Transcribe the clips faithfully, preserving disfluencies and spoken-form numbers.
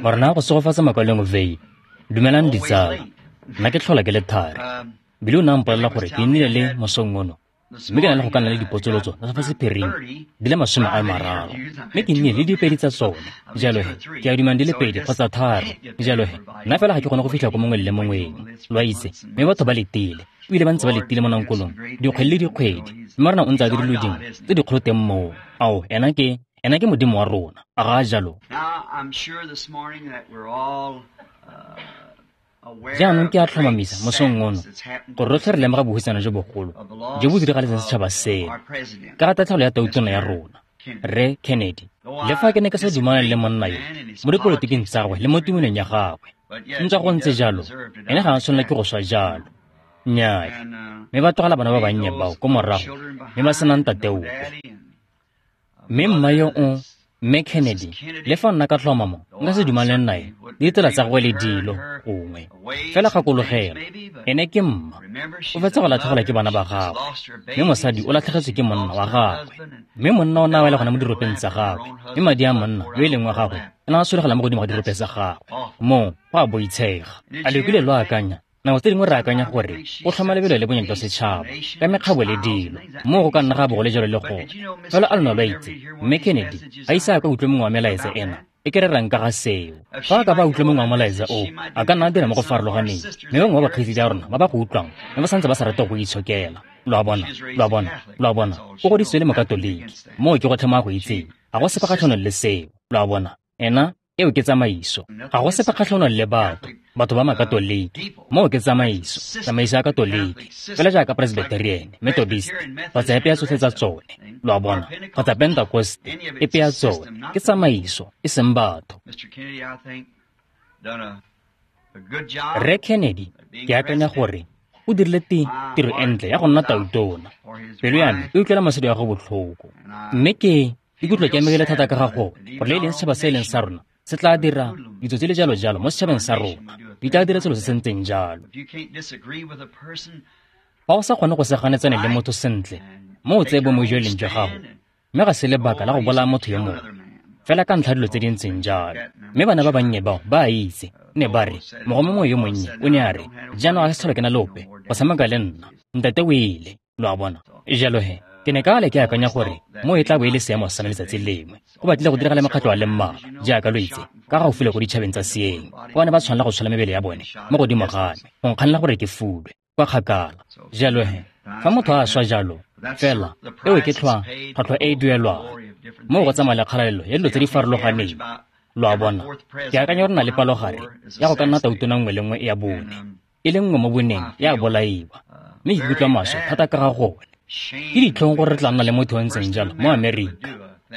Morena go segofatsa makwaleng vei. Dumelang ditsala. Nna ke tlhola ke le thari. Bile o ne a mpolelela gore ke nnile le mosong ono. Mme ke na le go ka nna le dipotsolotso tsa fa sephiring di le masome a mararo. Mme ke nnile le dipedi tsa tsone. Jalo he, ke a dumang di le pedi kgotsa tharo. Jalo he, nna fela ga ke kgone go fitlha ko mongwe le mongweng. Lo a itse, mme batho ba letile. Ebile ba ntse ba letile mo nankolong dikgwedi le dikgwedi. Mme Morena o ntse a dirile dingwe tse dikgolo teng moo. Ao, ena ke ena ke Modimo wa rona. A ga a jalo? Jaanong ke a tlhomamisa mosong ono gore rotlhe re lemoga bohutsana jo bogolo jo bo diragaletseng setšhaba seno ka ga tatlhegelo ya tautona ya rona, Rre Kennedy. Le fa ke ne ke sa dumalane le monna yo mo dipolotiking tsa gagwe le mo tumelong ya gagwe, ntswa go ntse jalo, ene ga a tshwanela ke go swa jalo. Nnyaa, mme ba tlogela bana ba bannye bao ko morago mme ba sena ntate ope. Mme mma yo o, Mme Kennedy, le fa nna ka tlhomamo nka se dumalane nae le ditsela tsa gagwe le dilo gongwe, fela gakologelwa, ene ke mma. O fetsa go latlhegelwa ke bana ba gagwe, mme mosadi o latlhegetswe ke monna wa gagwe. Mme monna o ne a wela gona mo diropeng tsa gagwe, mme madi a monna yo e leng wa gagwe a ne a solegela mo godimo ga dirope tsa gagwe. Moo go a boitshega. A le kile lo akanya? Nako tse dingwe re akanya gore go tlhoma lebelo le bonyane jwa setšhaba ka mekgabo le dilo, moo go ka nna ga bo go le jalo le gone. Fela a lona lo a itse, Mme Kennedy ga ise a ka utlwe mongwe wa melaetsa ena e ke rerang ka ga seo. Fa a ka ba utlwe mongwe wa molaetsa oo, a ka nna a dira mo go farologaneng, mme bangwe ba bakgweetsi ba rona ba ba go utlwang mme ba santse ba sa rate go itshokela. Lo a bona, lo a bona, lo a bona, o godisitswe le Mokatoliki, moo ke gotlhe mo a go itseng. Ga go sepe kgatlhanong le seo, lo a bona. Ena eo ke tsamaiso. Ga go sepe kgatlhanong le batho, batho ba Makatoliki. Moo ke tsamaiso, tsamaiso ya Katoliki. Fela jaaka Presbyterian, Methodist, kgotsa epe ya tsotlhe tsa tsone, lo a bona, kgotsa Pentecoste, epe ya tsone, ke tsamaiso, e seng batho. Rre Kennedy, ke akanya gore o dirile tiro e ntle ya go nna tautona. Pelo ya me e utlwela mosadi wa gagwe botlhoko. Mme ke ikutlwa ke amegile thata ka ga gone, gore le e leng setšhaba se e leng sa rona se tla dira ditsotsi le jalo jalo mo setšhabeng sa rona, di tla dira selo se se ntseng jalo. Fa o sa kgone go se ganetsane le motho sentle, mo o tseye bomo jo e leng jwa gago, mme ga se lebaka la go bolaya motho yo mongwe fela ka ntlha dilo tse di ntseng jalo. Mme bana ba bannye bao ba a itse, ne ba re mogo mongwe yo monnye o ne a re, jaanong ga se tlhole ke na le ope go tshameka le nna, ntate o ile. Lo a bona? Jalo he, ke ne ka le ke akanya gore mo e tla bo e le seemo sa me letsatsi lengwe. Go batlile go diragala mekgatlho a le mmalwa, jaaka lo itse, ka gaufi le ko ditšhabeng tsa seeng, kwa ne ba tshwanela go tshola mebele ya bone mo godimo ga me go nkganela gore ke fulwe kwa kgakala. Jalo he, fa motho a swa jalo, fela eo ke tlhwa tlhwatlhwa e e duelwang moo go tsamaya le kgalalelo ya dilo tse di farologaneng. Lo a bona? Ke akanya gore na le palogare ya go ka nna tautona nngwe le nngwe ya bone, e le nngwe mo boneng ya bolaiwa, mme ke ikutlwa maswe thata ka ga gone. Ke ditlhong gore re tla nna le motho o ntseng jalo mo Amerika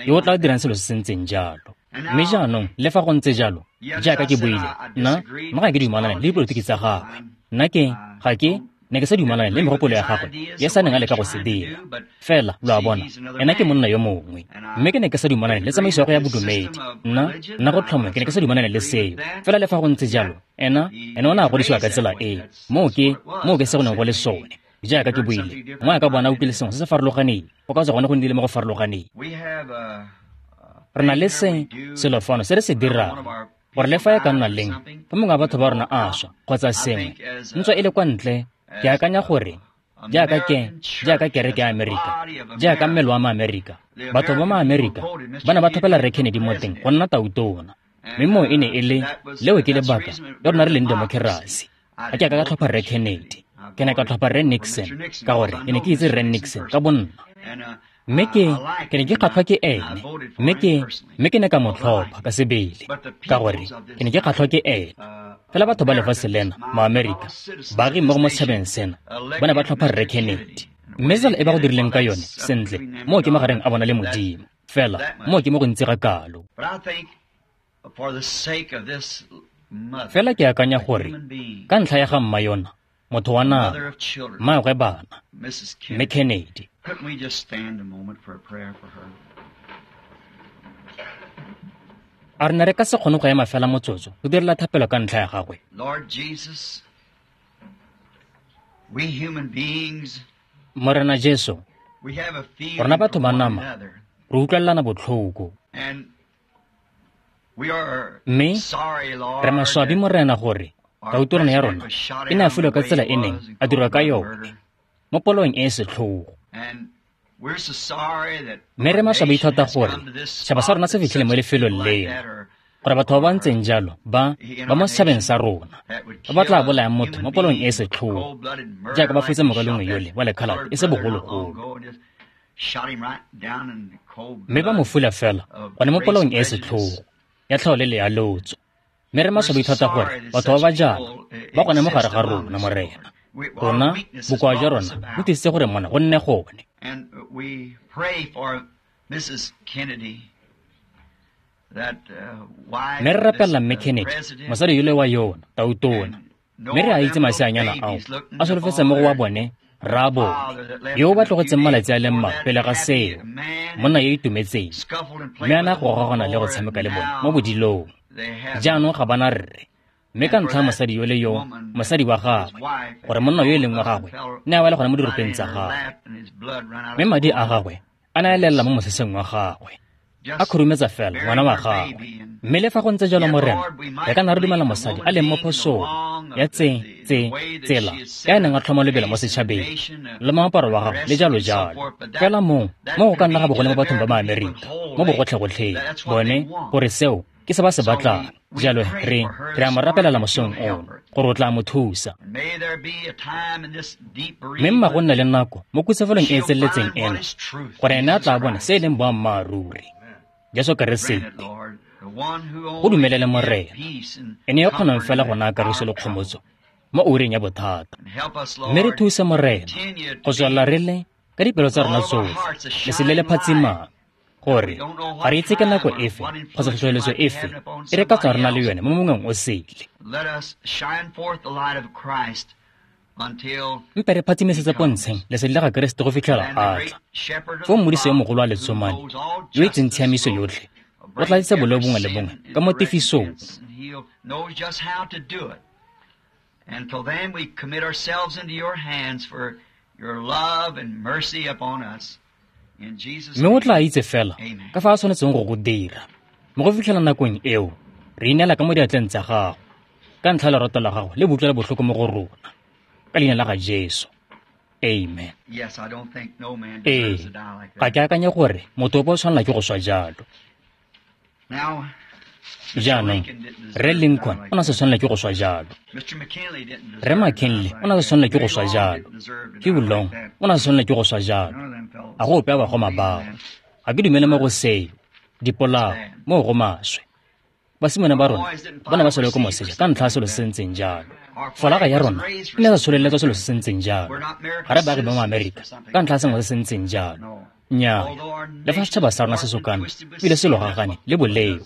yo o tla dirang selo se se ntseng jalo. Mme jaanong le fa go ntse jalo, jaaka ke buile, nna nna ga ke dumalane le dipolotiki tsa gagwe. Nna ke ga ke ne ke sa dumalane le megopolo ya gagwe ya sa neng a leka go se dira. Fela lo a bona, ena ke monna yo mongwe. Mme ke ne ke sa dumalane le tsamaiso ya go ya bodumedi. Nna nna go tlhoma ke ne ke sa dumalane le seo. Fela le fa go ntse jalo, ena ena o ne a godisiwa ka tsela e. Moo ke moo ke se go neng go le sone. Jaaka ke buile, mo a ka bona o utlwile sengwe se se farologaneng, go ka tswa gone go nnile mo go farologaneng. Re na le se selo fano se re se dirang, gore le fa e ka nna leng, fa mongwe wa batho ba rona a swa kgotsa sengwe, ntswa e le kwa ntle, ke akanya gore jaaka ke jaaka kereke ya Amerika, jaaka mmele wa Maamerika, batho ba Maamerika ba ne ba tlhophela Rre Kennedy mo teng go nna tautona. Mme moo e ne e le leo ke lebaka le rona re leng demokerasi. Ga ke a ka ka tlhopha Rre Kennedy, ke ne ka tlhopha Rre Nixon ka gore ke ne ke itse Rre Nixon ka bonna. Mme ke ke ne ke kgatlhwa ke ene, mme ke mme ke ne ka mo tlhopha ka sebele ka gore ke ne ke kgatlhwa ke ene. Fela batho ba lefatshe lena, Maamerika, baagi mmogo mo setšhabeng sena, ba ne ba tlhopha Rre Kennedy. Mme tsela e ba go dirileng ka yone, sentle, moo ke magareng a bona le Modimo. Fela moo ke mo go ntsi ga kalo. Fela ke akanya gore ka ntlha ya ga mma yona, motho wa nama, mmaagwe bana, Mme Kennedy, a re ne re ka se kgone go ema fela motsotso go direla thapelo ka ntlha ya gagwe? Morena Jesu, rona batho ba nama re utlwelelana botlhoko. Mme re maswabi Morena gore tautorona ya rona e ne a filwe ka tsela e neng a dirwa ka yone mo polong e e setlhogo. Mme re maswabi thata gore setšhaba sa rona se fitlhile mo lefelong leno, gore batho ba ba ntseng jalo ba ba mo setšhabeng sa rona ba ba tla bolayang motho mo polong e e setlhogo jaaka ba fetsa mokalengwe yole wa lekhalate e se bogologolo. Mme ba mo fula fela gone mo polong e e setlhogo ya tlhaolele ya lotso. Mme re maswabi thata gore batho ba ba jalo ba gone mo gare ga rona, Morena. Rona bokoa jwa rona bo tlisitse gore mona go nne gone. Mme re rapelela Mme Kennedy, mosadi yole wa yona, tautona. Mme re a itse maseanyana ao a solofetse mo go wa bone rraabone yo o ba tlogetseng malatsi a le mmalwa pele ga seo, monna yo itumetseng, mme a na go gogagana le go tshameka le bone mo bodilong. Jaanong ga bana rre, mme ka ntlha ya mosadi yole yo, mosadi wa gagwe, gore monna yo e leng wa gagwe ne a wela gone mo diropeng tsa gagwe, mme madi a gagwe a ne a lelela mo moseseng wa gagwe, a khurumetsa fela ngwana wa gagwe. Mme le fa go ntse jalo, Morena, re ka nna re dumela mosadi a leng mo phosong ya tse tse tsela ya a neng a tlhoma lebelo mo setšhabeng le moaparo wa gagwe le jalo jalo. Fela moo mo go ka nna ga bogole mo bathong ba Maamerika mo bogotlhegotlheng bone gore seo ke se ba se batlang. Jalo re re a mo rapelela mosong ono gore o tla mo thusa. Mme mma go nna le nako mo khutsafalong e e tseneletseng eno gore ene a tla bona se e leng boammaaruri, Jesu Keresete. Go dumelele Morena, ene yo kgonang fela go naya kagiso le kgomotso mo oureng ya bothata. Mme re thuse Morena go tswelela re le ka dipelo tsa rona tsotlhe lesedi le le phatsimang, gore ga re itse ke nako efe kgotsa tlhotlheletso efe e re ka tswa re na le yone mo mongweng o sele. Mpe re phatsimisetse pontsheng lesedi la ga Keresete go fitlhela a tla. Foo modise yo mogolo wa letsomane yo itseng tshiamiso yotlhe o tla tlisa boleo bongwe le bongwe ka mo tefisong. Mme o tla itse fela ka fa a tshwanetseng go go dira. Mo go fitlhela nakong eo, re ineela ka mo diatleng tsa gago ka ntlha ya lerato la gago le boutlwela botlhoko mo go rona. Ka leina la ga Jesu. Amen. Ee, ga ke akanye gore motho ope o tshwanela ke go swa jalo. Jaanong, Rre Lincoln o ne a sa tshwanela ke go swa jalo. Rre McKinley o ne a sa tshwanela ke go swa jalo. Hugh Long o ne a sa tshwanela ke go swa jalo. A go ope a bagoma bao. Ga ke dumele mo go seo. Dipolao, moo go maswe. Basimane ba rona ba ne ba swele ko moseja ka ntlha ya selo se se ntseng jalo. Folaga ya rona e ne sa tsholeletswa selo se se ntseng jalo. Ga re baagi ba mo Amerika ka ntlha ya sengwe se se ntseng jalo. Nnyaa, le fa setšhaba sa rona se sokame ebile se logagane le boleo.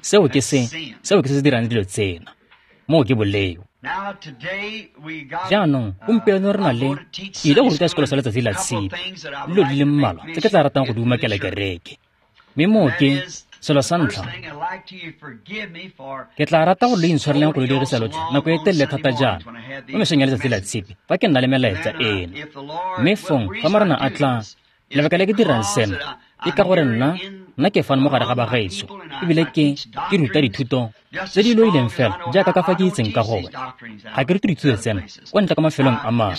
Seo ke se seo ke se se dirang dilo tsena. Moo ke boleo. Jaanong gompieno re na le ke ile go ruta sekolo sa letsatsi la tshipi le dilo di le mmalwa tse ke tla ratang go di umakela kereke. Mme moo ke selo sa ntlha, ke tla rata gore lo intshwareleng go lo dirisa lotlhe nako e telele thata jaana mo mesong ya letsatsi la tshipi fa ke nna le melaetsa eno. Mme fong fa Morena a tla, lebaka le ke dirang sena ke ka gore nna nna ke fano mo gare ga bagaetsho ebile ke ke ruta dithuto tse di loileng fela jaaka ka fa ke itseng ka gone. Ga ke rute dithuto tsena kwa ntle ka mafelong a mangwe.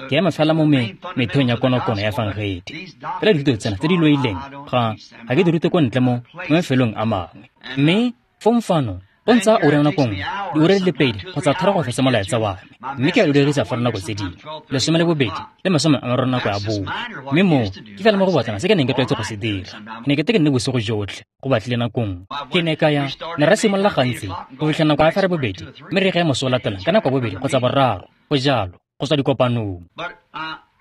Ke ema fela mo metheong ya konokono ya efangedi. Fela dithuto tsena tse di loileng ga ga ke di rute kwa ntle mo mo mafelong a mangwe. Mme fong fano go ntsaya ura nako nngwe, diura di le pedi kgotsa tharo go fetsa molaetsa wa me, mme ke a lo dirisa fa nako tse dingwe lesome le bobedi le masome a mararo nako ya bongwe. Mme moo ke fela mo go batlana se ke neng ke tlwaetse go se dira. Ke ne ke te ke nne bosigo jotlhe go batlile nako nngwe. Ke ne ka ya ne ra simolola gantsi go fitlha nako ya fa re bobedi, mme re ge moso o latelang ka nako ya bobedi kgotsa boraro, go jalo go tswa dikopanong.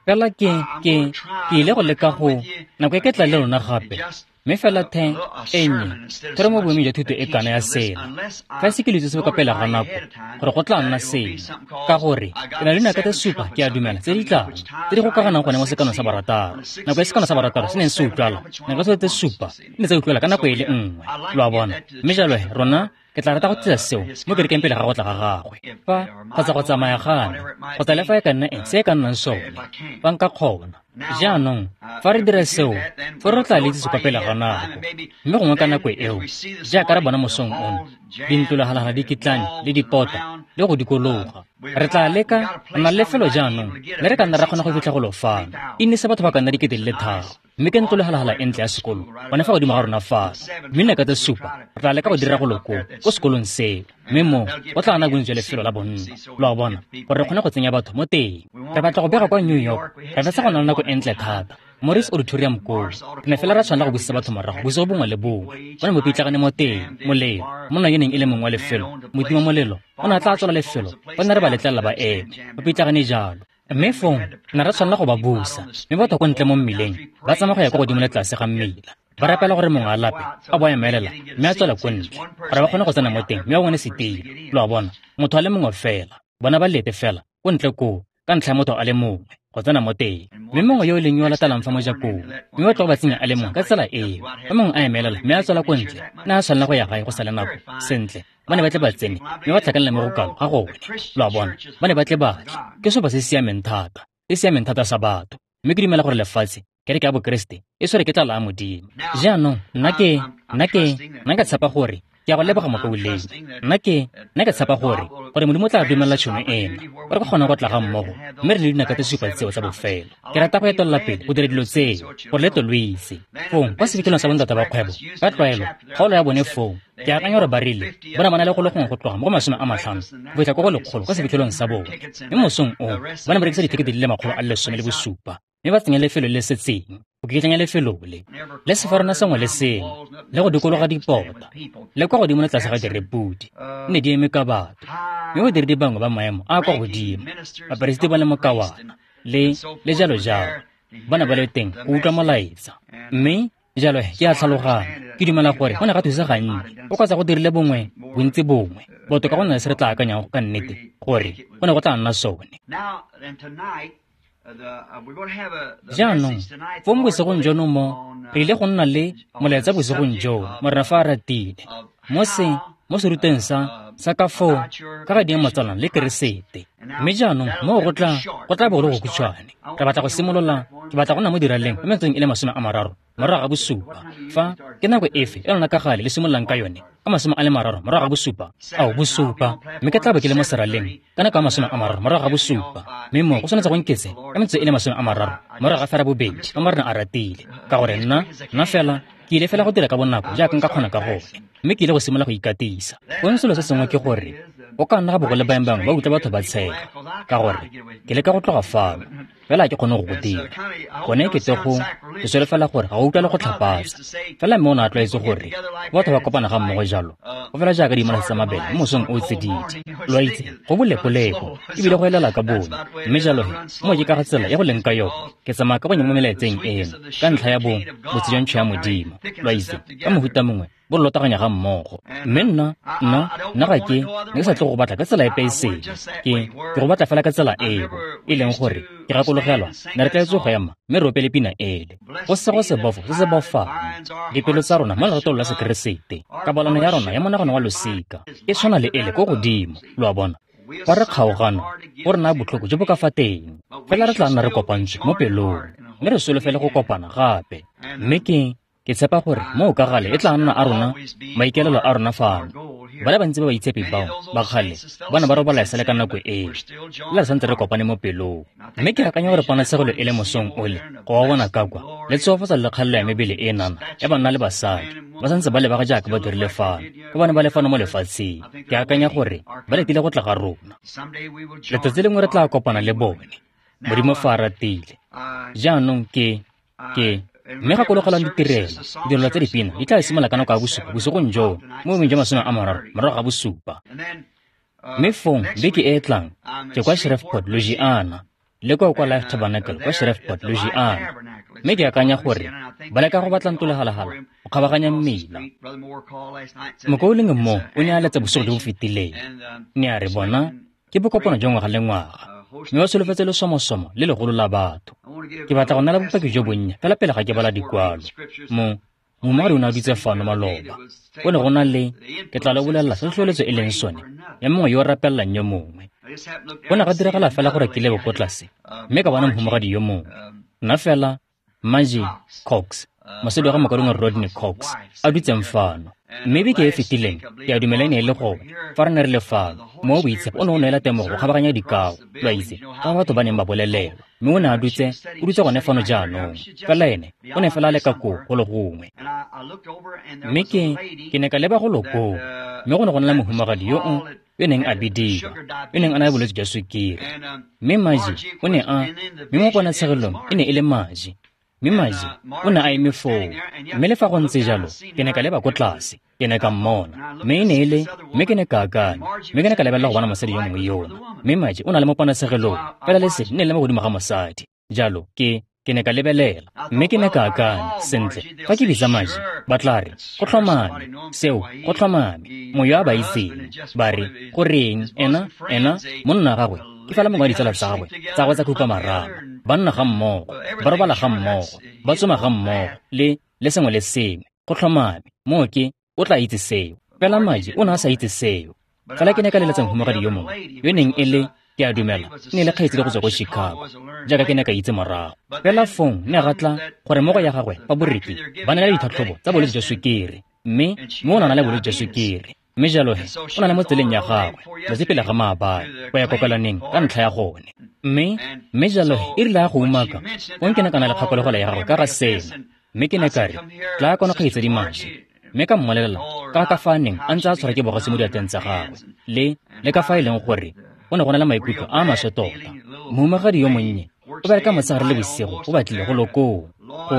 Fela ke ke ke ile go leka go nako e ke tla le lona gape. Mme fela the e nnye thero mo boemong jwa thuto e kana ya sena. Fa e se ke lo itse ka pele ga nako gore go tla nna sena, ka gore ke na le dinaka tse supa ke a dumela tse di tlang tse di gokaganang gone mo sekanong sa barataro. Nako e sekano sa barataro se neng se utlwala, nako tse supa di ne tsa utlwala ka nako e le nngwe, lo a bona. Mme jalo he rona Ke tla rata go tlisa seo mo kerekeng pele ga go tla ga gagwe. Fa kgotsa go tsamaya ga me, kgotsa le fa e ka nna eng se e ka nnang sone, fa nka kgona. Jaanong, fa re dira seo, fa re tla le itsise kwa pele ga nako. Mme gongwe ka nako eo, jaaka re bona mosong ono, dintlolagalaga di kitlane le dipota le go dikologa. Re tla leka, re na le lefelo jaanong, mme re ka nna ra kgona go fitlha golo fano. E nnise batho ba ka nna dikete di le tharo, mme ke ntlolagalaga e ntle ya sekolo, gone fa godimo ga rona fano. Mme naka tse supa, re tla leka go dira golo koo, ko sekolong seo. Mme moo, go tla nna bontsi jwa lefelo la bonno, lo a bona, gore re kgone go tsenya batho mo teng. Re batla go bega kwa New York, re fetsa go nna le nako e ntle thata. Morris Auditorium koo, re ne fela ra tshwanela go busetsa batho morago bosigo bongwe le bongwe. Ba ne bo pitlagane mo teng, molelo. Monna yo neng e le mongwe wa lefelo, motima molelo, o ne a tla tswala lefelo, ba ne re ba letlelela ba eme, ba pitlagane jalo. Mme fong, ne ra tshwanela go ba busa, mme batho ko ntle mo mmileng, ba tsamaya go ya kwa godimo le tlase ga mmila. Ba rapela gore mongwe a lape, a bo a emelela, mme a tswela ko ntle, gore ba kgone go tsena mo teng, mme ba bone setilo. Lo a bona, motho a le mongwe fela, bona ba lete fela, ko ntle koo, ka ntlha ya motho a le mongwe, go tsena mo teng. Mme mongwe yo e leng yo a latelang fa mojakong, mme ba tlo go ba tsenya a le mongwe ka tsela eo. Fa mongwe a emelela, mme a tswela ko ntle, ne a tshwanela go ya gae go sa le nako. Sentle, ba ne ba tle ba tsene, mme ba tlhakanela mo go kalo ga gone. Lo a bona, ba ne ba tle ba tle. Ke seopa se se siameng thata, se siameng thata sa batho. Mme ke dumela gore lefatshe, kereke ya Bokeresete, e tshwere ke tlala ya Modimo. Jaanong, nna ke, nna ke, nna ke tshepa gore, ke a go leboga mokaulengwe. Nna ke, nna ke tshepa gore, gore Modimo o tla dumela tšhono ena, gore re kgone go tla ga mmogo, mme re le dinaka tse supa tseo tsa bofelo. Ke rata go etelela pele go dira dilo tseo, gore le tlo lo itse. Fong, kwa sefitlhelong sa bontata ba kgwebo, ka tlwaelo, kgaolo ya bone foo, ke akanya gore ba rile, ba ne ba na le go le gongwe go tloga mo go masome a matlhano, go fitlha kwa go lekgolo kwa sefitlhelong sa bone. Mme mosong oo, ba ne ba rekisa dithekete di le makgolo a le lesome le bosupa, mme ba tsenya lefelo le le setseng, go kitlanya lefelo le, le sefarona sengwe le sengwe, le go dikologa dipota, le kwa godimo le tlase ga direpodi, ne di eme ka batho. Mme badiredi bangwe ba maemo a a kwa godimo, baperesiti ba le mokawana, le, le jalo jalo, ba ne ba le teng go utlwa molaetsa. Mme jalo ke a tlhaloganya, ke dumela gore go ne ga thusa gantsi, go kgotsa go dirile bongwe, bontsi bongwe, botoka go nna le se re tla akanyang ka nnete, gore go ne go tla nna sone. Jaanong, fong bosigong jono mo, re ile go nna le molaetsa bosigong joo, Morena fa a ratile, mo se, mo seruteng sa, sa ka foo, ka ga diemo tsalang le Keresete. Mme jaanong, moo go tla, go tla bo go le go khutshwane. Re batla go simolola, ke batla go nna mo diraleng mo metsotsong e le masome a mararo, morago ga bosupa. Fa, ke nako efe e lona ka gale le simololang ka yone, ka masome a le mararo morago ga bosupa? Ao, bosupa. Mme ke tla bo ke le mo seraleng ka nako ya masome a mararo morago ga bosupa. Mme moo go tshwanetse go nketse ka metsotso e le masome a mararo morago ga fera bobedi, fa Morena a ratile. Ka gore nna, nna fela, ke ile fela go dira ka bonako jaaka nka kgona ka gone, mme ke ile go simolola go ikatisa. Gongwe selo se sengwe ke gore, go ka nna ga bo go le baeng bangwe ba utlwa batho ba tshega, ka gore ke leka go tloga fano, fela ha ke kgone go go dira. Gone ke te go, ke solofela gore ga o utlwa le go tlhapatsa. Fela mme o ne a tlwaetse gore, batho ba kopana ga mmogo jalo, go fela jaaka dimalase tsa mabele mo mosong o o tsididi. Lo a itse, go bolekoleko, ebile go elela ka bone. Mme jalo he, mo ke ka ga tsela e go leng ka yone, ke tsamaya ka bonye mo melaetseng eno, ka ntlha ya bo botse jwa ntšho ya Modimo. Lo a itse, ka mohuta mongwe, bo lotaganya ga mmogo. Mme nna, nna, nna ga ke, ne ke sa tle go batla ka tsela epe e sele. Ke, ke go batla fela ka tsela eo, e leng gore, ke gakologelwa, ne re tlwaetse go ema, mme re opele pina ele. Go sego sebofo se se bofang dipelo tsa rona mo leratong la Sekeresete, kabalano ya rona ya monagano wa losika e tshwana le ele ko godimo. Lo a bona, fa re kgaogana, go re naya botlhoko jo bo ka fa teng, fela re tla nna re kopantswe mo pelong, mme re solofele go kopana gape. Mme ke, ke tshepa gore moo ka gale e tla nna a rona, maikaelelo a rona fano. Ba le bantsi ba baitshepi bao ba kgale ba ne ba robala esale ka nako eo, le re santse re kopane mo pelong. Mme ke akanya gore ponatshegelo e le mosong ole, go ba bona ka kwa, le tshegofatsa le kgalelo ya mebele e nana ya banna le basadi, ba santse ba lebega jaaka ba dirile fano, ba bane ba le fano mo lefatsheng. Ke akanya gore ba letile go tla ga rona. Letsatsi lengwe re tla kopana le bone, Modimo fa a ratile. Jaanong ke, ke, mme gakologelang ditirelo, ditirelo tsa dipina di tla simolola ka nako ya bosupa bosigong joo, mo boemeng jwa masome a mararo morago ga bosupa. Mme fong beke e e tlang, ke kwa Shreveport, Louisiana, le kwa kwa Life Tabernacle kwa Shreveport, Louisiana. Mme ke akanya gore ba leka go batla ntlolegalagala go kgabaganya mmila. Mokaulengwe mo o ne a letsa bosigo jo bo fetileng, ne a re bona ke bokopano jwa ngwaga le ngwaga, mme ba solofetse lesomosomo le legolo la batho. Ke batla go neela bopaki jo bonnye fela pele ga ke bala dikwalo. Mo, Mohumagadi o ne a dutse fano maloba. Go ne go na le, ke tla le bolelela se tlhotlheletso e leng sone, ya mongwe yo o rapelelang yo mongwe. Go ne ga diragala fela gore ke lebe ko tlase, mme ka bona mohumagadi yo mongwe. Nna fela, Margie Cox, mosadi wa ga mokaulengwe Rodney Cox, a dutseng fano. Mme beke e fetileng, ke a dumela e ne e le gone, fa re ne re le fano, Mowa o Boitshepo o ne o neela temogo go kgabaganya dikao, lo a itse, ka batho ba neng ba bolelelwa. Mme o ne a dutse, o dutse gone fano jaanong. Fela ene, o ne fela a le ka koo go le gongwe. Mme ke, ke ne ka leba golo koo, mme go ne go na le mohumagadi yo o, yo neng a bidiwa, yo neng a na le bolwetse jwa sukiri. Mme Margie o ne a, mme mo ponatshegelong e ne e le Margie. Mme Margie o ne a eme foo. Mme le fa go ntse jalo, ke ne ka leba ko tlase, ke ne ka mmona. Mme e ne e le, mme ke ne ka akanya, mme ke ne ka lebelela go bona mosadi yo mongwe yona. Mme Margie o na le mo ponatshegelong, fela lesedi ne le mo godimo ga mosadi. Jalo, ke, ke ne ka lebelela, mme ke ne ka akanya, sentle, fa ke bitsa Margie, ba tla re, go tlhomame, seo, go tlhomame, moyo a ba itseng, ba re, goreng, ena, ena, monna gagwe, ke fela mongwe wa ditsala tsa gagwe, tsa gagwe tsa khupamarama, ba nna ga mmogo, ba robala ga mmogo, ba tsoma ga mmogo, le, le sengwe le sengwe, go tlhomame, moo ke, o tla itse seo. Fela Margie o ne a sa itse seo. Fela ke ne ka leletsa mohumagadi yo mongwe, yo neng e le, ke a dumela, e ne e le kgaitsedi go tswa ko Chicago, jaaka ke ne ka itse morago. Fela fong ne ga tla gore mo go ya gagwe ba boreki ba ne le ditlhatlhobo tsa bolwetse jwa sukiri, mme mme o ne a na le bolwetse jwa sukiri. Mme jalo he, o na le mo tseleng ya gagwe, letsatsi pele ga maabane, go ya kokelaneng ka ntlha ya gone. Mme, mme jalo he, e rile a go umaka, fong ke ne ka na le kgakologelo ya gagwe ka ga sena. Mme ke ne ka re, tla kwano kgaitsedi Margie. Mme ka mmolelela ka ka fa a neng a ntse a tshwarwa ke bogosi mo diatleng tsa gagwe, le, le ka fa e leng gore go ne go na le maikutlo a maswe tota. Mohumagadi yo monnye o bereka motshegare le bosigo o batlile go lo koo, go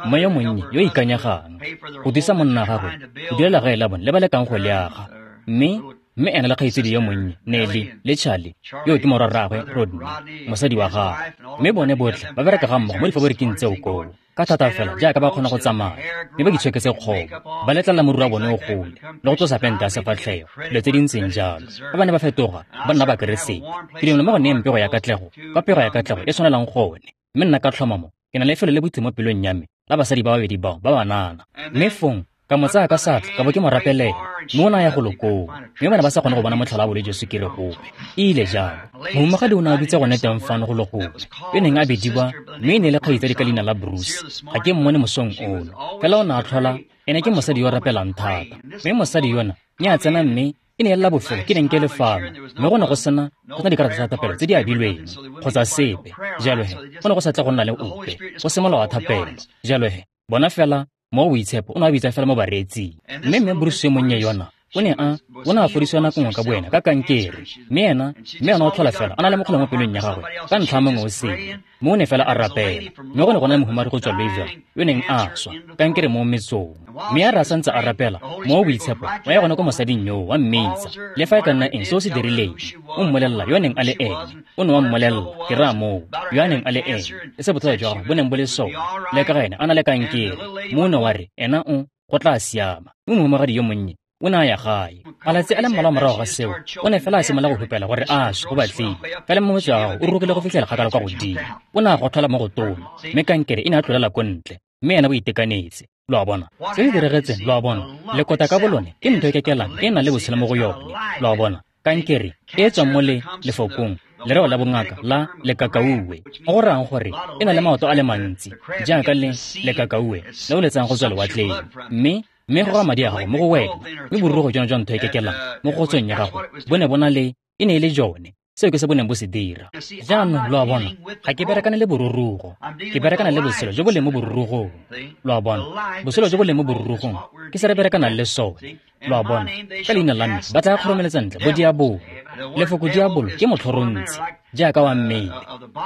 mme yo monnye yo ikanyegang, go thusa monna gagwe go direla gae la bone le ba lekang go le aga. Mme, mme ena le kgaitsedi yo monnye, Nelly le Charlie, yo ke morwarraagwe Rodney, mosadi wa gagwe. Mme bone botlhe ba bereka ga mmogo mo difaboriking tseo koo, ka thata fela jaaka ba kgona go tsamaya, mme ba itshoketse kgobo, ba letlelela moriri wa bone o gole, le go tlosa pente ya sefatlhego, dilo tse di ntseng jalo. Fa ba ne ba fetoga, ba nna Bakeresete. Ke dumela mo go neyeng pego ya katlego, ka pego ya katlego e tshwanelang gone. Mme nna ka tlhomamo, ke na le lefelo le boitse mo pelong ya me, la basadi ba babedi bao ba banana. Mme fong, ka mo tsaya ka seatla, ka bo ke mo rapelela, mme o ne a ya golo koo, mme ba ne ba sa kgone go bona motlhala wa bolwetse jwa sukiri gope. E ile jalo. Mohumagadi o ne a dutse gone teng fano golo gongwe, yo neng a bidiwa, mme e ne e le kgaitsadi ka leina la Bruce. Ga ke mmone mosong ono, fela o ne a tlhola, ene ke mosadi yo o rapelang thata. Mme mosadi yona, ne a tsena mme e ne e le la bofelo ke neng ke le fano, mme go ne go sena, go sena dikarata tsa thapelo tse di abilweng, kgotsa sepe. Jalo he, go ne go sa tle go nna le ope, go se molao wa thapelo. Jalo he, bona fela, Mowa o Boitshepo o ne a bitsa fela mo bareetsing. Mme mme Bruce yo monnye yona, o ne a, o ne a fodisiwa nako nngwe ka boena ka kankere. Mme ena, mme ena o tlhola fela a na le mokgole mo pelong ya gagwe ka ntlha ya mongwe o sele. Mme o ne fela a rapela. Mme go ne go na le mohumagadi go tswa Louisville, yo neng a swa, kankere mo metsong. Mme a re a santse a rapela, Mowa o Boitshepo wa ya gone ko mosading yoo, wa mmitsa. Le fa e ka nna eng se o se dirileng, o mmolelela yo neng a le ene. O ne wa mmolelela, ke raya moo, yo a neng a le ene, le se bothata jwa gagwe bo neng bo le sone, le ka ga ene a na le kankere. Mme o ne wa re, ena o, go tla siama. Mme mohumagadi yo monnye o ne a ya gae. Malatsi a le mmalwa morago ga seo, o ne fela a simolola go hupela gore a swe go batlile. Fela mmotso wa gagwe o rurugile go fitlhela kgakala kwa godimo. O ne a gotlhola mo go tona, mme kankere e ne a tlolela ko ntle, mme ena o itekanetse. Lo a bona? Se se diragetseng, lo a bona? Lekota ka bolone ke ntho e kekelang e nang le botshelo mo go yone. Lo a bona? Kankere e e tswang mo le lefokong, lereo la bongaka la lekakauwe, mo go rayang gore e na le maoto a le mantsi, jaaka le lekakauwe le o letsang go tswa lewatleng. Mme mme go ga madi a gago mo go wena, mme borurugo jona jwa ntho e kekelang mo go tsweng ya gago bo ne bo na le, e ne e le jone. Seo ke se bo neng bo se dira. Jaanong lo a bona, ga ke berekane le borurugo, ke berekana le botshelo jo bo leng mo borurugong. Lo a bona, botshelo jo bo leng mo borurugong ke se re berekanang le sone. Lo a bona, ka leina la me ba tla kgoromeletsa ntle bo diabolo. Lefoko diabolo ke motlhorontsi, jaaka wa mmele,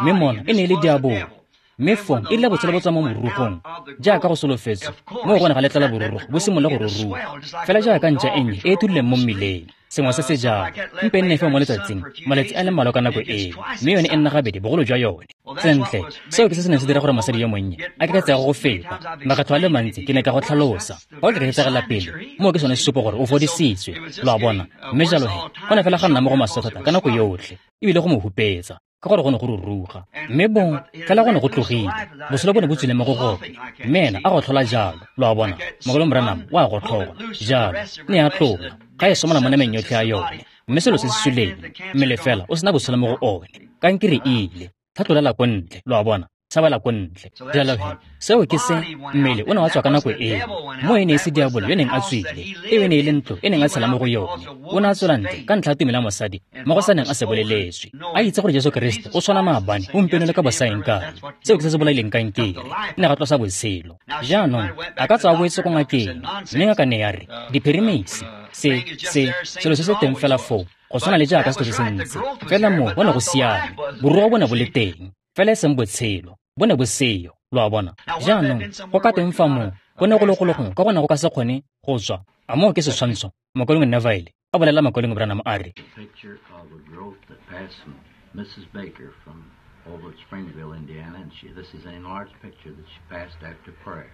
mme mona e ne e le diabolo. Mme fong e rile botshelo bo tswa mo morurugong, jaaka go solofetswe, mo go ne ga letlela borurugo bo simolola go ruruga, fela jaaka ntša e nnye e e thudileng mo mmileng. Sengwe se se jalo, mpe nne feo mo letsatsing, malatsi a le mmalwa ka nako eo, mme yone e nna gabedi bogolo jwa yone. Sentle, seo ke se se neng se dira gore mosadi yo monnye a keketsege go feta. Makgetho a le mantsi ke ne ka go tlhalosa. Fa o keketsegela pele, moo ke sone sesupo gore o fodisitswe, lo a bona. Mme jalo he, go ne fela ga nna mo go maswe thata ka nako yotlhe, ebile go mo hupetsa. ka gore go ne go ruruga. Mme bo, fela go ne go tlogile, botshelo bo ne bo tswile mo go gone. Mme ena a gotlhola jalo, lo a bona, Mokaulengwe Branham o a gotlhola, jalo, ne a tlola, ga e somola mo nameng yotlhe ya yone. Mme selo se se suleng, mmele fela o sena botshelo mo go one. Kankere e ile, tlhatlolela ko ntle, lo a bona, tshabela ko ntle. Jalo he, seo ke se mmele o ne wa tswa ka nako eo. Mo e ne e se diabolo yo neng a tswile, eo e ne e le ntlo e neng a tshela mo go yone. O ne a tswela ntle ka ntlha ya tumelo ya mosadi mo go sa neng a se boleletswe. A itse gore Jesu Keresete o tshwana maabane, gompieno le ka bosaeng kae. Seo ke se se bolaileng kankere, ne ga tlosa botshelo. Jaanong a ka tswa a boetse ko ngakeng, mme ngaka ne ya re, diphirimisi, se, se, selo se se teng fela foo, go tshwana le jaaka setho se se ntsi. Fela moo bo ne go siame, borugo bo ne bo le teng, fela e seng botshelo, bo ne bo seyo, lo a bona. Jaanong, go ka teng fa moo, go ne go le go le gongwe ka go ne go ka se kgone go tswa. A moo ke setshwantsho, Mokaulengwe Neville a bolela Mokaulengwe Branham a re, Picture of a growth that passed from Missus Baker from over at Springville, Indiana, and she, this is an enlarged picture that she passed after prayer.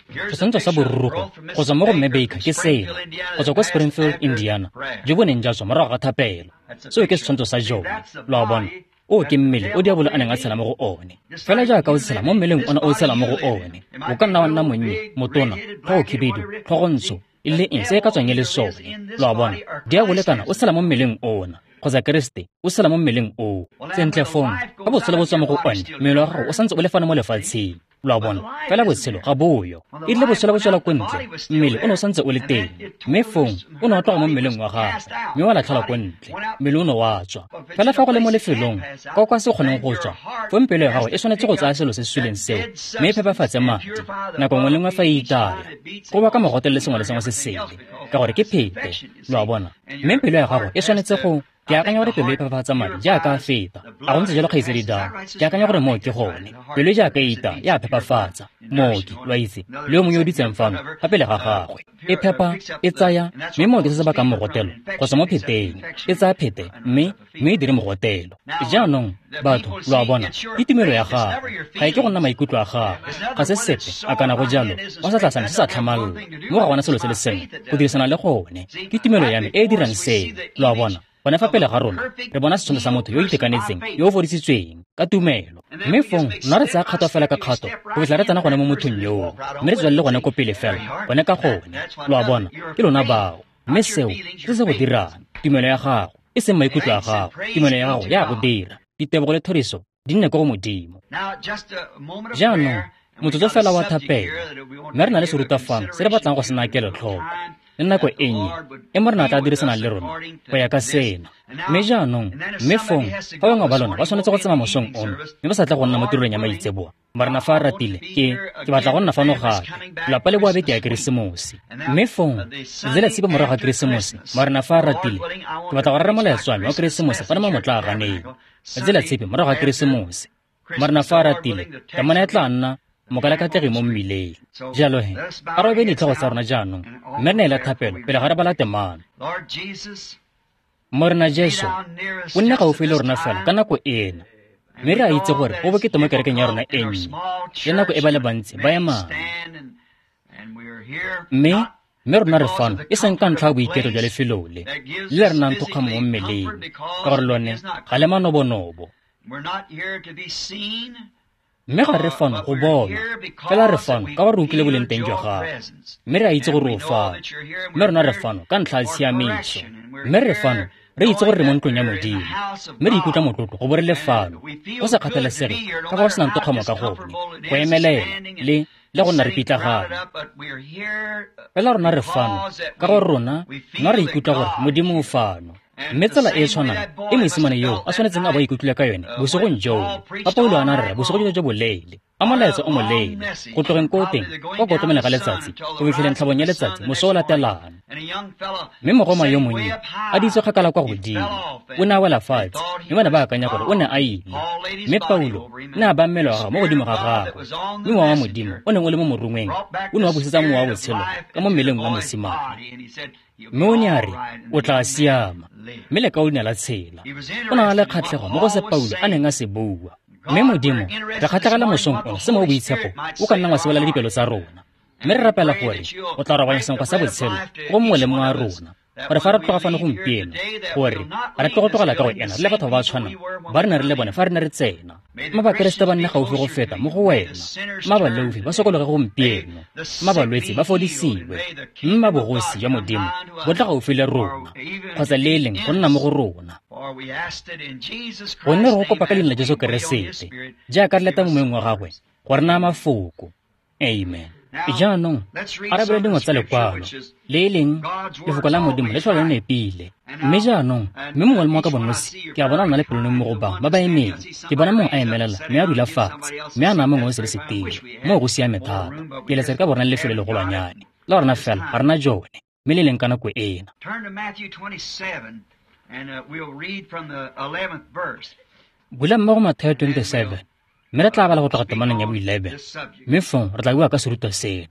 Setshwantsho sa borurugo go tswa mo go Mme Baker ke sena, go tswa ko Springfield, Indiana, jo bo neng jwa tswa morago ga thapelo. Seo ke setshwantsho sa jone, lo a bona. O ke mmele o diabolo a neng a tshela mo go one. Fela jaaka o tshela mo mmeleng ona o tshela mo go one, o ka nna wa nna monnye, motona, tlhogo khibidu, tlhogo ntsho, e le eng se e ka tswang e le sone, lo a bona. Diabolo kana o tshela mo mmeleng ona, kgotsa Keresete o tshela mo mmeleng oo. Sentle fong, fa botshelo bo tswa mo go one, mmele wa gago o santse o le fano mo lefatsheng, lo a bona. Fela botshelo ga boyo. E rile botshelo bo tswela ko ntle, mmele o ne o santse o le teng, mme fong o ne wa tloga mo mmeleng wa gagwe, mme wa latlhelwa ko ntle, mmele o ne wa tswa. Fela fa go le mo lefelong kwa o ka se kgoneng go tswa, fong pelo ya gago e tshwanetse go tsaya selo se se suleng seo, mme e phepafatse madi nako nngwe le nngwe fa e itaya, go baka mogote le sengwe le sengwe se sele, ka gore ke phete, lo a bona. Mme pelo ya gago e tshwanetse go, ke akanya gore pelo e phepafatsa madi jaaka a feta. A go ntse jalo, kgaitsedi Dang? Ke akanya gore moo ke gone. Pelo jaaka e ita e a phepafatsa. Mooki, lo a itse, le yo mongwe yo o dutseng fano fa pele ga gagwe. E phepa, e tsaya, mme moo ke se se bakang mogotelo go tswa mo pheteng. E tsaya phete, mme mme e dire mogotelo. Jaanong, batho, lo a bona, ke tumelo ya gago. Ga e ke go nna maikutlo a gago. Ga se sepe, a kana go jalo, go sa tlasana se sa tlhamallo. Mo ga gona selo se le sengwe, go dirisana le gone. Ke tumelo ya me e e dirang seo, lo a bona. Gone fa pele ga rona, re bona setshwantsho sa motho yo o itekanetseng, yo o fodisitsweng ka tumelo. Mme fong, nna re tsaya kgato fela ka kgato, go fitlha re tsena gone mo mothong yoo, mme re tswelele gone ko pele fela, gone ka gone, lo a bona, ke lona bao. Mme seo ke se se go dirang, tumelo ya gago, e seng maikutlo a gago, tumelo ya gago ya go dira. Ditebogo le thoriso di nne ko go Modimo. Jaanong, motsotso fela wa thapelo, mme re na le serutwa fano se re batlang go se naya kelotlhoko, le nako e nnye e Morena a tla dirisanang le rona go ya ka sena. Mme jaanong, mme fong, fa bangwe ba lona ba tshwanetse go tsamaya mosong ono, mme ba sa tle go nna mo tirelong ya maitseboa, Morena fa a ratile, ke ke batla go nna fano gape, lelapa le boa beke ya Keresemose. Mme fong, letsatsi la tshipi morago ga Keresemose, Morena fa a ratile, ke batla go rera molaetsa wa me wa Keresemose fano mo motlaaganeng. Letsatsi la tshipi morago ga Keresemose, Morena fa a ratile, temana e tla nna mokalakatlegi mo mmileng. Jalo he, a re obeng ditlhogo tsa rona jaanong, mme re neela thapelo pele ga re bala temana. Morena Jesu, o nne gaufi le rona fela ka nako ena, mme re a itse gore go bokete mo kerekeng ya rona e nnye, le nako e ba le bantsi ba emang. Mme mme rona re fano e seng ka ntlha ya boiketlo jwa lefelo le, le le re nang thokgamo mo mmeleng, ka gore lone ga le manobonobo. Mme ga re fano go bonwa, fela re fano ka gore re utlwile boleng teng jwa gago, mme re a itse gore o fano. Mme rona re fano ka ntlha ya tshiamiso, mme re fano re itse gore re mo ntlong ya Modimo, mme re ikutlwa motlotlo go bo re le fano, go sa kgathalesege ka fa go senang tokgamo ka gone, go emelela le le go nna re pitlagana. Fela rona re fano ka gore rona nna re ikutlwa gore Modimo o fano. Mme tsela e e tshwanang e mosimane yoo a tshwanetseng a bo a ikutlwile ka yone bosigong joo, fa Paulo a ne a rera bosigo jo jo boleele, a molaetsa o moleele, go tlogeng ko teng kwa kotlomeng ga letsatsi go fitlheleng tlhabong ya letsatsi moso o latelang. Mme mogoma yo monnye a ditse kgakala kwa godimo, o ne a wela fatshe, mme ba ne ba akanya gore o ne a ile. Mme Paulo ne a baya mmele wa gagwe mo godimo ga gagwe, mme mowa wa Modimo o neng o le mo morongweng o ne wa busetsa mowa wa botshelo ka mo mmeleng wa mosimane. Mme o ne a re, o tla siama, mme lekau le ne la tshela. O ne a le kgatlhego mo go se Paulo a neng a se bua. Mme Modimo, re kgatlhegela mosong ono se mo boitshepo o ka nnang wa se bolela dipelo tsa rona. Mme re rapela gore o tla robanya senkgwa sa botshelo go mongwe le mongwe wa rona, gore fa re tloga fano gompieno, gore re tlo go tlogela ka go ena le batho ba ba tshwanang ba re ne re le bone fa re ne re tsena. Mma Bakeresete ba nne gaufi go feta mo go wena. Mma baleofi ba sokologe gompieno. Mma balwetse ba fodisiwe. Mma bogosi jwa Modimo bo tla gaufi le rona, kgotsa le e leng go nna mo go rona. Gonne re go kopa ka leina la Jesu Keresete, jaaka re leta mo moeng wa gagwe go re naya mafoko. Amen. Jaanong a re bale dingwe tsa lekwalo, le e leng lefoko la Modimo le tlhola le nepile. Mme jaanong, mme mongwe le mongwe ka bonosi, ke a bona o na le pelonong mo go bangwe ba ba emeng. Ke bona mongwe a emelela mme a dula fatshe, mme a naya mongwe o sele setilo. Moo go siame thata. Ke eletsa re ka bona lefelo le legolwanyane la rona, fela ga rena jone, mme le leng ka nako ena. Bula mmogo Mathayo twenty-seven, mme re tla bala go tloga temaneng ya bo eleven, mme fong re tla bua ka serutwa seno.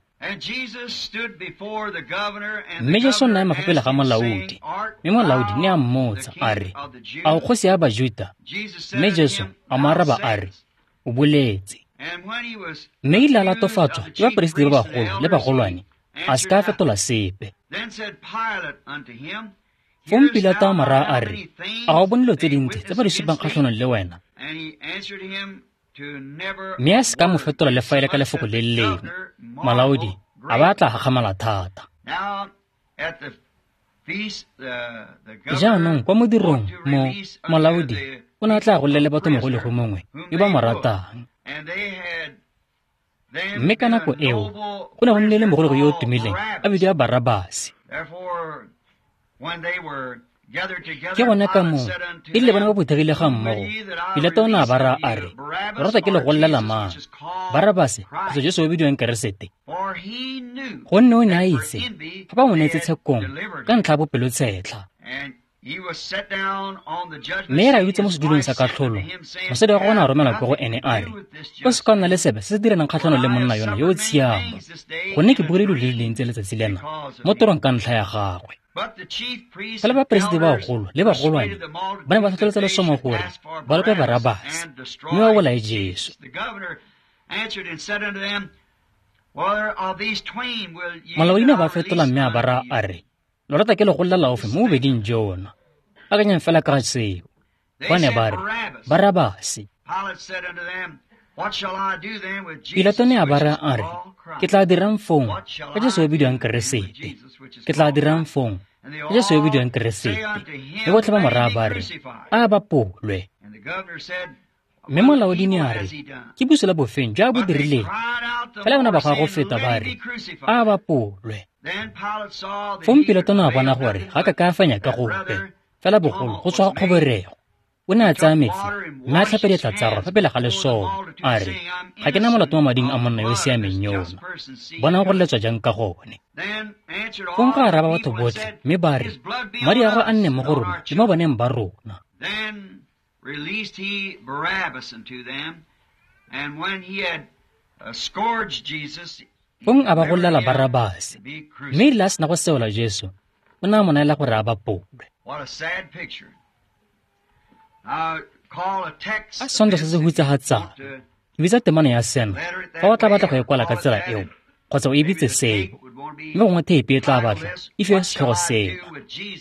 Mme Jesu o ne a ema fa pele ga molaodi, mme molaodi ne a mmotsa a re, a o kgosi ya Bajuta? Mme Jesu a mo araba a re, o boletse. Mme ile a latofatswa ke baperesiti ba bagolo le bagolwane, a se ka a fetola sepe. Fong Pilato a mo raya a re, a ga o bone dilo tse dintsi tse ba di supang kgatlhanong le wena? Mme a se ka mo fetola le fa e le ka lefoko le le lengwe. Molaodi a ba tla gakgamala thata. Jaanong kwa modirong mo molaodi o ne a tla golela le batho mogolego mongwe yo ba mo ratang. Mme ka nako eo go ne go nnile le mogolego yo o tumileng a bidiwa Barabase. Ke gone ka moo e rile bana ba phuthegile ga mmogo, Pilato o ne a ba raya a re, lo rata ke le golelela mang, Barabase kgotsa Jesu yo o bidiwang Keresete? Gonne o ne a itse fa ba mo neetse tshekong ka ntlha ya bopelotshetlha. Mme e re a dutse mo sedulong sa katlholo, mosadi wa gagwe o ne a romela kwa go ene a re, o se ka nna le sepe se se direlang kgatlhanong le monna yona yo o tshiamo, gonne ke buile dilo di le dintsi letsatsi lena mo torong ka ntlha ya gagwe. Fela baperesiti ba bagolo le bagolwane ba ne ba tlhotlheletsa lesomo gore ba lope Barabase mme ba bolaye Jesu. Molaodi ne a ba fetola mme a ba raya a re, lo rata ke le golela ofe mo bobeding jona? Akanyang fela ka ga seo. Ba ne ba re, Barabase. Pilato ne a ba raya a re, ke tla dirang fong ka Jesu yo bidiwang Keresete? Ke tla dirang fong ka Jesu yo bidiwang Keresete? Mme botlhe ba mo raya ba re, a bapolwe. Mme molaodi ne a re, ke bosula bofeng jo a bo dirileng? Fela bona ba goa go feta ba re, a bapolwe. Fong Pilato ne a bona gore ga ka ka a fenya ka gope, fela bogolo go tswa kgoborego. O ne a tsaya metsi mme a tlhape diatla tsa gagwe fa pele ga lesole, a re, ga ke na molato mo mading a monna yo o siameng yona. Bonang gore le tswa jang ka gone. Fong ga araba batho botlhe mme ba re, madi a gagwe a nne mo go rona le mo baneng ba rona. Fong a ba golela Barabase, mme e rile a sena go seola Jesu, o ne a mo neela gore a bapolwe. A setshwantsho se se hutsafatsang. Ke bitsa temana ya seno fa o tla batla go e kwala ka tsela eo, kgotsa o e bitse seo, mme gongwe theipi e tla batla e fiwe setlhogo seo,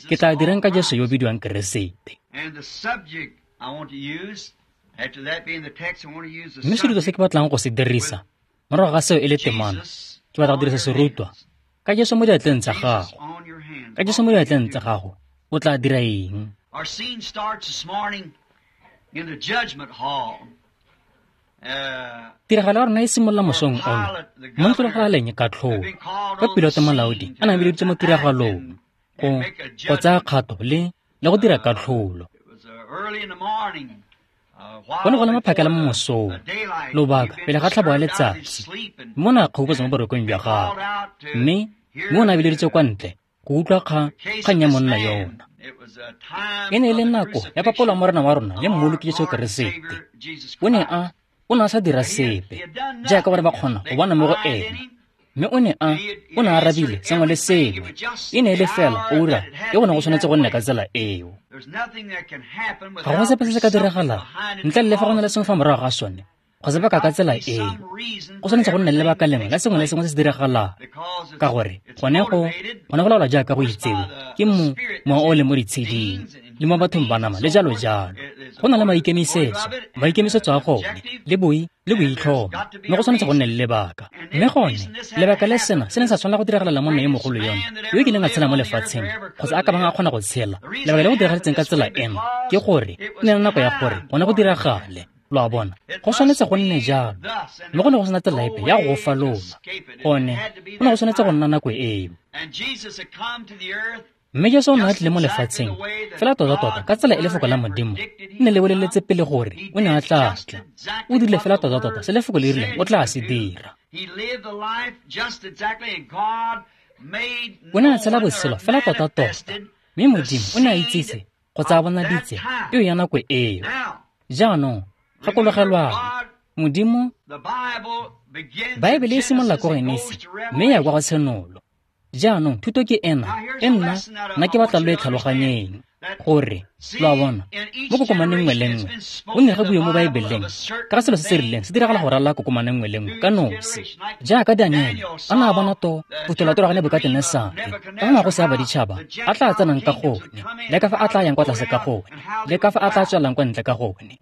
ke tla dirang ka Jesu yo o bidiwang Keresete. Mme serutwa se ke batlang go se dirisa morago ga seo e le temana, ke batla go dirisa serutwa ka Jesu mo diatleng tsa gago. Ka Jesu mo diatleng tsa gago, o tla dira eng? Our scene starts this morning in the judgment hall. Tiragalo ya rona e simolola mosong ono mo ntlolagalaleng katlholo, ka Pilato molaodi a ne a bileditswe mo tiragalong go go tsaya kgato le le go dira katlholo. Go ne go le maphakela mo mosong, lobaka pele ga tlhabo ya letsatsi, mme o ne a kgoboketsa mo borokong jwa gagwe, mme mme o ne a bileditswe kwa ntle go utlwa kgang kgang ya monna yona. E ne e le nako ya papolo ya Morena wa rona le Mmoloki Jesu Keresete. O ne a o ne a sa dira sepe jaaka ba ne ba kgona go bona mo go ena, mme o ne a o ne a arabile sengwe le sengwe. E ne e le fela ura e go ne go tshwanetse go nne ka tsela eo. Ga go sepe se se ka diragalang ntle le fa go na le sengwe fa morago ga sone Kgotsa baka ka tsela eo. Go tshwanetse go nna le lebaka lengwe la sengwe le sengwe se se diragalang. Ka gore gone go gone go laolwa jaaka go itsewe ke mo mowa o leng mo ditsheding le mo bathong ba nama le jalo jalo. Go na le maikemisetso, maikemisetso a gone le boi le boitlhomo, mme go tshwanetse go nne le lebaka. Mme gone lebaka le sena se ne sa tshwanela go diragalela monna yo mogolo yona yo kileng a tshela mo lefatsheng kgotsa a ka bang a kgona go tshela. Lebaka le go diragaletseng ka tsela eno ke gore e ne le nako ya gore gone go diragale. Lo a bona, go tshwanetse go nne jalo, mme go ne go sena tsela epe ya go falola. Gone go ne go tshwanetse go nna nako eo. Mme Jesu o ne a tlile mo lefatsheng fela tota-tota ka tsela e lefoko la Modimo le ne le boleletse pele gore o ne a tla tla. O dirile fela tota-tota se lefoko le rileng o tla se dira. O ne a tshela botshelo fela tota-tota, mme Modimo o ne a itsise kgotsa a bonaditse peo ya nako eo. Jaanong gakologelwang, Modimo, Baebele e simolola ko Genesi mme ya kwa go Tshenolo. Jaanong thuto ke ena e nna nna ke batla lo e tlhaloganyeng gore lo a bona mo kokomaneng nngwe le nngwe go ne ga bue mo Baebeleng ka ga selo se se rileng se diragala go ralala kokomane nngwe le nngwe ka nosi. Jaaka Daniele a ne a bona to phutholwa ga Nebukatenesare ka ga magosi a baditšhaba a tla tsenang ka gone le ka fa a tla yang kwa tlase ka gone le ka fa a tla tswelang kwa ntle ka gone.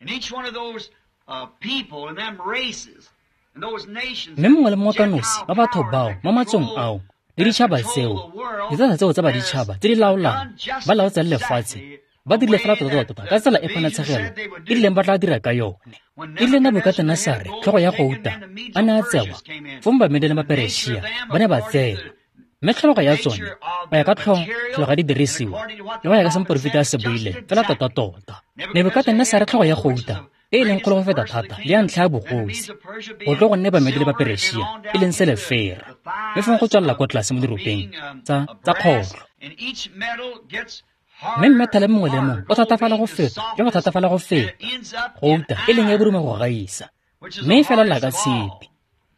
Mme mongwe le mongwe ka nosi ba batho bao mo matsong ao le ditšhaba tseo, ditsala tseo tsa baditšhaba tse di laolang ba laotsang lefatshe ba dirile fela tota-tota ka tsela e ponatshegelo e rileng ba tla dira ka yone. E rile Nebukatenesare tlhogo ya gouta a ne a tsewa, fong Bamede le Baperešia ba ne ba tsewa. Mme tlhologo ya tsone go ya ka tlhologo ya didirisiwa le go ya ka se moporofeta a se buileng fela tota-tota. Nebukatenesare tlhogo ya gouta e e leng kgolo go feta thata le ya ntlha ya bogosi go tlo go nne Bamede le Baperešia e leng selefera, mme fong go tswelela kwa tlase mo diropeng tsa tsa kgotlho. Mme mmethale mongwe le mongwe o thatafala go feta le go thatafala go feta, gouta e leng e borume go gaisa, mme e felela ka tshipi,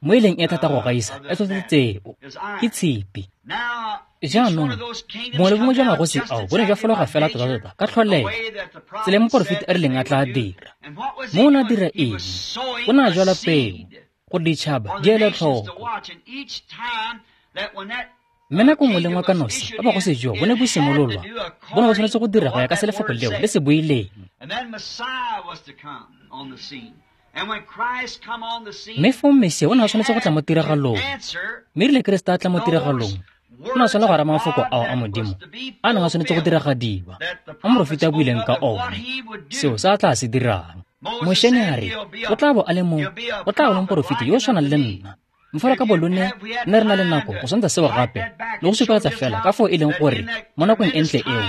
mo e leng e thata go gaisa e tsotlhe tseo ke tshipi. Jaanong bongwe le bongwe jwa magosi ao bo ne jwa fologa fela tota-tota ka tlholego tsela e moporofeti a rileng a tla dira. Mo o ne a dira eng? O ne a jwala peo gore ditšhaba di ele tlhoko. Mme nako nngwe le nngwe ka nosi ba bogosi joo bo ne bo simololwa, bo ne bo tshwanetse go dira go ya ka se lefoko leo le se buileng. Mme fong Mesia o ne a tshwanetse go tla mo tiragalong, mme erile Keresete a tla mo tiragalong, o ne a tshwanela go araba mafoko ao a Modimo a neng a tshwanetse go diragadiwa, a moporofeti a buileng ka one, seo se a tla se dirang. Moše ne a re o tla bo a le mo, o tla bo le moporofeti yo o tshwanang le nna. Mfolo ka bolone nne re na le nako go tshwantsha seo gape le go supegetsa fela ka foo e leng gore mo nakong e ntle eo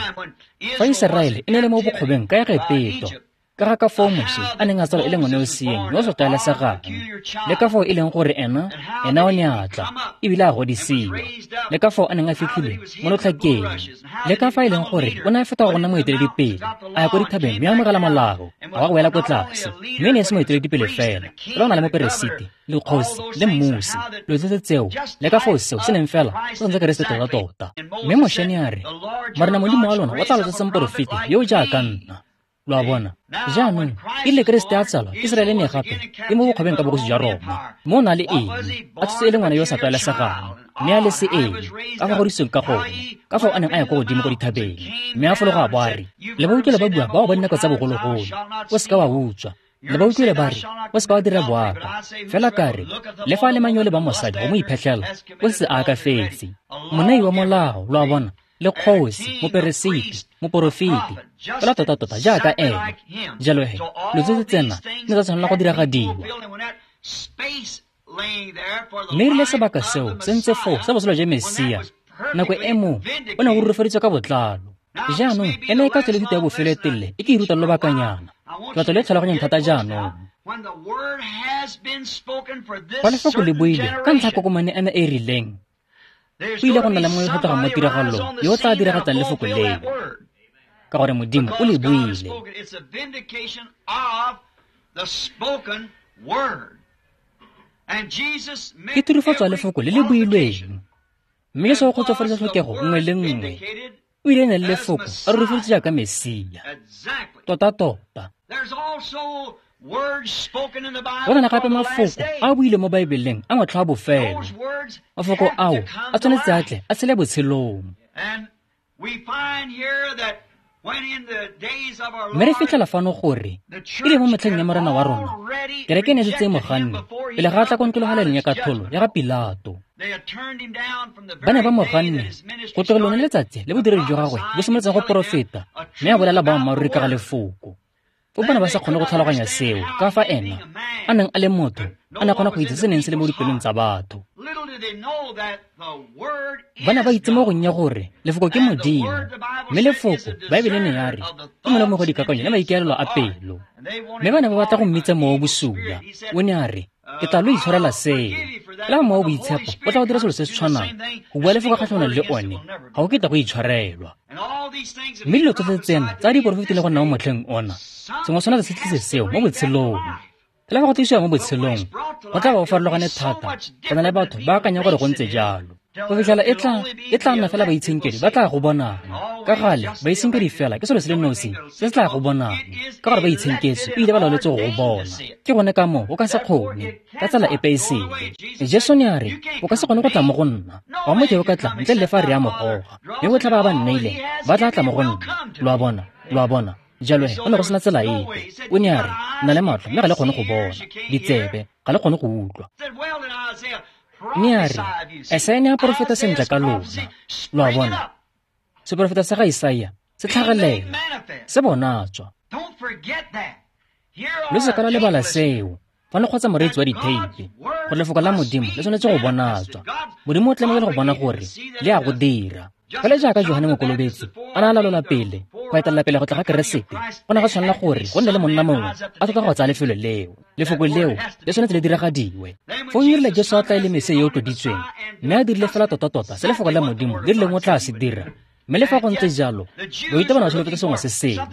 fa Iseraele e ne le mo bokgobeng ka Egepeto, ka ga ka foo Moše a neng a tsalwa e le ngwana yo seeng yo o sa tlwaelesegang, le ka foo e leng gore ena ena o ne a tla ebile a godisiwa, le ka foo a neng a fitlhilwe mo lotlhakeng, le ka fa e leng gore o ne a feta go nna moeteledipele a ya ko dithabeng mme a amogela molao a wa go wela ko tlase. Mme e ne e se moeteledipele fela, fela o na le moperesiti le kgosi le mmusi, dilo tsotlhe tseo le ka foo seo se neng fela se tshwanetse Keresete tota-tota. Mme Moše ne a re, Morena Modimo wa lona o tla lo tsosa moporofeti yo o jaaka nna. Lo a bona? Jaanong e rile Keresete a tsalwa, Iseraele ne gape e mo bokgobeng ka bogosi jwa Roma. Mme o na le eng? A tshotse e le ngwana yo o sa tlwaelesegang, mme a le se eng ka fa godisweng ka gone, ka foo a neng a ya kwa godimo ko dithabeng, mme a fologa a bo a re, le ba utlwile ba bua bao ba dinako tsa bogologolo, o seka wa utswa. Le ba utlwile ba re, o seka wa dira boaka. Fela ka re, le fa a le mang yo o lebang mosadi go mo iphetlhela, o se a akafetse. Monei wa molao, lo a bona, le kgosi, moperesiti, moporofeti, fela tota-tota jaaka ene. Jalo he, dilo tsotlhe tsena di ne tsa tshwanela go diragadiwa. Mme erile sebaka seo se ntse foo sa botshelo jwa Mesia, nako e mo o ne go rurifaditswe ka botlalo. Jaanong ena e ka tswa le thuto ya bofelo e telele e ke e rutang lobakanyana. Ke batla lo e tlhaloganyeng thata jaanong. Fa lefoko le buile ka ntlha ya kokomane ena e e rileng, go ile go nna le mongwe yo o tlhokegang mo tiragalong yo o tla diragatsang lefoko leo, ka gore Modimo o le buile. Ke tirifatso ya lefoko le le builweng, mme Jesu o kgotsofaditse tlhokego nngwe le nngwe. O ile ne le lefoko a rurifaditswe jaaka Mesia tota-tota. Go na le gape mafoko a buile mo Baebeleng a motlha wa bofelo. Mafoko ao a tshwanetse a tle a tshele botshelong. Mme re fitlhela fano gore e le mo metlheng ya Morena wa rona, kereke e ne e setse e mo ganne pele ga a tla kwa ntlologalelong ya katlholo ya ga Pilato. Ba ne ba mo ganne go tloga lone letsatsi le bodiredi jwa gagwe bo simolotseng go porofeta mme a bolela boammaaruri ka ga lefoko. Foo ba ne ba sa kgone go tlhaloganya seo ka fa ena a neng a le motho a ne a kgona go itse se neng se le mo dipelong tsa batho. Ba ne ba itse mo gonnye gore lefoko ke Modimo, mme lefoko Baebele ne ya re ke molomo go dikakanyo le maikaelelo a pelo. Mme ba ne ba batla go mmitsa mowa o bosula. O ne a re, ke tla lo itshwarela seo. Fela mowa o boitshepo o tla go dira selo se se tshwanang, go bua lefoko kgatlhanong le one, ga o ketla go itshwarelwa. Mme dilo tsotlhe tsena tsa di porofetile go nna mo motlheng ona, sengwe sona se tlise seo mo botshelong. Fela fa go tlisiwa mo botshelong, go tla ba go farologane thata go na le batho ba akanyang gore go ntse jalo. Go fitlhela e tla e tla nna fela baitshenkedi ba tla go bonang. Ka gale baitshenkedi fela ke selo se le nosi se se tla go bonang, ka gore ba itshenketswe ebile ba laoletswe go go bona. Ke gone ka moo o ka se kgone ka tsela epe e sele. Jesu ne a re, o ka se kgone go tla mo go nna, ga motho yo o ka tla ntle le fa re a mo goga, mme botlhe ba ba nneileng ba tla tla mo go nna. Lo a bona, lo a bona. Jalo he, go ne go sena tsela epe. O ne a re, nna le matlho mme ga le kgone go bona, ditsebe ga le kgone go utlwa. Mme a re, Esaia ne a porofeta sentle ka lona. Lo a bona, seporofeta sa ga Isaia se tlhagelela, se bonatswa. Lo se ka la lebala seo fa le kgotsa moreetsi wa ditheipi, gore lefoko la Modimo le tshwanetse go bonatswa. Modimo o tlamehile go bona gore le a go dira. Fela jaaka Johane Mokolobetsi a ne a lalola pele go etelela pele go tla ga Keresete, go ne ga tshwanela gore go nne le monna mongwe a tlhoka go tsaya lefelo leo. Lefoko leo le tshwanetse le diragadiwe. Foo e rile Jesu a tla e le Mesia yo o tloditsweng, mme a dirile fela tota-tota se lefoko la Modimo le rileng o tla se dira. Mme le fa go ntse jalo, baithuti ba ne ba solofetse sengwe se sele,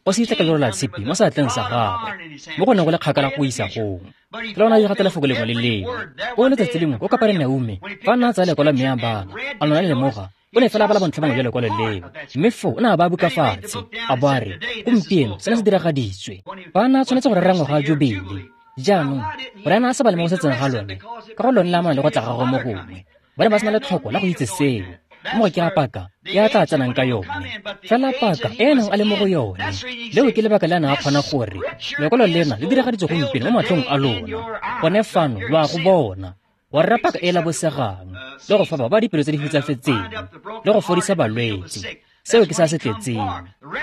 go se itse ka lero la tshipi mo seatleng sa gagwe, mo go neng go le kgakala go isa gong. Fela o ne a diragatsa lefoko lengwe le lengwe. O letsatsi lengwe ko Kaperenaume, fa a ne a tsaya lekwalo mme a bala, a lona le lemoga, o ne fela a bala bontlha bongwe jwa lekwalo leo, mme foo o ne a ba buka fatshe, a bo a re, gompieno sena se diragaditswe. Fa a ne a tshwanetse go rera ngwaga wa Jubile, jaanong gore a ne a sa bale mo go setseng ga lone, ka go lone le amana le go tla gagwe mo gongwe, ba ne ba sena letlhoko la go itse seo. Mo ke a paka e a tla tsenang ka yone, fela paka e a neng a le mo go yone. Leo ke lebaka le a neng a kgona gore lekwalo lena le diragaditswe gompieno mo matlhong a lona. Gone fano lo a go bona, wa rera paka e e labosegang, le go fa ba ba dipelo tse di hutsafetseng, le go fodisa balwetse. Seo ke se a se tletseng.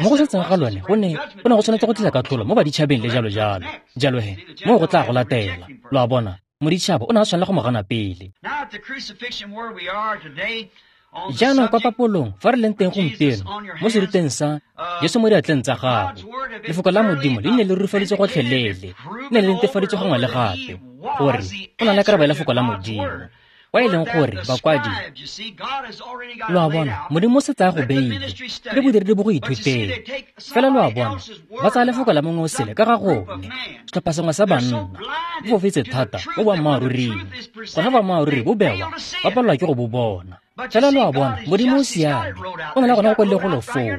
Mo go setseng ga lone go ne go ne go tshwanetse go tlisa katlholo mo baditšhabeng le jalo jalo. Jalo he, moo go tla go latela. Lo a bona, moditšhaba o ne a tshwanela go mo gana pele. Jaanong kwa papolong fa re leng teng gompieno mo seruteng sa Jesu mo diatleng tsa gago, lefoko la Modimo le ne le rurifaditswe gotlhelele, le ne le netefaditswe gangwe le gape gore o na le karabo ya lefoko la Modimo. Kwa e leng gore bakwadi, lo a bona, Modimo o setse a go beile le bodiredi bo go ithuteng. Fela lo a bona, ba tsaya lefoko la mongwe o sele ka ga gone. Setlhopha sengwe sa banna bo fofetse thata mo boammaaruring, gona boammaaruri bo bewa, ba palelwa ke go bo bona. Fela lo a bona, Modimo o siame, o na le gona go kwadile golo foo,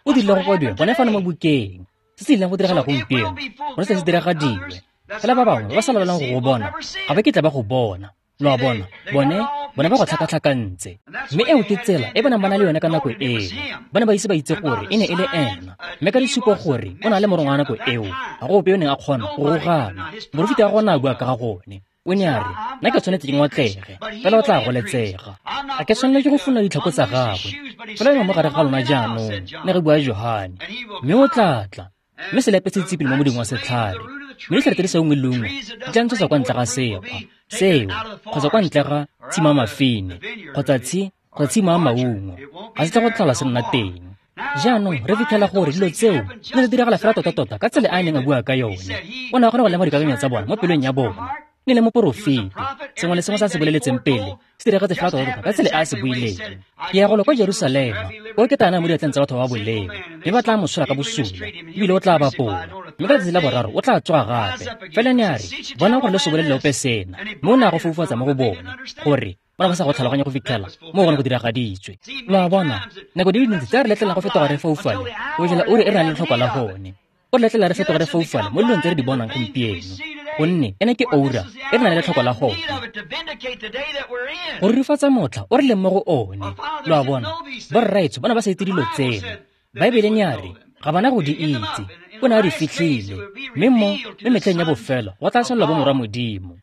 o dirile go kwadiwe gone fano mo bukeng. Se se ileng go diragala gompieno, gone se se diragadiwe. Fela ba bangwe ba sa laolang go go bona, ga ba kitla ba go bona. Lo a bona, bone bone ba go tlhakatlhakantse. Mme eo ke tsela e ba neng ba na le yone ka nako eo. Ba ne ba ise ba itse gore e ne e le ena, mme ka ditshupo gore o na le morongwa wa nako eo, ga go ope yo neng a kgona go rogana. Moporofeta wa gona a bua ka ga gone. O ne a re, nna ke tshwanetse ke ngotlege, fela o tla goletsega. Ga ke tshwanela ke go funa ditlhako tsa gagwe, fela yo mo gare ga lona jaanong, ne re bua Johane. Mme o tla tla, mme selepe se tsipile mo moding wa setlhare, mme ditlhare tse di sa ungwe lengwe di tla ntshetsa kwa ntle ga sekgwa seo, kgotsa kwa ntle ga tshimo ya mafine, kgotsa tshi kgotsa tshimo ya maungo, ga se tla go tlhola se nna teng. Jaanong re fitlhela gore dilo tseo di ne di diragala fela tota-tota ka tsela e a neng a bua ka yone. O ne a kgona go lemoga dikakanyo tsa bona mo pelong ya bona. Ne le moporofeti, sengwe le sengwe se a se boleletseng pele se diragetse fela tota-tota ka tsela e a se buileng. Ke ya golo kwa Jerusalema, o ke tana mo diatleng tsa batho ba boleo, mme ba tla mo tshola ka bosula, ebile o tla bapola, mme ka letsatsi la boraro o tla tsoga gape. Fela ne a re, bonang gore le se bolelele ope sena, mme o ne a go foufatsa mo go bona, gore ba ne ba sa go tlhaloganya go fitlhela mo go ne go diragaditswe. Lo a bona, nako di le dintsi tse re letlelang go fetoga re foufale, go fitlhela uri e re nang le letlhoko la gone. O re letlela re fetoge re foufale mo dilong tse re di bonang gompieno, gonne ena ke oura e re nang le letlhoko la gone go rurifatsa motlha o re leng mo go one. Lo a bona, borraetsho ba ne ba sa itse dilo tseno. Baebele ne ya re ga bana go di itse, o ne a di fitlhile, mme mo mo metlheng ya bofelo go tla senolwa bomorwa Modimo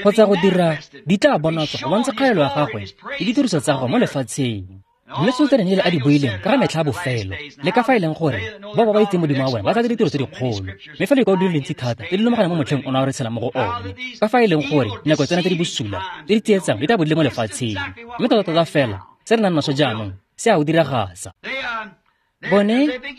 kgotsa go dira di tla bonatswa go bontsha kgaelo ya gagwe le ditiriso tsa gagwe mo lefatsheng. Mme tsotlhe Daniele a di buileng ka ga metlha ya bofelo, le ka fa e leng gore bao ba ba itseng Modimo wa bone ba tla dira ditiro tse dikgolo, mme fa lekwalo di le dintsi thata tse di lomagana mo motlheng ona o re tshelang mo go one, ka fa e leng gore dinako tsena tse di bosula tse di tsietsang di tla bo di le mo lefatsheng. Mme tota-tota fela se re nang naso jaanong se a o diragatsa. Bone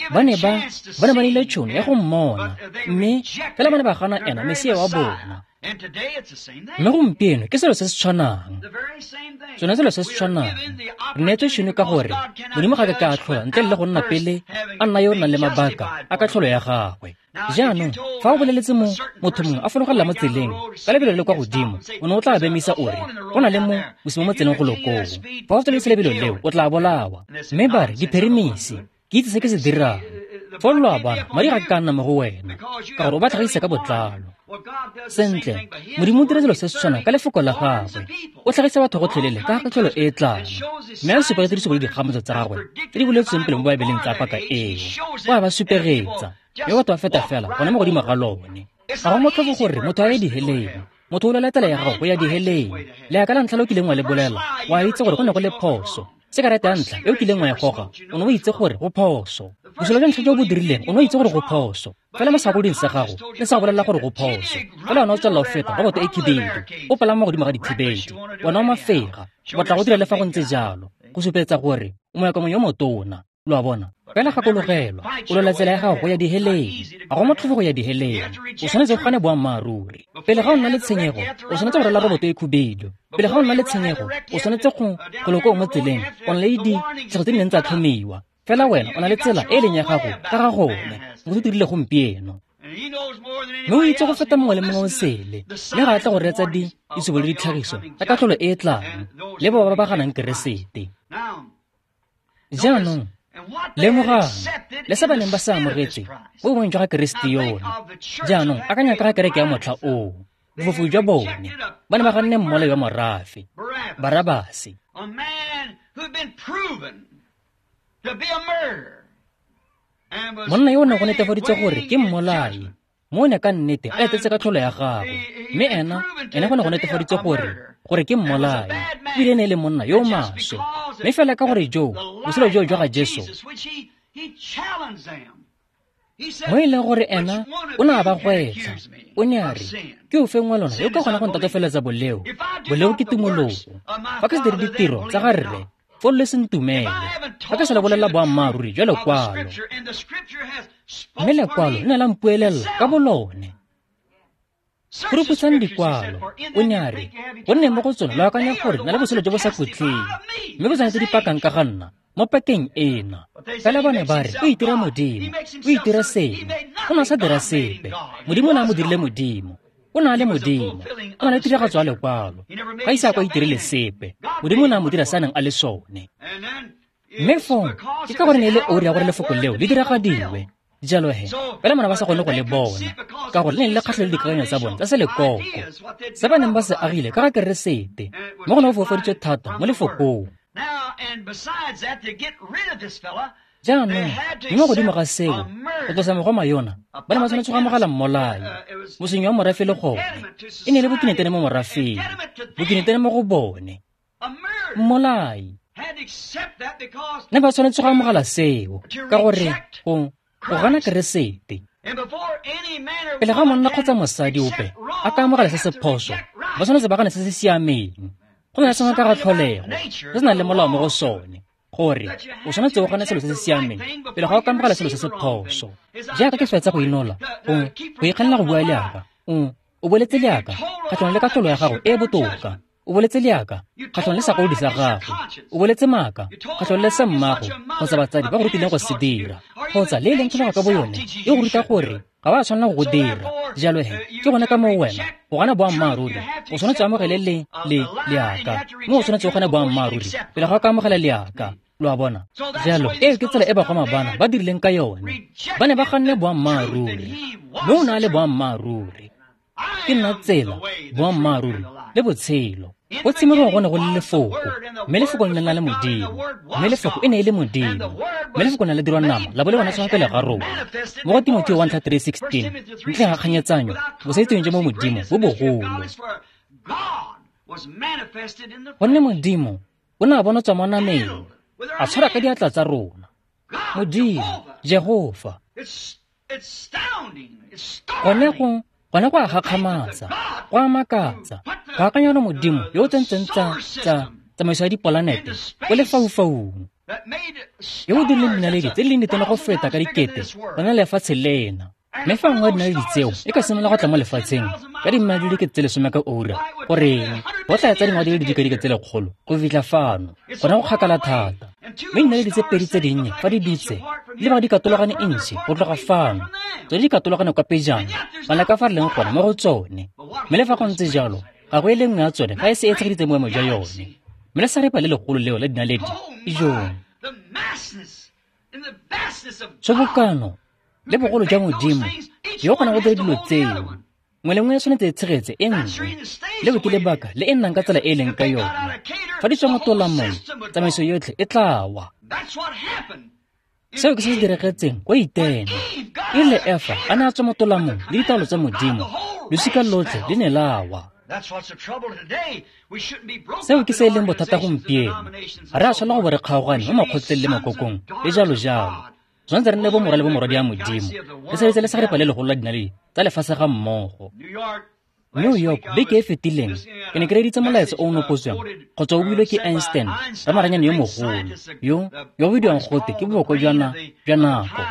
ba ne ba ba ne ba neile tšhono ya go mmona, mme fela ba ne ba gana ena Mesia wa bona. Mme gompieno ke selo se se tshwanang, sone selo se se tshwanang. Re neetswe tšhono ka gore Modimo ga ke ka atlhola ntle le go nna pele a nna yo o nang le mabaka a katlholo ya gagwe. Jaanong fa o boleletse mo motho mongwe a fologelela mo tseleng ka lebelo le le kwa godimo, o ne o tla bemisa o re go na le mo bosimo mo tseleng go lokoo. Fa o tsweletse lebelo leo o tla bolawa. Mme ba re dipheremisi, ke itse se ke se dirang. Foo lo a bona, madi ga ke ka nna mo go wena ka gore o ba tlhagisa ka botlalo. Sentle, Modimo o dira selo se se tshwanang ka lefoko la gagwe. O tlhagisa batho gotlhelele ka katlholo e e tlang, mme a supa ditiriso le dikgamatso tsa gagwe tse di boletsweng pele mo Baebeleng tsa paka eo. O a ba supegetsa, mme batho ba feta fela gone mo godimo ga lone. Ga go motlhofo gore motho a ye diheleng. Motho o lwela tsela ya gago go ya diheleng. Leaka la ntlha le o kileng wa le bolela, wa itse gore go ne go le phoso. Sekarete ya ntlha e o kileng wa e goga, o ne o itse gore go phoso. Bosula jwa ntlha jo bo dirileng, o ne o itse gore go phoso. Fela mo segakoloding sa gago le sa go bolelela gore go phoso. Fela wena o tswelela o feta roboto e khibedu, o palama mo godimo ga dikhibedu, wena o mafega, o batla go dira le fa go ntse jalo, go supetsa gore o moyakamong yo motona. Lo a bona? Fela gakologelwa, o lwela tsela ya gago go ya diheleng. Ga go motlhofo go ya diheleng. O tshwanetse go gane boammaaruri. Pele ga o nna le tshenyego, o tshwanetse go rwala roboto e khubedu. Pele ga o nna le tshenyego, o tshwanetse go go mo tseleng, o na le ditlhego tse di neng tsa tlhomiwa. Fela wena o na le tsela e e leng ya gago ka ga gone. Motho o dirile gompieno. Mme o itse go feta mongwe le mongwe o sele, mme ga a tla go reetsa di ditshupo le ditlhagiso tsa katlholo e e tlang le bao ba ba ganang Keresete. Jaanong lemogang le se ba neng ba se amogetse mo boemong jwa ga Keresete yona. Jaanong akanya ka ga kereke ya motlha oo, bofofu jwa bone, ba ne ba ganne mmolai wa morafe, Barabase, monna yo o neng go netefaditswe gore ke mmolai, mo o ne ka nnete a etetse katlholo ya gagwe. Mme ena ene go ne go netefaditswe gore gore ke mmolai, ebile e ne e le monna yo o maswe. Mme fela ka gore joo botshelo joo jwa ga Jesu, mo e leng gore ena o ne a ba gwetlha, o ne a re, ke o feng wa lona yo ka kgona go ntatofeletsa boleo? Boleo ke tumologo. Fa ke se dire ditiro tsa ga rre, foo le se ntumele. Fa ke sa le bolelela boammaaruri jwa lekwalo, mme lekwalo le ne la mpuelela ka bolone. Phuruphutshang dikwalo, o ne a re, gonne mo go tsone lo akanya gore na le botshelo jo bo sa khutleng, mme bo tshwanetse di pakang ka ga nna mo pakeng ena. Fela bone ba re, o itira Modimo, o itira sengwe. O ne a sa dira sepe. Modimo o ne a mo dirile Modimo. O ne a le Modimo, o na le tiragatso ya lekwalo. Ga ise a kwa itirele sepe. Modimo o ne a mo dira se a neng a le sone. Mme foo ke ka gore ne e le oura ya gore lefoko leo le diragadiwe. Jalo he, fela bana ba sa kgone go le bona, ka gore le ne le kgatlhelo le dikakanyo tsa bone tsa selekoko, se ba neng ba se agile ka ga Keresete, mo go ne go foufaditswe thata mo lefokong. Jaanong, mme mo godimo ga seo, go tlosa mogoma yona, ba ne ba tshwanetse go amogela mmolai, mosenyi wa morafe le gone. E ne e le bokinetene mo morafeng, bokinetene mo go bone, mmolai. Ne ba tshwanetse go amogela seo, ka gore go go gana Keresete. Pele ga monna kgotsa mosadi ope a ka amogela se se phoso, ba tshwanetse ba gane se se siameng. Go na le sengwe ka ga tlholego se se nang le molao mo go sone, gore o tshwanetse o gane selo se se siameng pele ga o ka amogela selo se se phoso. Jaaka ke fetsa go inola, gongwe go ikganela go bua leaka, o o boletse leaka kgatlhanong le katlholo ya gago e e botoka. O boletse leaka kgatlhanong le segakolodi sa gago. O boletse maaka kgatlhanong le se mmago kgotsa batsadi ba go rutileng go se dira, kgotsa le e leng tlholego ka boyone e go ruta gore ga ba tshwanela go go dira. Jalo he, ke gone ka moo wena go gana boammaaruri o tshwanetse o amogele le le leaka, mme o tshwanetse o gane boammaaruri pele ga o ka amogela leaka. Lo a bona? Jalo eo ke tsela e bagoma bana ba dirileng ka yone. Ba ne ba ganne boammaaruri, mme o ne a le boammaaruri. Ke nna tsela, boammaaruri le botshelo. Go tshimologong go ne go le lefoko, mme lefoko le ne le na le Modimo, mme lefoko e ne e le Modimo, mme lefoko ne le dirwa nama la bo le bona pele ga rona. Mo go Timotheo one three sixteen, ntleng ga kganyetsanyo, bosaitseweng jwa mo Modimo bo bogolo. Gonne Modimo o ne a bonatswa mo nameng, a tshwara ka diatla tsa rona. Modimo, Jehofa. Gone go gone go a gakgamatsa, go a makatsa, go akanya gore Modimo yo o tsentseng tsa tsa tsamaiso ya dipolanete ko lefaufaung, yo o dirileng dinaledi tse di leng ditona go feta ka dikete go na le lefatshe lena. Mme fa nngwe ya dinaledi tseo e ka simolola go tla mo lefatsheng ka dimmaele di le dikete tse lesome ka ura, goreng go tla etsa dingwaga di le didikadike tse lekgolo go fitlha fano, gona go kgakala thata. Mme dinaledi tse pedi tse dinnye fa di dutse di lebega di katologane intšhi go tloga fano, tsone di katologane kwa pejana bana ka fa re leng gone mo go tsone. Mme le fa go ntse jalo, ga go e le nngwe ya tsone fa e se e tshegeditse boemo jwa yone. Mme lesarepa le legolo leo la dinaledi, ijong, tshobokano le bogolo jwa Modimo yo o kgonang go dira dilo tseo, nngwe le nngwe e tshwanetse e tshegetse e nngwe. Leo ke lebaka le e nnang ka tsela e e leng ka yone. Fa di tswa mo tolamong, tsamaiso yotlhe e tla wa. Seo ke se se diragetseng kwa Itene. E rile Efa a ne a tswa mo tolamong le ditaolo tsa Modimo, losika lotlhe le ne la wa. Seo ke se e leng bothata gompieno. Ga re a tshwanela go bo re kgaogane mo makgotleng le makokong le jalo jalo. Tshwanetse re nne bomorwa le bomorwadi ya Modimo, re sebetse le segarepa le legolo la dinaledi tsa lefatshe ga mmogo. New York beke e fetileng ke ne ke reeditse molaetsa o o nopotsweng kgotsa o builwe ke Einstein, ramaranyane yo mogolo yo yo o bidiwang gote ke boboko jwa jwa nako.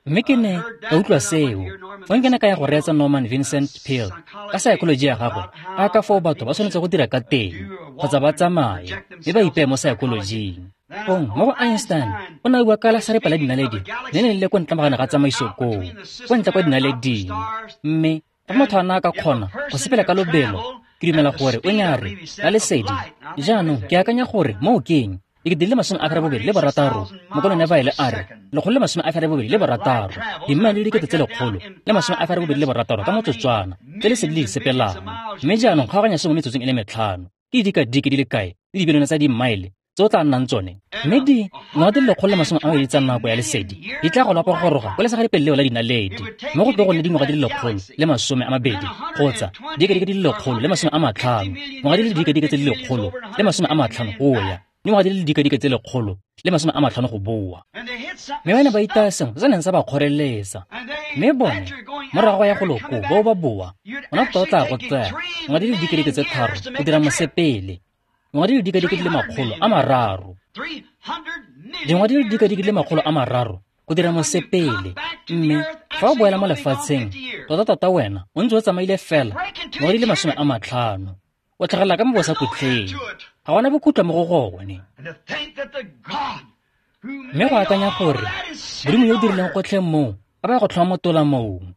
Mme ke ne ka utlwa seo fong ke ne ka ya go reetsa Norman Vincent Peale ka saekoloji ya gagwe a ka foo batho ba tshwanetse go dira ka teng kgotsa ba tsamaye mme ba ipeye mo saekolojing. Fong mo go Einstein o ne a bua ka lesarepa la dinaledi le ne le le ko ntle magane ga tsamaiso koo, ko ntle kwa dinaleding. Mme fa motho a ne a ka kgona go sepela ka lobelo, ke dumela gore o ne a re la lesedi. Jaanong ke akanya gore moo ke eng? Dikete di le masome a ferabobedi le barataro, mokolone ba ile a re lekgolo le masome a ferabobedi le barataro, dimmaele di le dikete tse lekgolo le masome a ferabobedi le barataro ka motsotswana tse lesedi le di sepelang. Mme jaanong kgaoganya sengwe mo metsotsong e le metlhano, ke didikadike di le kae le dibilione tsa dimmaele tse o tla nnang tsone? Mme di ngwaga di le lekgolo le masome a mabedi tsa nako ya lesedi di tla go lapa go goroga ko lesagaripele leo la dinaledi, mme go tlo go nne dingwaga di le lekgolo le masome a mabedi kgotsa didikadike di le lekgolo le masome a matlhano, ngwaga di le didikadike tse di lekgolo le masome a matlhano go ya dingwaga di le didikadike tse lekgolo le masome a matlhano go boa. Mme ba ne ba itaya sengwe se se neng sa ba kgoreletsa. Mme bone morago ga ya go loko bao ba boa, gona tota o tla go tsaya ngwaga di le didikadike tse tharo go dira mosepele, dingwaga di le didikadike di le makgolo a mararo, dingwaga di le didikadike di le makgolo a mararo go dira mosepele. Mme fa o boela mo lefatsheng, tota-tota wena o ntse o tsamaile fela dingwaga di le masome a matlhano, o tlhagelela ka mo bosakutleng. Ga gona bokhutlo mo go gone. Mme go akanya gore Modimo yo o dirileng gotlhe moo a ba go tlhoma mo tolamong,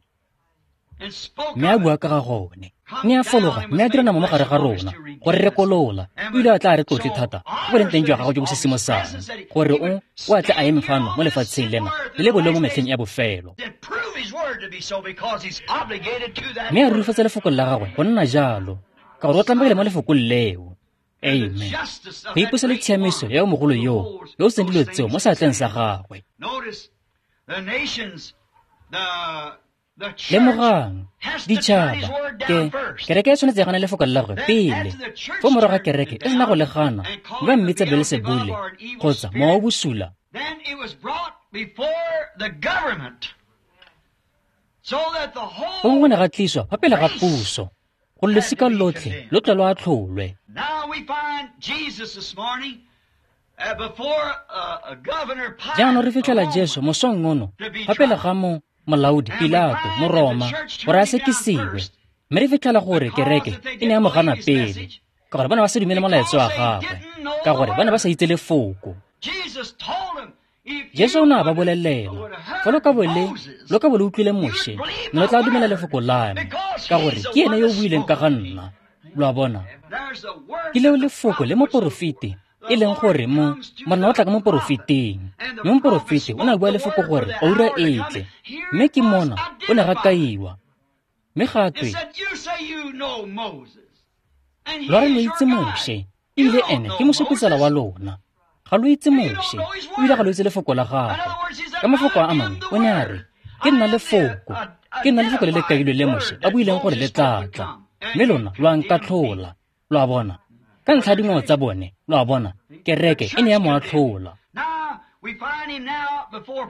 mme a bua ka ga gone, mme a fologa mme a dira nama mo gare ga rona gore re rekolola. O ile a tla a re tlotle thata go boleng teng jwa gagwe jo bo sisimosang, gore o o a tle a eme fano mo lefatsheng lena le le boleo mo metlheng ya bofelo, mme a rurifatsa lefoko la gagwe go nna jalo, ka gore o tlamegile mo lefokong leo. Amen. Go ipusa le tshiamiso ya yo mogolo yoo yo o seng dilo tseo mo seatleng sa gagwe. Lemogang, ditšhaba ke kereke e tshwanetse ya gana lefoko la gagwe pele. Fo morago ga kereke e sena go le gana, mme ba mmitsa Beelsebule kgotsa mowa o bosula. Fong go ne ga tliswa fa pele ga puso gore losika lotlhe lo tle lo atlholwe. Jaanong re fitlhela Jesu mosong ono fa pele ga mo molaodi Pilato Moroma gore a sekisiwe. Mme re fitlhela gore kereke e ne ya mo gana pele, ka gore ba ne ba sa dumele molaetsa wa gagwe, ka gore ba ne ba sa itse lefoko. Jesu o ne a ba bolelela, fa lo ka bo le lo ka bo le utlwile Moshe, mme lo tla dumela lefoko la me, ka gore ke ene yo o buileng ka ga nna. Lo a bona? Ke leo lefoko le moporofeti E leng gore mo Morena o tla ka moporofeteng, mme moporofeti o ne a bua lefoko gore oura e tle, mme ke mona o ne ga kaiwa. Mme ga twe, lwa re lo itse Moše, ebile ene ke mosupetsela wa lona. Ga lo itse Moše, ebile ga lo itse lefoko la gagwe. Ka mafoko a mangwe o ne a re, ke nna lefoko, ke nna lefoko le le kailwe le Moše a buileng gore le tla tla. Mme lona lo a nkatlhola, lo a bona. Ka ntlha ya dingwao tsa bone, lo a bona, kereke e ne ya mo atlhola.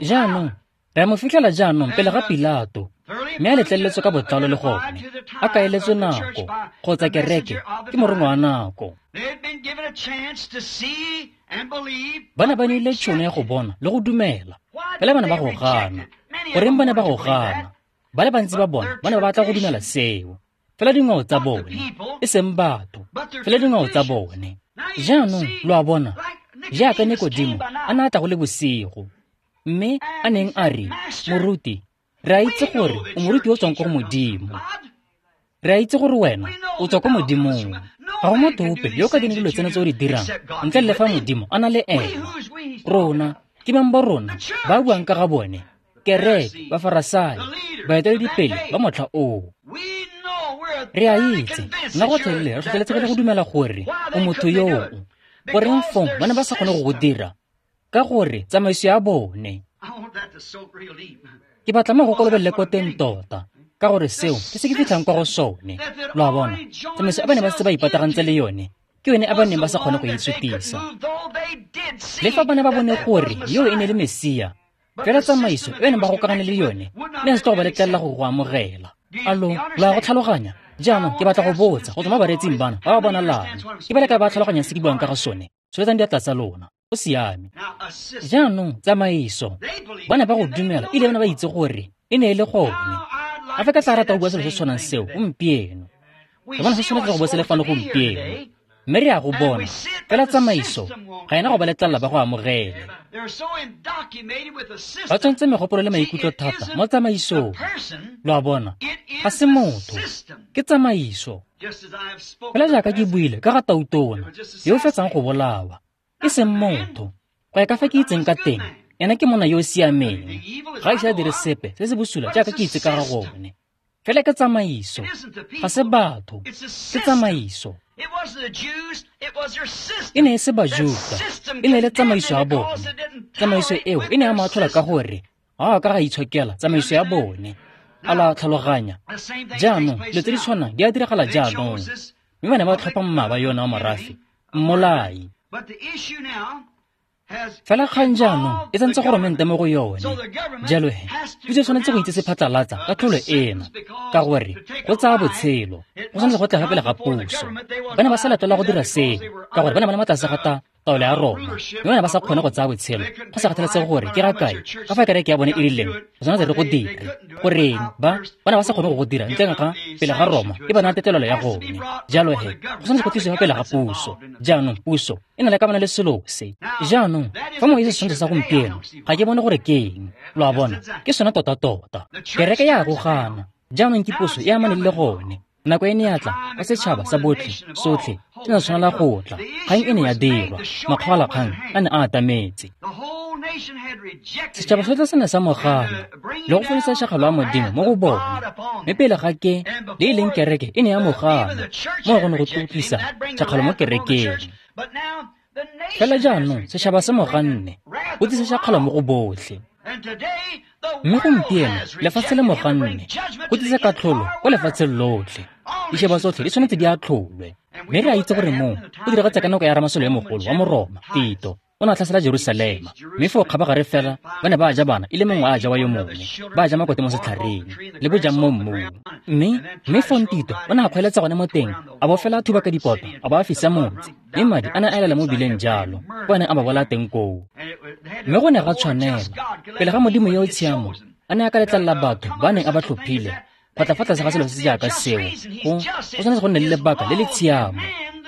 Jaanong, re a mo fitlhela jaanong pele ga Pilato, mme a letleletswe ka botlalo le gone, a kaeletswe nako, kgotsa kereke ke morongwa wa nako. Ba ne ba neile tšhono ya go bona le go dumela, fela ba ne ba go gana. Goreng ba ne ba go gana? Ba le bantsi ba bona ba ne ba batla go dumela seo. Fela dingwao tsa bone, e seng batho, fela dingwao tsa bone. Jaanong, lo a bona, jaaka Nikodimo a ne a tla go le bosigo, mme a neng a re, moruti, re a itse gore o moruti o tswang ko go Modimo. Re a itse gore wena o tswa ko Modimong. Ga go motho ope yo o ka dirang dilo tseno tse o di dirang ntle le fa Modimo a na le ena. Rona, ke bang ba rona ba buang ka ga bone, kereke, Bafarasai, baeteledipele ba motlha oo. Re a itse, nna gotlhelele re tlhotlheletsegile go dumela gore o motho yoo. Goreng fong ba ne ba sa kgone go go dira? Ka gore tsamaiso ya bone. Ke batla mo go kolobelele ko teng tota, ka gore seo ke se ke fitlhang kwa go sone. Lo a bona, tsamaiso e ba ne ba setse ba ipatagantse le yone, ke yone a ba neng ba sa kgone go e sutisa. Le fa ba ne ba bone gore yo e ne le Mesia, fela tsamaiso e neng ba gokagane le yone, ne se tlo go ba letlelela go go amogela. Alo, lo a go tlhaloganya? Jaanong ke batla go botsa go tswa mo bareetsing bana ba ba bonalang. Ke ba le ka ba tlhaloganyang se ke buang ka ga sone. Tsholetsang diatla tsa lona. Go siame. Jaanong tsamaiso, ba ne ba go dumela ebile ba ne ba itse gore e ne e le gone. A fa ka tla rata go bua selo se se tshwanang seo gompieno. Re bona se tshwanetse go bo se le fano gompieno. Mme re a go bona, fela tsamaiso ga ena go ba letlelela ba go amogele. Ba tshwantse megopolo le maikutlo thata mo tsamaisong. Lo a bona, ga se motho, ke tsamaiso. Fela jaaka ke buile ka ga tautona yo o fetsang go bolawa, e seng motho. Go ya ka fa ke itseng ka teng, ena ke monna yo o siameng. Ga ise a dire sepe se se bosula jaaka ke itse ka ga gone. Fela ke tsamaiso, ga se batho, ke tsamaiso. E ne e se Bajuta, e ne e le tsamaiso ya bone. Tsamaiso eo e ne ya mo atlhola ka gore ga a ka ga itshokela tsamaiso ya bone. A la tlhaloganya. Jaanong dilo tse di tshwanang di a diragala jaanong. Mme ba ne ba tlhopha mmaba yona wa morafe, mmolai. Fela kgang jaanong e tsentse goromente mo go yone. Jalo he, puso e tshwanetse go itse se phatlalatsa ka tlholo ena, ka gore go tsaya botshelo go tshwanetse go tla fa pele ga puso. Ba ne ba sa latelela go dira seo, ka gore ba ne ba le mo tlase ga taolo ya Roma, mme ba ne ba sa kgone go tsaya botshelo go sa kgathalesege gore ke ga kae, ka fa kereke ya bone e rileng go tshwanetse re go dire. Goreng ba ba ne ba sa kgone go go dira ntle ga pele ga Roma e ba naya tetelelo ya gone. Jalo he, go tshwanetse go tlisiwa fa pele ga puso. Jaanong puso e na le kamano le selo se. Jaanong fa mo e se setshwantsho sa gompieno, ga ke bone gore ke eng. Lo a bona, ke sone tota-tota. Kereke ya go gana. Jaanong ke puso e amaneng le gone. Nako e ne ya tla ka setšhaba sa botlhe sotlhe se ne tshwanela go tla. Kgang e ne ya dirwa, makgolakgang a ne a atametse. Setšhaba sotlhe se ne sa mo gana le go fodisa tšhakgalo ya Modimo mo go bone. Mme pele ga ke le e leng kereke e ne ya mo gana, mo go ne go tlotlisa tšhakgalo mo kerekeng. Fela jaanong setšhaba se mo ganne, go tlisa tšhakgalo mo go botlhe. Mme gompieno lefatshe le mo ganne, go tlisa katlholo ko lefatsheng lotlhe. Ditšhaba tsotlhe di tshwanetse di atlholwe. Mme re a itse gore moo go diragetse ka nako ya ramasole yo mogolo wa Moroma, Tito, o ne a tlhasela Jerusalema. Mme foo kgabagare fela ba ne ba ja bana e le mongwe a ja wa yo mongwe, ba ja makote mo setlhareng le bojang mo mmung. Mme mme fong Tito o ne a kgweletsa gone mo teng, a bo fela a thuba ka dipota, a bo a fisa motse. Mme madi a ne a elela mo bileng jalo, ko a neng a ba bolaya teng koo. Mme go ne ga tshwanela, pele ga Modimo yo o tshiamo a ne a ka letlelela batho ba neng a ba tlhophile go tla fa tlase ga selo se se jaaka seo, go go tshwanetse go nne le lebaka le le tshiamo.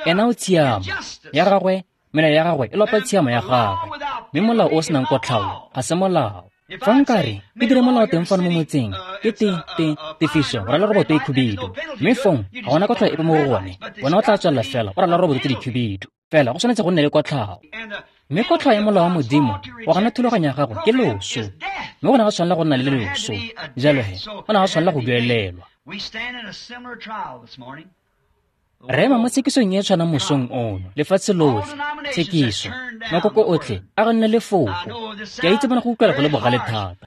Ena o tshiamo ya gagwe, melao ya gagwe e lopa tshiamo ya gagwe, mme molao o o senang kotlhao ga se molao. Fa nkare ke dire molao teng fano mo motseng, ke te te tefiso go rala roboto e khubidu, mme fong ga gona kotlhao epe mo go gone, wena o tla tswelela fela o rala roboto tse di khubidu. Fela go tshwanetse go nne le kotlhao. Mme kotlhao ya molao wa Modimo wa gana thulaganyo ya gago ke loso, mme go ne ga tshwanela go nna le loso. Jalo he, go ne ga tshwanela go duelelwa. Re ema mo tshekisong e e tshwanang mosong ono, lefatshe lotlhe, tshekiso, makoko otlhe a go nne lefoko. Ke a itse bona go utlwala go le bogale thata.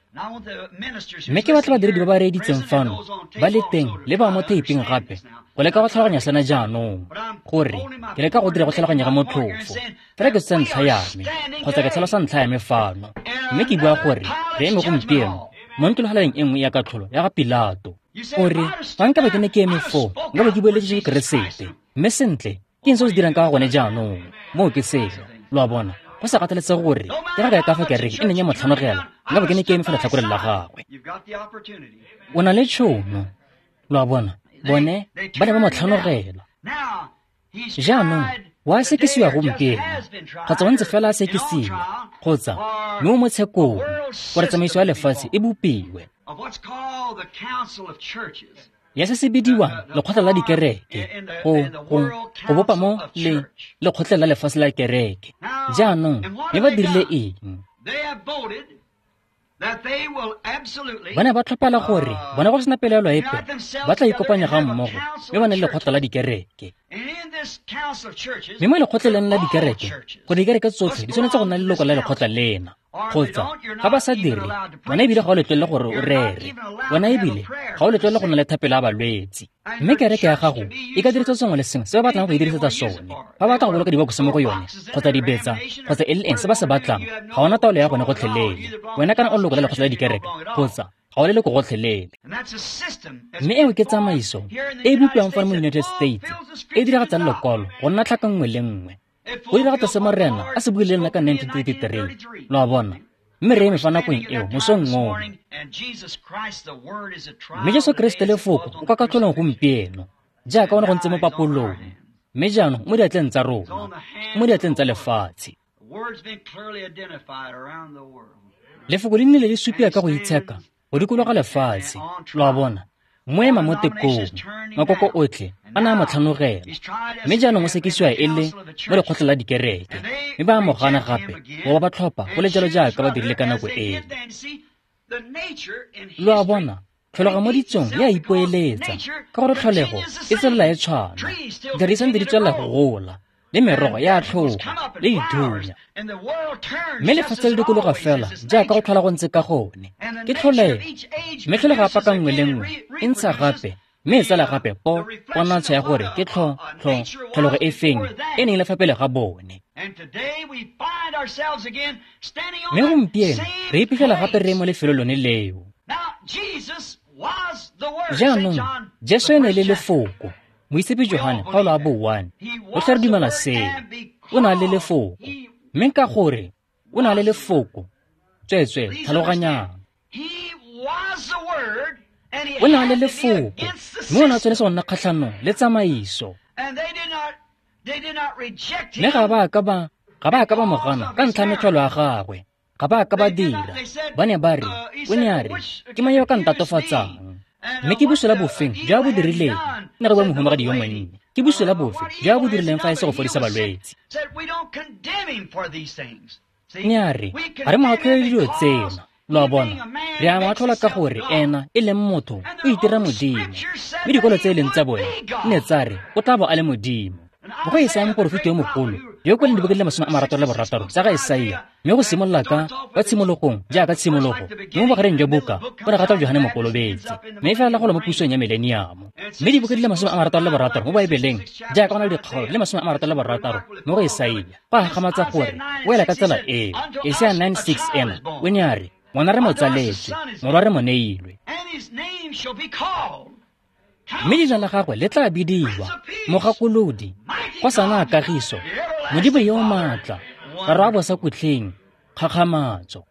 Mme ke batla badiredi ba ba reeditseng fano, ba le teng le ba mo theiping gape, go leka go tlhaloganya sena jaanong, gore ke leka go dira go tlhaloganya ga motlhofo. Fela ke tsa ntlha ya me, kgotsa ke tlhalosa ntlha ya me fano. Mme ke bua gore re eme gompieno mo ntlologeleng e nngwe ya katlholo ya ga Pilato. O re, fa nka be ke ne ke eme foo, nka be ke bueletse Jesu Keresete. Mme sentle, ke eng se o se dirang ka ga gone jaanong? Moo ke selo, lo a bona. Go sa kgathalesege gore ke ga kae ka fa kereke e neng ya mo tlhanogela, nka be ke ne ke eme fa letlhakoreng la gagwe. O na le tšhono, lo a bona. Bone ba ne ba mo tlhanogela. Jaanong wa sekisiwa gompieno, kgotsa o ntse fela a sekisiwa, kgotsa mme o mo tshekong gore tsamaiso ya lefatshe e bopiwe. Ya se se bidiwang lekgotla la dikereke, go go go bopa mo le lekgotla la lefatshe la kereke. Jaanong mme ba dirile eng? Ba ne ba tlhophela gore bona go sena pelaelo epe ba tla ikopanya ga mmogo mme ba ne le lekgotla la dikereke. Mme mo lekgotleng la dikereke, gore dikereke tsotlhe di tshwanetse go nna leloko la lekgotla lena, kgotsa ga ba sa dire, wena ebile ga o letlelele gore o rere, wena ebile ga o letlelele go nna le thapelo ya balwetse. Mme kereke ya gago e ka dirisetsa sengwe le sengwe se ba batlang go e dirisetsa sone. Ba batla go boloka dibokose mo go yone, kgotsa dibetsa, kgotsa e le eng se ba se batlang, ga ona taolo ya gone gotlhelele. Wena kana o leloko la lekgotla la dikereke, kgotsa ga o leloko gotlhelele. Mme eo ke tsamaiso e e bopiwang fano mo United States, e diragatsang lekwalo go nna tlhaka nngwe le nngwe. Go diragatsa se Morena a se buileng le nna ka nineteen thirty-three, lo a bona. Mme re eme fa nakong eo mosong ono. Mme Jesu Keresete lefoko o kwa katlholong gompieno, jaaka o ne go ntse mo papolong, mme jaanong mo diatleng tsa rona, mo diatleng tsa lefatshe. Lefoko le nnile le supiwa ka go itsheka go dikologa lefatshe, lo a bona. Mo ema mo tekong, makoko otlhe a ne a mo tlhanogela. Mme jaanong o sekisiwa e le mo lekgotleng la dikereke, mme ba a mo gana gape go ba ba tlhopha go le jalo jaaka ba dirile ka nako eo. Lo a bona, tlholego mo ditsong e a ipoeletsa, ka gore tlholego e tswelela e tshwana. Ditlhare di santse di tswelela go gola, le merogo ya tlhoga, le dithunya. Mme lefatshe le dikologa fela jaaka go tlhola go ntse ka gone. Ke tlholego, mme tlholego ya paka nngwe le nngwe e ntsha gape, mme e tsala gape po ponatsho ya gore ke tlho tlho tlholego e feng e neng le fa pele ga bone. Mme gompieno re iphitlhela gape re mo lefelong lone leo. Jaanong Jesu e ne le lefoko. Moitshepi Johane kgaolo ya bo one, rotlhe re dumela seo. O na le lefoko, mme ka gore o na le lefoko, tsweetswee tlhaloganyang. O na le lefoko, mme o ne a tshwanetse go nna kgatlhanong le tsamaiso. Mme ga ba ka ba ga ba ka ba mo gana ka ntlha ya metlholo ya gagwe, ga ba ka ba dira. Ba ne ba re, o ne a re, ke mang yo o ka ntatofatsang? Mme ke bosula bofeng jo a bo dirileng? Ne re bua mohumagadi yo monnye. Ke bosula bofe jo a bo dirileng fa e se go fodisa balwetse? Ne a re, ga re mo atlhole dilo tsena. Lo a bona, re a mo atlhola ka gore ena e leng motho o itira Modimo. Mme dikwalo tse e leng tsa bone ne tsa re o tla bo a le Modimo. Mo go Isaia moporofeti yo mogolo, yo o kwaleng dibuka di le masome a marataro le borataro tsa ga Isaia, mme go simolola ka kwa tshimologong jaaka tshimologo, mme mo bogareng jwa buka go ne ga tla Johane Mokolobetsi, mme e felela go lwa mo pusong ya mileniamo. Mme dibuka di le masome a marataro le borataro mo Baebeleng, jaaka go na le dikgaolo di le masome a marataro le borataro mo go Isaia, go a gakgamatsa gore o ela ka tsela eo. Isaia nine six ena o ne a re, ngwana re mo tsaletswe, morwa re mo neilwe. Mme leina la gagwe le tla bidiwa Mogakolodi, Kgosana a Kagiso, Modimo yo o maatla, Rara wa bosakhutleng, Kgakgamatso.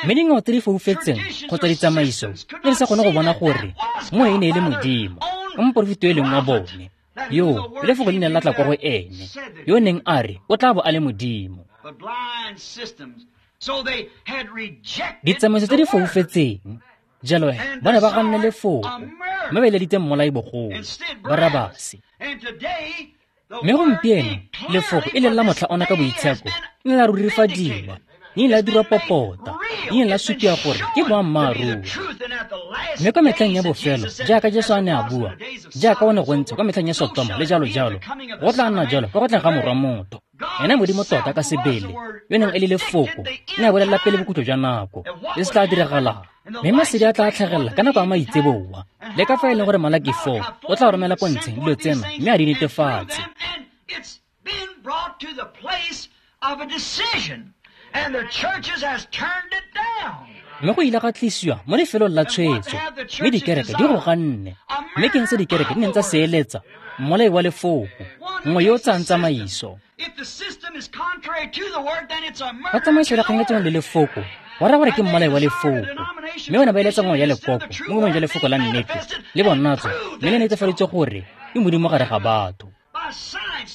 Mme dingwao tse di foufetseng kgotsa ditsamaiso di ne di sa kgone go bona gore mo e ne e le Modimo, ka moporofeti yo e leng wa bone, yo lefoko le neng la tla kwa go ene, yo neng a re o tla bo a le Modimo. Ditsamaiso tse di foufetseng. Jalo he, ba ne ba ganne lefoko, mme ba eleditse mmolai bogolo, Barabase. Mme gompieno, lefoko e leng la motlha ona ka boitsheko, le ne la rurifadiwa, le ne la dirwa popota, le ne la supiwa gore ke boammaaruri. Mme kwa metlheng ya bofelo, jaaka Jesu a ne a bua, jaaka go ne go ntse kwa metlheng ya Sotoma le jalo jalo, go tla nna jalo ka go tleng ga Morwa Motho. Ena Modimo tota ka sebele, yo neng e le lefoko, ne a bolelela pele bokhutlo jwa nako, le se tla diragalang. Mme masedi a tla tlhagelela ka nako ya maitseboa, le ka fa e leng gore Malaki four o tla romela pontsheng dilo tsena mme a di netefatse. Mme go ile ga tlisiwa mo lefelong la tshwetso, mme dikereke di go ganne. Mme ke eng se dikereke di neng tsa se eletsa? Mmolai wa lefoko, nngwe yo o tsayang tsamaiso. Fa tsamaiso e kgangetseng le lefoko, go raya gore ke mmolai wa lefoko. Mme bone ba eletsa ngwao ya lekoko mo boemong jwa lefoko la nnete le bonatso, mme le netefaditswe gore ke Modimo gare ga batho.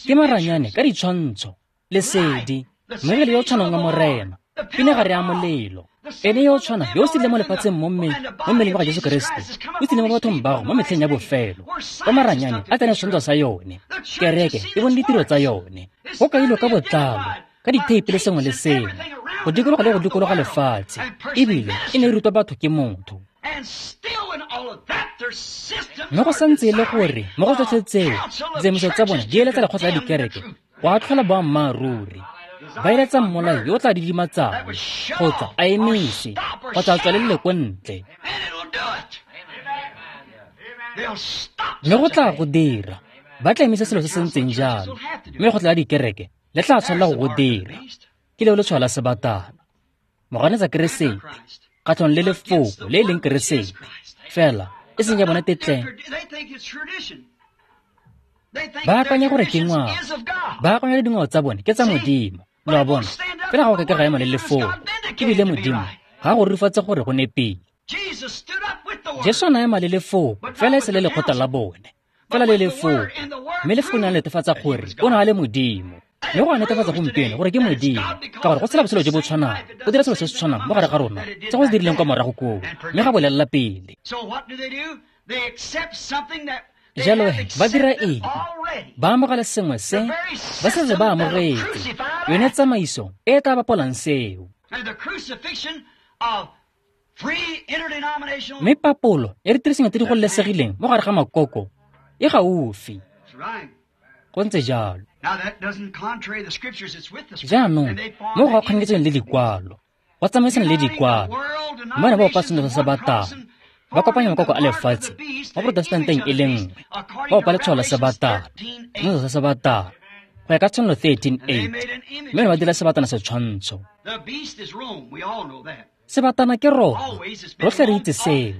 Ke maranyane ka ditshwantsho, lesedi, moengele yo o tshwanang wa Morena, pinagare ya molelo. Ene yo o tshwanang yo o tsile mo lefatsheng mo mo mmeleng wa ga Jesu Keresete, o tsile mo bathong bao mo metlheng ya bofelo. Ka maranyane a tsene setshwantsho sa yone, kereke e bone ditiro tsa yone. Go kailwe ka botlalo, ka ditheipi le sengwe le sengwe, go dikologa le go dikologa lefatshe, ebile e ne e rutwa batho ke motho. Mme go santse e le gore mo go tsotlhe tseo, ditsamaiso tsa bone di eletsa lekgotla la dikereke go atlhola boammaaruri. Ba eletsa mmolai yo o tla didimatsang, kgotsa a emise, kgotsa a tswalelele ko ntle. Mme go tla go dira, ba tla emisa selo se se ntseng jalo, mme lekgotla la dikereke le tla tshwanela go go dira. Ke leo letshwao la sebatana, moganetsa Keresete, kgatlhanong le lefoko le e leng Keresete, fela e seng ya bone tetleng. Ba akanya gore ke ngwao, ba akanya dingwao tsa bone ke tsa Modimo. Lo a bona, fela ga go ka ke ga ema le lefoko, ebile Modimo ga go rurifatse gore go nepile. Jesu o ne a ema le lefoko, fela e se le lekgotla la bone, fela le lefoko, mme lefoko ne a netefatsa gore o ne a le Modimo. Mme go a netefatsa gompieno gore ke Modimo, ka gore go tshela botshelo jo bo tshwanang, go dira selo se se tshwanang mo gare ga rona se go se dirileng kwa morago koo, mme ga bolelela pele. Jalo he, ba dira eng? Ba amogela sengwe se ba setse ba amogetse, yone tsamaiso e e tla bapolang seo. Mme papolo ya ditirisanyo tse di gololesegileng mo gare ga makoko e gaufi. Go ntse jalo. Jaanong mo go kgangetseng le dikwalo, go tsamaisana le dikwalo, mme bone ba opa seno sa sebatana, ba kopanya makoko a lefatshe mo Protestanteng e le nngwe, ba opa letshwao la sebatana, seno sa sebatana, go ya ka Tshenolo thirteen eight, mme bone ba dira sebatana setshwantsho. Sebatana ke Roma, rotlhe re itse seo,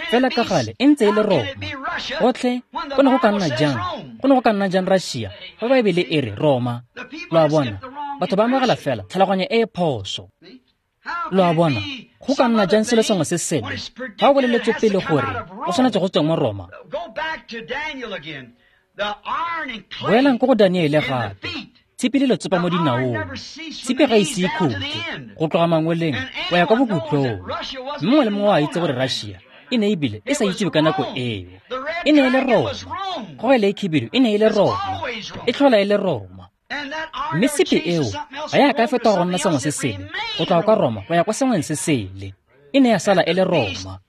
fela ka gale e ntse e le Roma. Gotlhe go ne go ka nna jang, go ne go ka nna jang Russia, fa Baebele e re Roma. Lo a bona, batho ba amogela fela tlhaloganyo e e phoso. Lo a bona, go ka nna jang selo sengwe se sele fa o boleletswe pele gore o tshwanetse go tsweng mo Roma. Boelang ko go Daniele gape. Tshipi le letsopa mo dinaong, tshipi ga ise e khutle go tloga mangweleng go ya kwa bokhutlong. Mme mongwe le mongwe o a itse gore Russia e ne ebile e sa itsiwe ka nako eo. E ne e le Roma, kgogelo e khibidu e ne e le Roma, e tlhola e le Roma. Mme tshipi eo ga ya ka fetoga go nna sengwe se sele, go tloga kwa Roma go ya kwa sengweng se sele. E ne ya sala e le Roma,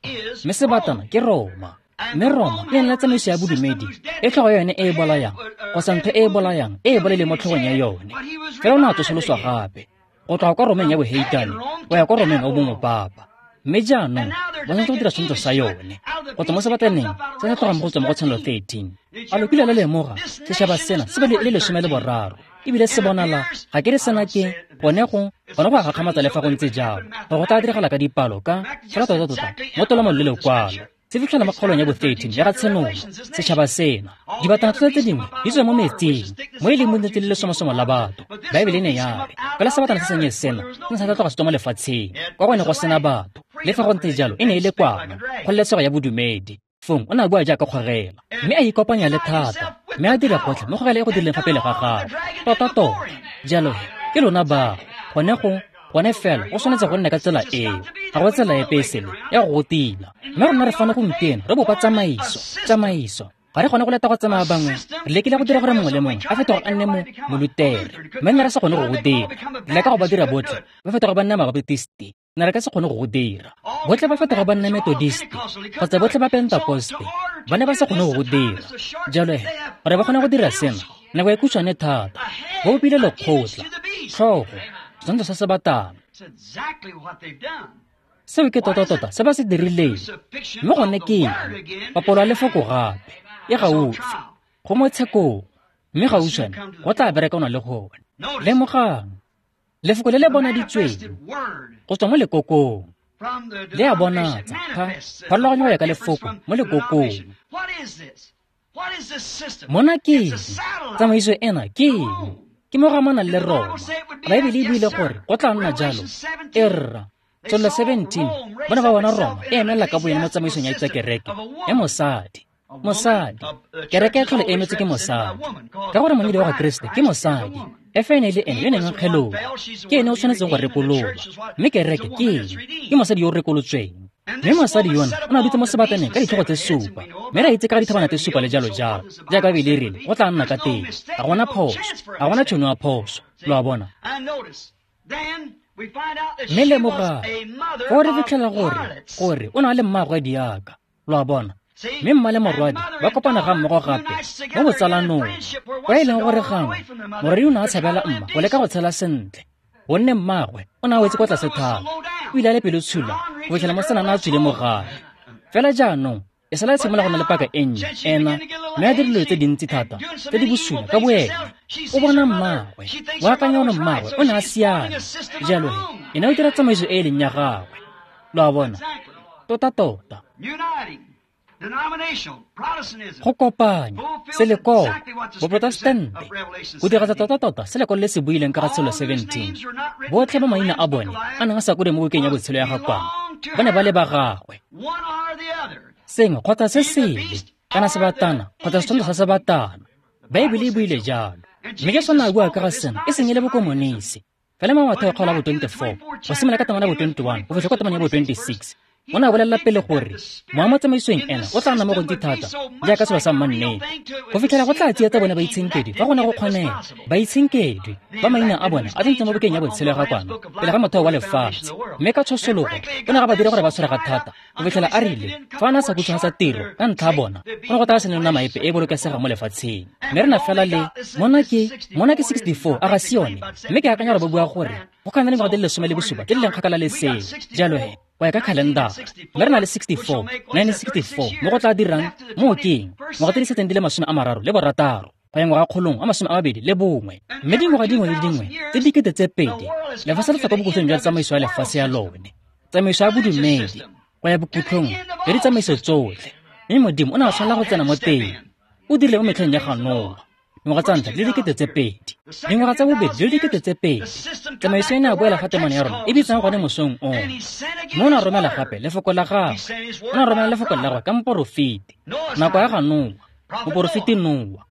mme sebatana ke Roma. Mme Roma e ne la tsamaiso ya bodumedi e tlhogo ya yone e e bolayang, kgotsa ntho e e bolayang e e bolaileng mo tlhogong ya yone. Fela o ne a tsosoloswa gape go tloga kwa Romeng ya boheitane go ya kwa Romeng ya bomopapa. Mme jaanong ba tshwanetse go dira setshwantsho sa yone go tswa mo sebataneng se se tlogang mo go tswa mo go Tshenolo thirteen. A lo kile la lemoga setšhaba sena se bale e le lesome le boraro, ebile se bonala ga ke re sena ke gone go gone go a gakgamatsa le fa go ntse jalo, gore go tla diragala ka dipalo ka fela tota-tota mo tolamong le lekwalo. Se fitlhela mo kgaolong ya bo thirteen ya ga Tshenolo, setšhaba sena, dibatana tsotlhe tse dingwe di tswa mo metsing, mo e leng mo ntse le lesomosomo la batho. Baebele e ne ya re fela sebatana se sennye sena se ne sa tla tloga se tswa mo lefatsheng, kwa go ne go sena batho. Le fa go ntse jalo, e ne e le kwana, kgololesego ya bodumedi. Fong o ne a bua jaaka kgogela, mme a ikopanya le thata, mme a dira gotlhe mo kgogela e go dirileng fa pele ga gagwe. Tota-tota, jalo he, ke lona bao, gone go Gone fela go tshwanetse go nne ka tsela eo. Ga go tsela epe e sele ya go go tila. Mme rona re fano gompieno re bopa tsamaiso, tsamaiso. Ga re kgone go leta go tsamaya bangwe. Re lekile go dira gore mongwe le mongwe a fetoge a nne mo molutere. Mme nne re sa kgone go go dira. Re leka go ba dira botlhe ba fetoge ba nna mabaptisti. Ne re ka se kgone go go dira. Botlhe ba fetoga ba nna Methodist kgotsa botlhe ba Pentecoste. Ba ne ba sa kgone go go dira. Jalo he, gore ba kgone go dira sena, nako e khutshwane thata. Ba bopile lekgotla, tlhogo, setshwantsho sa sebatana. Seo ke tota-tota se ba se dirileng. Mme gone ke eng? Papolo ya lefoko gape e gaufi, go mo tshekong, mme gautshwane go tla berekanwa le gone. Lemogang, lefoko le le bonaditsweng go tswa mo lekokong le a bonatsa pharologanyo go ya ka lefoko mo lekokong. Mona ke eng? Tsamaiso ena ke eng? Ke mo go amanang le Roma. Baebele e buile gore go tla nna jalo. E rra, Tsolo seventeen, ba ne ba bona Roma e emela ka boyone mo tsamaisong ya tsa kereke ya mosadi. Mosadi, kereke e tlhole e emetswe ke mosadi. Ka gore monyadi wa ga Kriste ke mosadi. F N e le ene yo neng a kgeloga. Ke ene o tshwanetseng go rekololwa. Mme kereke ke eng? Ke mosadi yo o rekolotsweng. Mme mosadi yona o ne a dutse mo sebataneng ka ditlhogo tse supa. Mme re a itse ka dithabana tse supa le jalo jalo. Jaaka Baebele e rile, go tla nna ka teng. Ga gona phoso. Ga gona tšhono ya phoso. Lo a bona? Mme lemogang, foo re fitlhela gore, gore o ne a le mmaagwe diaka. Lo a bona? Mme mma le morwadi ba kopana ga mmogo gape mo botsalanong, kwa e leng gore gangwe morwadi o ne a tshabela mma go leka go tshela sentle, gonne mmaagwe o ne a wetse kwa tlase thata. O ile a le pelotshula go fitlhela mosetsana a tswile mo gae. Fela jaanong e sala e simolola go nna le paka e nnye ena, mme a dira dilo tse dintsi thata tse di bosula ka boene. O bona mmaagwe, o akanya gore mmaagwe o ne a siame. Jalo he, ena o dira tsamaiso e e leng ya gagwe. Lo a bona? Tota-tota. Go kopanya selekoko, boprotestante, go diragatsa tota-tota se lekwalo le se buileng ka ga tshelo seventeen. Botlhe ba maina a bone a neng a sa kwadiwa mo bukeng ya botshelo ya ga Kwana, ba ne ba le ba gagwe. Sengwe kgotsa se sele, kana sebatana kgotsa setshwantsho sa sebatana. Baebele e buile jalo. Mme Jesu o ne a bua ka ga sena e seng e le bokomonisi. Fela mo Matheo kgaolo ya bo twenty-four, go simolola ka temana ya bo twenty-one go fitlha kwa temana ya bo twenty-six. O ne a bolelela pele gore mowa mo tsamaisong ena o tla nna mo gontsi thata jaaka selo sa mmannete, go fitlhela go tla tsietsa bone baitshenkedwi fa go ne go kgonega. Baitshenkedwi ba maina a bone a tsentswe mo bukeng ya botshelo ya ga Kwana pele ga motheo wa lefatshe. Mme ka tshosologo o ne ga ba dira gore ba tshwarega thata go fitlhela a rile fa a ne a sa khutshwafatsa tiro ka ntlha ya bona, go ne go tla se nne nama epe e e bolokesegang mo lefatsheng. Mme re na fela le mona ke mona ke sixty-four a ga se yone. Mme ke akanya gore ba bua gore go ka nna le dingwaga di le lesome le bosupa tse di leng kgakala le seo. Jalo he, go ya ka khalendara, mme re na le sixty-four, nineteen sixty-four, mo go tla dirang mo keng ngwaga tse di setseng di le masome a mararo le borataro go ya ngwaga kgolong a masome a mabedi le bongwe. Mme dingwaga dingwe le dingwe tse dikete tse pedi, lefatshe le tla kwa bokhutlong jwa tsamaiso ya lefatshe ya lone, tsamaiso ya bodumedi go ya bokhutlong jwa ditsamaiso tsotlhe. Mme Modimo o ne a tshwanela go tsena mo teng. O dirile mo metlheng ya ga Noa, dingwaga tsa ntlha di le dikete tse pedi, dingwaga tsa bobedi di le dikete tse pedi. Tsamaiso e ne a boela fa temana ya rona e bitsang gone mosong ono. Mme o ne a romela gape lefoko la gagwe. O ne a romela lefoko la gagwe ka moporofeti. Nako ya ga Noa, moporofeti Noa.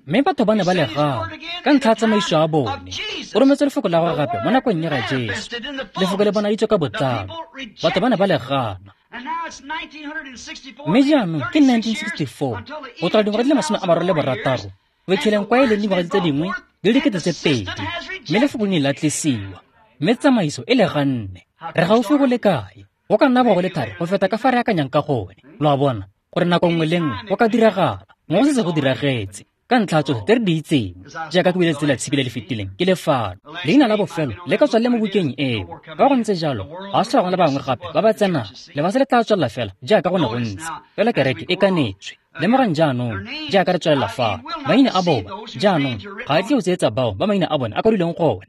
Mme batho ba ne ba le gana ka ntlha ya tsamaiso ya bone. O rometse lefoko la gagwe gape mo nakong ya ga Jesu. Lefoko le bonaditswe ka botlalo. Batho ba ne ba le gana. Mme jaanong ke nineteen sixty-four, go tloga dingwaga di le masome a mararo le borataro go fitlheleng kwa e leng dingwaga tse dingwe di le dikete tse pedi. Mme lefoko le ne la tlisiwa, mme tsamaiso e le ganne. Re gaufi go le kae? Go ka nna bo go le thari go feta ka fa re akanyang ka gone. Lo a bona gore nako nngwe le nngwe go ka diragala. Mo go setse go diragetse ka ntlha tsotlhe tse re di itseng, jaaka ke buile tsela tshipi le le fetileng ke lefano. Leina la bofelo le ka tswa le mo bukeng eo. Ka go ntse jalo, ga se tlhola go le bangwe gape ba ba tsenang. Lefatshe le tla tswelela fela jaaka go ne go ntse, fela kereke e kanetswe. Lemogang jaanong jaaka re tswelela fa, maina a bona jaanong ga a tle go tsietsa bao ba maina a bone a kwadilweng gone.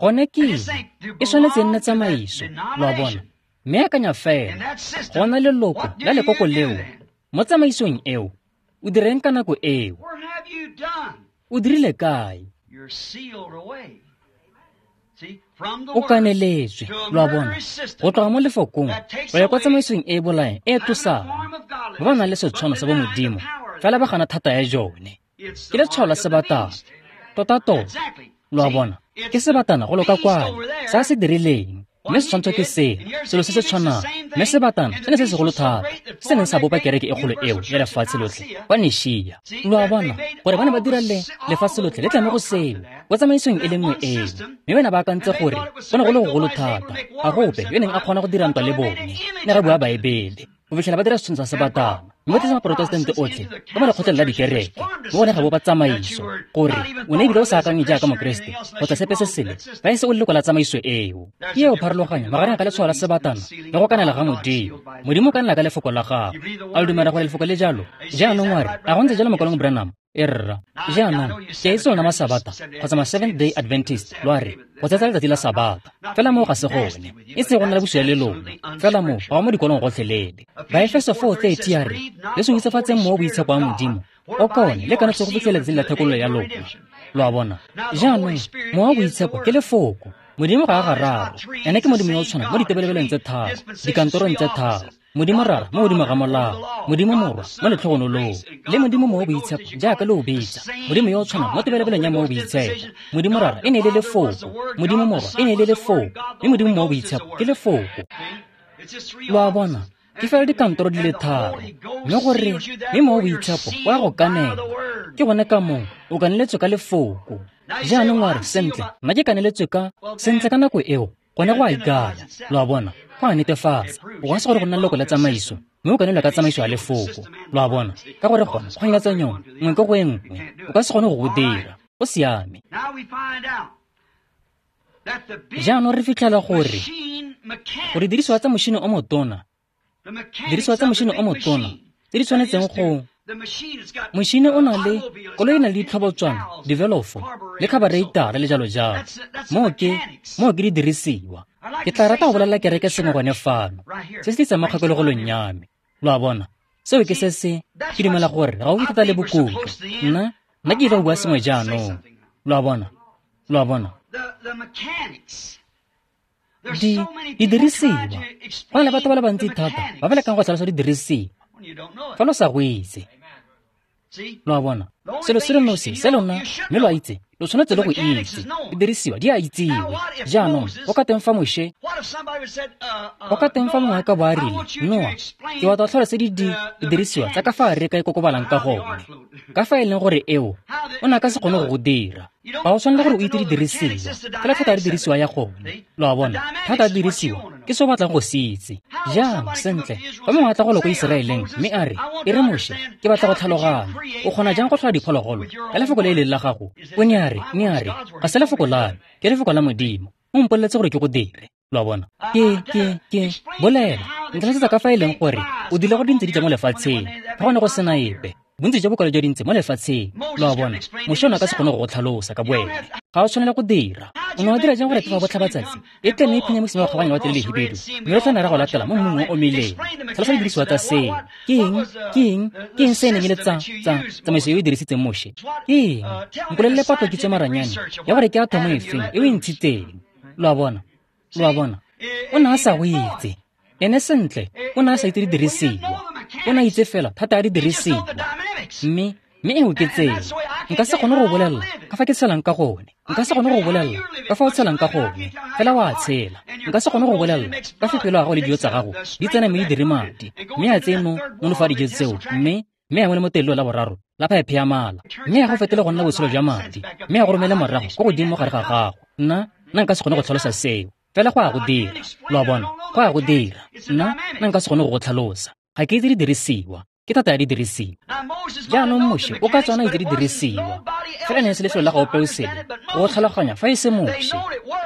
Gone ke eng? E tshwanetse e nne tsamaiso, lo a bona. Mme akanya fela, go na leloko la lekoko leo mo tsamaisong eo, o direng ka nako eo? O dirile kae? O kaneletswe, lo a bona, go tloga mo lefokong go ya kwa tsamaisong e e bolayang e e tlosang. Ba ba nang le setshwano sa bomodimo fela ba gana thata ya jone. Ke letshwao la sebatana. Totatota. Lo a bona? Ke sebatana go loka kwale, se a se dirileng. Mme setshwantsho ke sena, selo se se tshwanang. Mme sebatana se ne se segolo thata, se neng sa bopa kereke e kgolo eo ya lefatshe lotlhe kwa Nishia. Lo a bona, gore ba ne ba dira le lefatshe lotlhe le tla mo go seo, kwa tsamaisong e le nngwe eo. Mme ba ne ba akantse gore go ne go le gogolo thata, ga go ope yo neng a kgona go dira ntwa le bone. Ne ga bua Baebele, go fitlhela ba dira setshwantsho sa sebatana. Mme ba tlisa maprotestante otlhe ka mo lekgotleng la dikereke, mo go ne ga bopa tsamaiso, gore o ne ebile o sa akanye jaaka Mokeresete kgotsa sepe se sele fa e se o leloko la tsamaiso eo. Ke eo pharologanyo magareng ga letshwao la sebatana le go kanela ga Modimo. Modimo o kanela ka lefoko la gagwe. A lo dumela gore lefoko le jalo? Jaanong wa re, a go ntse jalo mokwalong Branham? E rra. Jaanong, ke a itse lona Masabata kgotsa ma Seventh Day Adventist, lo a re, go tsetsa letsatsi la Sabata. Fela moo ga se gone. E se go nna le bosula le lona. Fela moo ga go mo dikolong gotlhelele. Baefeso four thirty a re, le se hutsifatseng mowa o boitshepo wa Modimo, o ka one le kanetse go fitlhela letsatsi la thekololo ya lona. Lo a bona? Jaanong, mowa o boitshepo ke lefoko. Modimo ga a gararo. Ene ke Modimo yo o tshwanang mo ditebelebelong tse tharo, dikantorong tse tharo. Modimo Rara mo godimo ga molao, Modimo Morwa mo letlhogonolong, le Modimo Mowa o Boitshepo jaaka le o bitsa. Modimo yo o tshwanang mo tebelebelong ya Mowa o Boitshepo. Modimo Rara e ne e le lefoko, Modimo Morwa e ne e le lefoko, mme Modimo Mowa o Boitshepo ke lefoko. Lo a bona? Ke fela dikantoro di le tharo. Mme gore mme Mowa o Boitshepo o a go kanela. Ke gone ka moo o kaneletswe ka lefoko. Jaanong wa re, sentle, nna ke kaneletswe ka sentle ka nako eo, gone go a ikaya. Lo a bona? Go a netefatsa. O ka se gore go nna leloko la tsamaiso, mme o kanelwa ka tsamaiso ya lefoko. Lo a bona? Ka gore gone go nyatsa yone, nngwe ko go e nngwe. O ka se kgone go go dira. Go siame. Jaanong re fitlhela gore gore didirisiwa tsa mošhini o motona, didirisiwa tsa mošhini o motona tse di tshwanetseng go mošhini o na le koloi e na le ditlhobotswana, divelofo le khabareitara le jalo jalo. Moo ke moo ke didirisiwa. Ke tla rata go bolelela kereke sengwe gone fano, se se tlisang mo kgakologolong ya me. Lo a bona? Seo ke se se ke dumela gore ga o thata le bokutlo. Nna nna ke ile go bua sengwe jaanong. Lo a bona? Lo a bona? Di didirisiwa. Go na le batho ba le bantsi thata ba ba lekang go tlhalosa didirisiwa fa lo sa go itse. Lo a bona? Selo se le nosi se lona mme lo a itse, lo tshwanetse le go itse. Didirisiwa di a itsiwe. Jaanong go ka teng fa Moshe, go ka teng fa mongwe a ka bo a rile, Noa, ke batla go tlhalose di didirisiwa tsa ka fa areka e kokobalang ka gone. Ka fa e leng gore eo, o ne a ka se kgone go go dira. Ga o tshwanela gore o itse didirisiwa, fela thata ya didirisiwa ya gone. Lo a bona? Thata ya didirisiwa ke se o batlang go se itse. Jang, sentle, fa mongwe a tla go lo ko Iseraeleng mme a re, e re Moshe, ke batla go tlhaloganya. O kgona jang go tlhola diphologolo ka lefoko le e leng la gago? O ne a re, ne a re, ga se lefoko la me, ke lefoko la Modimo. O mpoleletse gore ke go dire. Lo a bona? Ke, ke, ke, bolela. Ntlhalosetsa ka fa e leng gore o dile go dintse di tla mo lefatsheng, fa go ne go sena epe. Bontsi jwa bokwalo jwa dintse mo lefatsheng. Lo a bona? Moshe o ne a ka se kgone go go tlhalosa ka boene. Ga o tshwanela go dira. O ne wa dira jang gore phefo ya botlhabatsatsi e tle mme e phunya mosima wa kgabaganya lewatle le lehibidu, mme re tla nna ra go latela mo mmung o o omileng? Tlhalosa didirisiwa tsa seo. Ke eng? Ke eng? Ke eng se e neng e le tsa, tsa, tsamaiso e o e dirisitseng Moshe? Ke eng? Mpolelele patlo kitso ya maranyane ya gore ke athomo efeng e o e ntshitseng. Lo a bona? Lo a bona? O ne a sa go itse. Ene sentle, o ne a sa itse didirisiwa. O ne a itse fela thata ya didirisiwa. Mme mme eo ke tsela. Nka se kgone go bolelela ka fa ke tshelang ka gone. Nka se kgone go bolelela ka fa o tshelang ka gone. Fela wa tshela. Nka se kgone go bolelela ka fa pelo ya gago le dijo tsa gago di tsena mme di dire madi. Mme a tseye mo nonofo ya dijo tseo mme mme a ngwe le mo telelo la boraro la phaephe ya mala. Mme a go fetole go nna botshelo jwa madi. Mme a go romele morago ko godimo mo gare ga gago. Nna nna nka se kgone go tlhalosa seo. Fela go a go dira. Lo a bona? Go a go dira. Nna nna nka se kgone go go tlhalosa. Ga ke itse didirisiwa. Ke thata ya didirisiwa. Jaanong Moshe o ka tswana itse didirisiwa. Fela ne se lefelo la go ope o sele go tlhaloganya fa e se Moshe.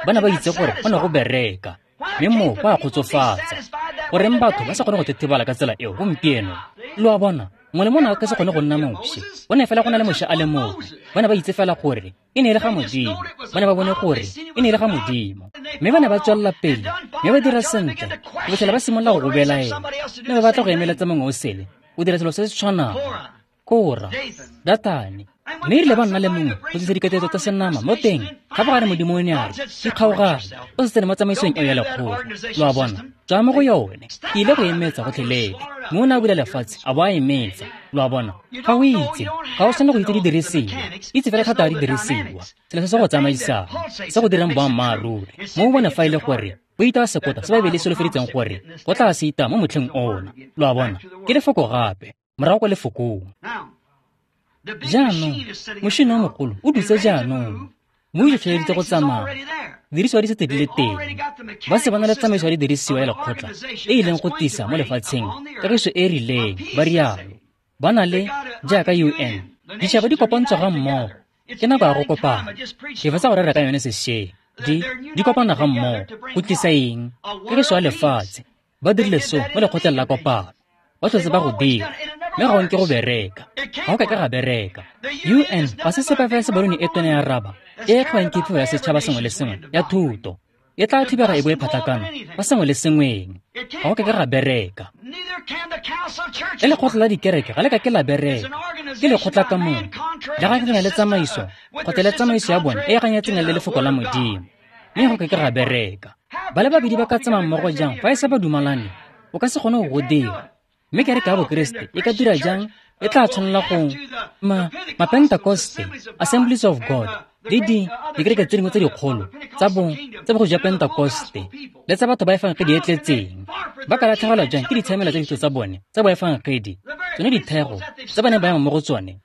Ba ne ba itse gore go ne go bereka, mme moo go a kgotsofatsa. Goreng batho ba sa kgone go thethebala ka tsela eo gompieno? Lo a bona? Mongwe le mongwe a ka se kgone go nna Moshe. Go ne fela go na le Moshe a le mongwe. Ba ne ba itse fela gore e ne e le ga Modimo. Ba ne ba bone gore e ne e le ga Modimo. Mme ba ne ba tswelela pele, mme ba dira sentle, go fitlhela ba simolola go go belaela. Mme ba batla go emeletsa mongwe o sele, o dira selo se se tshwanang. Kora, Datane, mme erile ba nna le mongwe go tlisa diketleetso tsa senama mo teng, gape gare Modimo o ne a re, ikgaogane, o se tsene mo tsamaisong eo ya lekgotla. Lo a bona? Tswa mo go yone. Ke ile go e metsa gotlhelele. Mme o ne a bula lefatshe a bo a e metsa. Lo a bona? Ga o itse, ga o tshwanela go itse didirisiwa. Itse fela thata ya didirisiwa, selo se se go tsamaisang, se go dirang boammaaruri. Mo o bone fa e le gore o itaya sekota se Baebele e solofeditseng gore go tla se itaya mo motlheng ona. Lo a bona? Ke lefoko gape, morago kwa lefokong. Jaanong, mošene o mogolo o dutse jaanong, mme o itlhotlheleditse go tsamaya. Didirisiwa di setse di le teng. Ba se ba na le tsamaiso ya didirisiwa ya lekgotla e e leng go tlisa mo lefatsheng kagiso e e rileng, ba rialo. Ba na le, jaaka U N, ditšhaba di kopantswe ga mmogo. Ke nako ya go kopana. Ke fetsa go rera ka yone sešweng. Di, di kopana ga mmogo go tlisa eng? Kagiso ya lefatshe. Ba dirile seo mo lekgotleng la kopano. Ba tlhotse ba go dira, mme ga o nke go bereka. Ga o ka ke ga bereka. U N ga se sepe fela se balone e tona ya raba e e tlhoang ke phefo ya setšhaba sengwe le sengwe ya thuto. E tla thibega e bo e phatlakana ka sengwe le sengweng. Ga o ka ke ga bereka. Le lekgotla la dikereke ga le ka ke la bereka. Ke lekgotla ka mongwe le ganyetsana le tsamaiso kgotsa le tsamaiso ya bone e e ganyetseng le lefoko la Modimo. Mme go ka ke ga bereka. Ba le babedi ba ka tsamaya mmogo jang fa e sa ba dumalane? O ka se kgone go go dira. Mme kereke ya Bokeresete e ka dira jang? E tla tshwanela go ma Mapentakoste, Assemblies of God, le di dikereke tse dingwe tse dikgolo tsa bo tsa bogosi jwa Pentakoste le tsa batho ba efangedi e tletseng. Ba ka latlhegelwa jang ke ditshiamelo tsa ditso tsa bone tsa boefangedi, tsone dithego tse ba neng ba ema mo go tsone?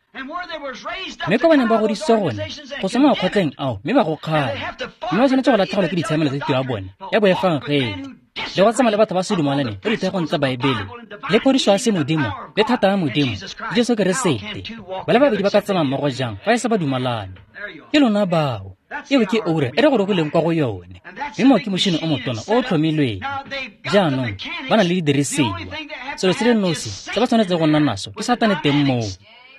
Mme kwa ba neng ba godisitswe gone go tswa mo makgotleng ao mme ba go kgala, mme ba tshwanetse go latlhegelwa ke ditshiamelo tsa tiro ya bone ya boefangedi le go tsamaya le batho ba se dumalane mo dithegong tsa Baebele le phodiso ya semodimo le thata ya Modimo le Jesu Keresete. Ba le babedi ba ka tsamaya mmogo jang fa e sa ba dumalane? Ke lona bao. Eo ke oura e re gorogileng kwa go yone. Mme moo ke mošene o motona o o tlhomilweng. Jaanong ba na le didirisiwa. Selo se le nosi se ba tshwanetseng go nna naso ke Satane teng moo,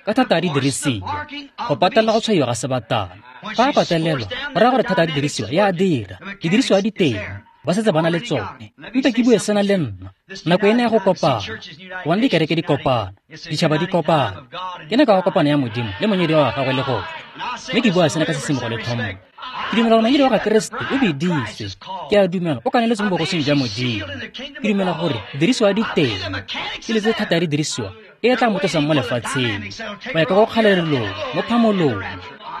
ka thata ya didirisiwa, go patelela go tshwaiwa ga sebatana. Fa a patelelwa, go raya gore thata ya didirisiwa ya a dira. Didirisiwa di teng, ba setse ba na le tsone. Mpe ke bue sena le nna. Nako ena ya go kopana, go bona dikereke di kopana, ditšhaba di kopana. Ke nako ya go kopana ya Modimo le monyadiwa wa gagwe le gone. Mme ke bua sena ka sesimogo le tlhompho. Ke dumela gore monyadiwa wa ga Keresete o biditswe. Ke a dumela o kaneletswe mo bogosing jwa Modimo. Ke dumela gore didirisiwa di teng. Ke letse thata ya didirisiwa e e tla mo tlosang mo lefatsheng go ya ka go kgalelelong, mo phamolong.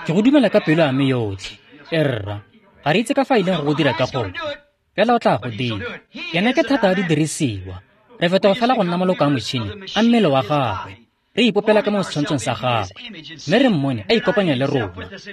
Ke go dumela ka pelo ya me yotlhe. E rra, ga re itse ka fa a ileng go go dira ka gone, fela o tla go dira. Ene ke thata ya didirisiwa. Re fetoga fela go nna maloko a motšhini a mmele wa gagwe. Re ipopela ka mo setshwantshong sa gagwe, mme re mmone a ikopanya le rona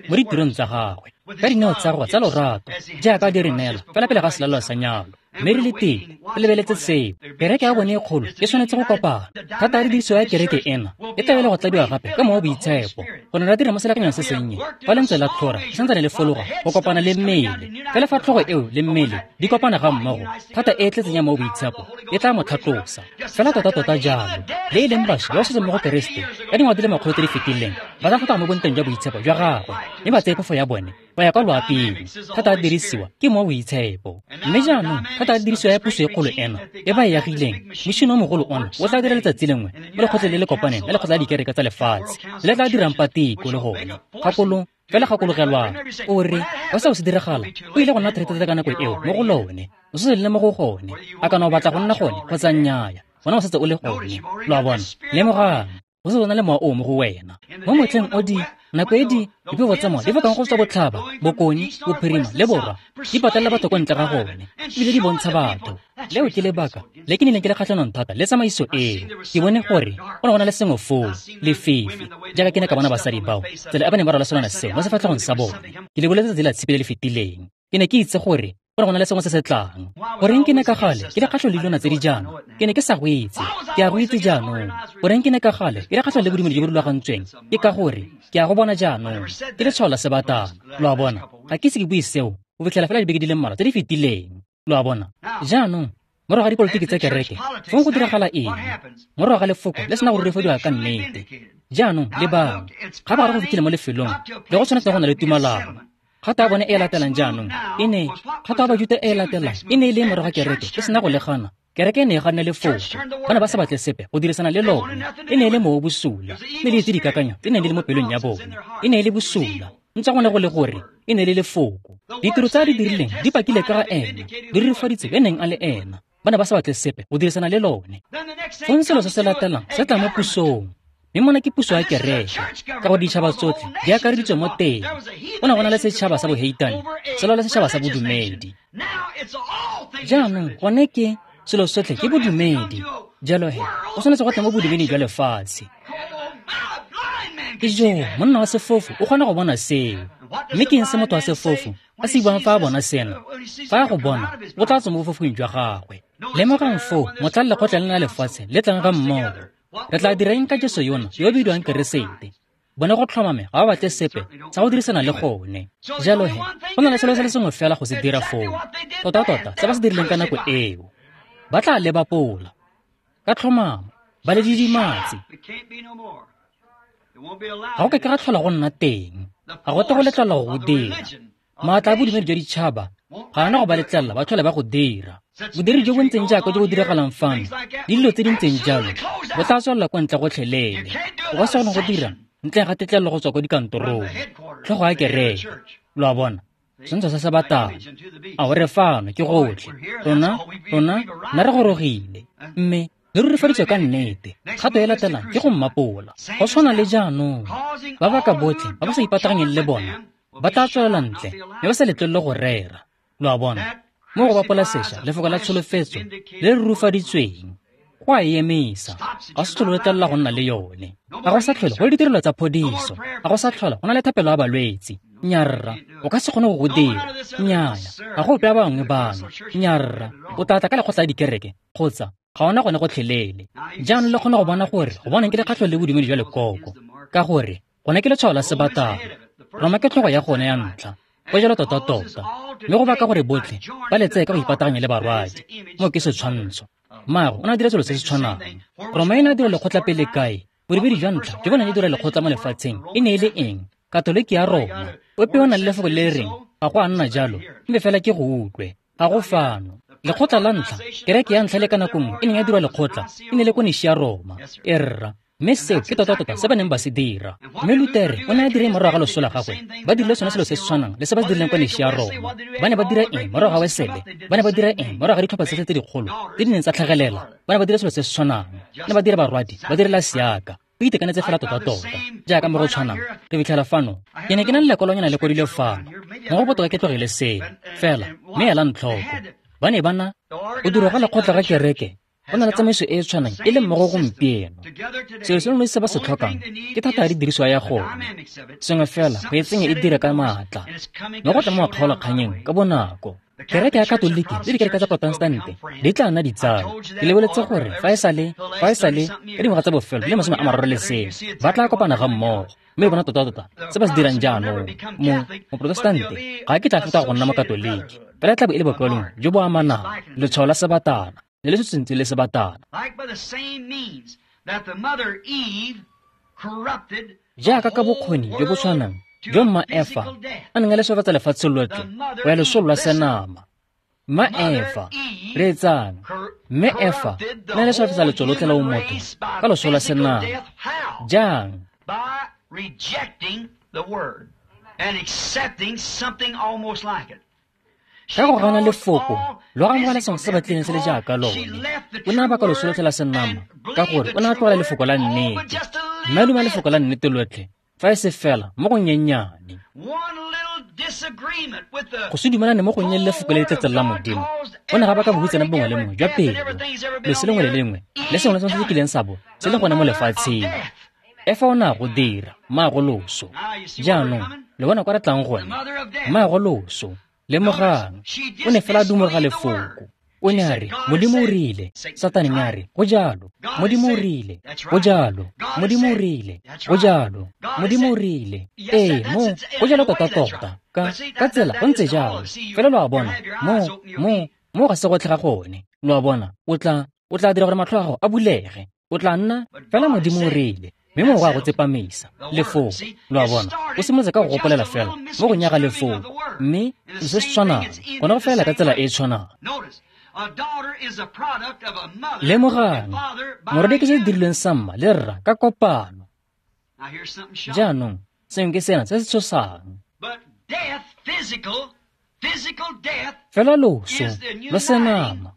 mo ditirong tsa gagwe ka dineo tsa gagwe tsa lorato jaaka di re neela fela pele ga selalelo sa nyalo. Mme re le teng re lebeletse seo. Kereke ya bone e kgolo e tshwanetse go kopana. Thata ya didirisiwa ya kereke ena e tla be le go tladiwa gape ka mowa o boitshepo, go ne ra dira mo selekanyong se sennye fa lentswe la tlhora le santsane le fologa go kopana le mmele. Fela fa tlhogo eo le mmele di kopana ga mmogo, thata e e tletseng ya mowa o boitshepo e tla mo tlhatlosa. Fela tota-tota jalo, le e leng bašwa ba ba setseng mo go Keresete ka dingwaga di le makgolo tse di fetileng ba tla tlhoka mo bonteng jwa boitshepo jwa gagwe, mme ba tseye phefo ya bone ba ya kwa loaping. Thata ya dirisiwa ke mowa o boitshepo. Mme jaanong thata ya dirisiwa ya puso e kgolo ena e ba e agileng, mošene o mogolo ona o tla dira letsatsi lengwe mo lekgotleng le le kopaneng la lekgotla la dikereke tsa lefatshe le tla dirang patiko le gone. Gakolo fela gakologelwang o re fa seo se diragala, o ile go nna thata ka nako eo mo go lone. O setse le mo go gone, a kana o batla go nna gone kgotsa nnyaa, gona o setse o le gone. Lo a bona? Lemogang, o setse o na le mowa o mo go wena. Mo motlheng o di nako e di diphefo tsa mowa di fokang go tswa botlhaba, bokone, bophirima le borwa, di patelela batho kwa ntle ga gone, ebile di bontsha batho. Leo ke lebaka le ke nnileng ke le kgatlhanong thata le tsamaiso eo. Ke bone gore go ne go na le sengwe foo, lefifi, jaaka ke ne ka bona basadi bao, tsela e ba neng ba rwala selwana seo mo sefatlhegong sa bone. Ke le boletse tsatsi la tshipi le le fetileng. Ke ne ke itse gore go ne go na le sengwe se se tlang. Goreng ke ne ka gale ke le kgatlhanong le dilwana tse di jaana? Ke ne ke sa go itse. Ke a go itse jaanong. Goreng ke ne ka gale ke le kgatlhanong le bodumedi jo bo rulagantsweng? Ke ka gore ke a go bona jaanong. Ke letshwao la sebatana. Lo a bona? Ga ke ise ke bue seo go fitlhela fela dibeke di le mmalwa tse di fetileng. Lo a bona? Jaanong, morago ga dipolotiki tsa kereke, fong go diragala eng? Morago ga lefoko le sena go rurifadiwa ka nnete. Jaanong, lebang, ga ba gare go fitlhile mo lefelong le go tshwanetse go na le tumalano. Kgato ya bone e e latelang jaanong e ne kgato ya Bajuta e e latelang e ne e le morago ga kereke e sena go le gana. Kereke e ne e ganne lefoko. Ba ne ba sa batle sepe go dirisana le lone. E ne e le mowa o bosula, mme le itse dikakanyo tse neng di le mo pelong ya bone. E ne e le bosula, ntswa go ne go le gore e ne e le lefoko. Ditiro tse a di dirileng di pakile ka ga ena, di rurifaditse yo neng a le ena. Ba ne ba sa batle sepe go dirisana le lone. Fong selo se se latelang se tla mo pusong. Mme mona ke puso ya kereke, ka gore ditšhaba tsotlhe di akareditswe mo teng. Go ne go na le setšhaba sa boheitane, se lwa le setšhaba sa bodumedi. Jaanong gone ke selo sotlhe ke bodumedi. Jalo he, o tshwanetse go tla mo bodumeding jwa lefatshe. Ke jo, monna wa sefofu o kgona go bona seo. Mme ke eng se motho wa sefofu a se buang fa a bona sena? Fa a go bona, o tla tswa mo bofofung jwa gagwe. Lemogang foo motlha lekgotla lena la lefatshe le tlang ga mmogo. Re tla dira eng ka Jesu yona yo o bidiwang Keresete? Bone go tlhomame ga ba batle sepe sa go dirisana le gone. Jalo he, go na le selo se le sengwe fela go se dira foo. Tota-tota se ba se dirileng ka nako eo. Ba tla le bapola. Ka tlhomamo, ba le didimatse. Ga go ka ke ga tlhola go nna teng. Ga go tle go letlelelwa go go dira. Maatla a bodumedi jwa ditšhaba ga ana go ba letlelela ba tlhole ba go dira. Bodiri jo bo ntseng jaaka jo bo diragalang fano, le dilo tse di ntseng jalo, bo tla tswelela kwa ntle gotlhelele. O ka se kgone go dira ntle ga tetlelelo go tswa kwa dikantorong. Tlhogo ya kereke, lo a bona, setshwantsho sa sebatana. A o re fano ke gotlhe. Rona, rona, nna re gorogile. Mme le rurifaditswe ka nnete. Kgato e latelang ke go mmapola. Go tshwana le jaanong. Ba baka botlhe ba ba sa ipataganyeng le bona ba tla tswelela ntle mme ba sa letlelele go rera. Lo a bona, mo go bapola sešwa lefoko la tsholofetso le le rurifaditsweng go a e emisa. Ga se tlhole o letlelela go nna le yone. Ga go sa tlhole go le ditirelo tsa phodiso. Ga go sa tlhola go na le thapelo ya balwetse. Nnyaa, o ka se kgone go go dira. Nnyaa, ga go ope a bangwe bano. Nnyaa, o tla tla ka lekgotla la dikereke kgotsa ga ona gone gotlhelele. Jaanong le kgona go bona gore go bonang ke lekgatlho le bodumedi jwa lekoko, ka gore gone ke letshwao la sebatana. Roma ke tlhogo ya gone ya ntlha. Go jalo tota-tota. Mme go baka gore botlhe ba le tseye ka go ipataganya le barwadi. Moo ke setshwantsho. Mmago o ne a dira selo se se tshwanang. Roma e ne a dira lekgotla pele kae? Bodumedi jwa ntlha jo bo neng e dira lekgotla mo lefatsheng e ne e le eng? Katoliki ya Roma. Ope o na le lefoko le le reng ga go a nna jalo, mme fela ke go utlwe. Ga go fano. Lekgotla la ntlha, kereke ya ntlha le ka nako nngwe e neng ya dirwa lekgotla, e ne le ko Nishia Roma. E rra. Mme seo ke tota-tota se ba neng ba se dira. Mme Lutere o ne a dira morago ga loso la gagwe. Ba dirile sone selo se se tshwanang le se ba se dirileng kwa Nishia Roma. Ba ne ba dira eng morago ga Wesele? Ba ne ba dira eng morago ga ditlhopha tsotlhe tse dikgolo tse di neng tsa tlhagelela? Ba ne ba dira selo se se tshwanang. Ba ne ba dira barwadi, ba direla seaka. Go itekanetse fela tota-tota. Jaaka mo go tshwanang, re fitlhela fano. Ke ne ke na le lekwalonyana le kwadilwe fano. Mo go botoka ke tlogele seo. Fela, mme elang tlhoko. Ba ne ba na go dirwa ga lekgotla ga kereke. Go na le tsamaiso e e tshwanang e le mmogo gompieno. Selo se lengwe se ba se tlhokang ke thata ya didiriswa ya gone. Sengwe fela go e tsenya e dire ka maatla. Mme go tla mo makgaolakganyeng ka bonako. Kereke ya Katoliki le dikereke tsa Protestante di tla nna ditsala. Ke lebeletse gore fa e sale, fa e sale ka dingwaga tsa bofelo di le masome a mararo le sengwe ba tla kopana ga mmogo. Mme bona tota-tota se ba se dirang jaanong. Mo Moprotestante ga ke tla feta go nna Mokatoliki. Fela e tla bo e le bokaulengwe jo bo amanang, letshwao la sebatana le le setswentse le sebatana. Jaaka ka bokgoni jo bo tshwanang jo mma Efa a neng a leswefatsa lefatshe lotlhe go ya losong lwa senama. Mma Efa, reetsang, mme Efa o ne a leswefatsa letso lotlhe la bomotho ka loso lwa senama. Jang? Ka go gana lefoko, lo amogela sengwe se batlileng se le jaaka lone. O ne a baka loso lotlhe la senama ka gore o ne a tlogela lefoko la nnete. Mme a duma lefoko la nnete lotlhe fa e se fela mo go nyenyane. Go se dumelane mo go nnye le lefoko le le tletseng la Modimo go ne ga baka bohutsana bongwe le bongwe jwa pelo. Loso lengwe le lengwe le sengwe le sengwe se se kileng sa bo se le gone mo lefatsheng. Efa o ne a go dira, mmaago loso. Jaanong le bona kwa re tlang gone, mmaago loso. Lemogang, o ne fela a dumologa lefoko. O ne a re, Modimo o rile. Satane ne a re, go jalo. Modimo o rile, go jalo. Modimo o rile, go jalo. Modimo o rile. Ee, mo, go jalo tota-tota. Ka, ka tsela, go ntse jalo. Fela lo a bona, mo, mo, mo ga se gotlhe ga gone. Lo a bona, o tla, o tla dira gore matlho a gago a bulege. O tla nna, fela Modimo o rile. Mme mo go a go tsepamisa lefoko. Lo a bona, o simolotse ka go gopolela fela mo go nyaga lefoko. Mme se se tshwanang, gone go felela ka tsela e e tshwanang. Lemogang, morwadi ke se se dirilweng sa mma le rra ka kopano. Jaanong, sengwe ke sena se se tshosang. Fela loso lo senama,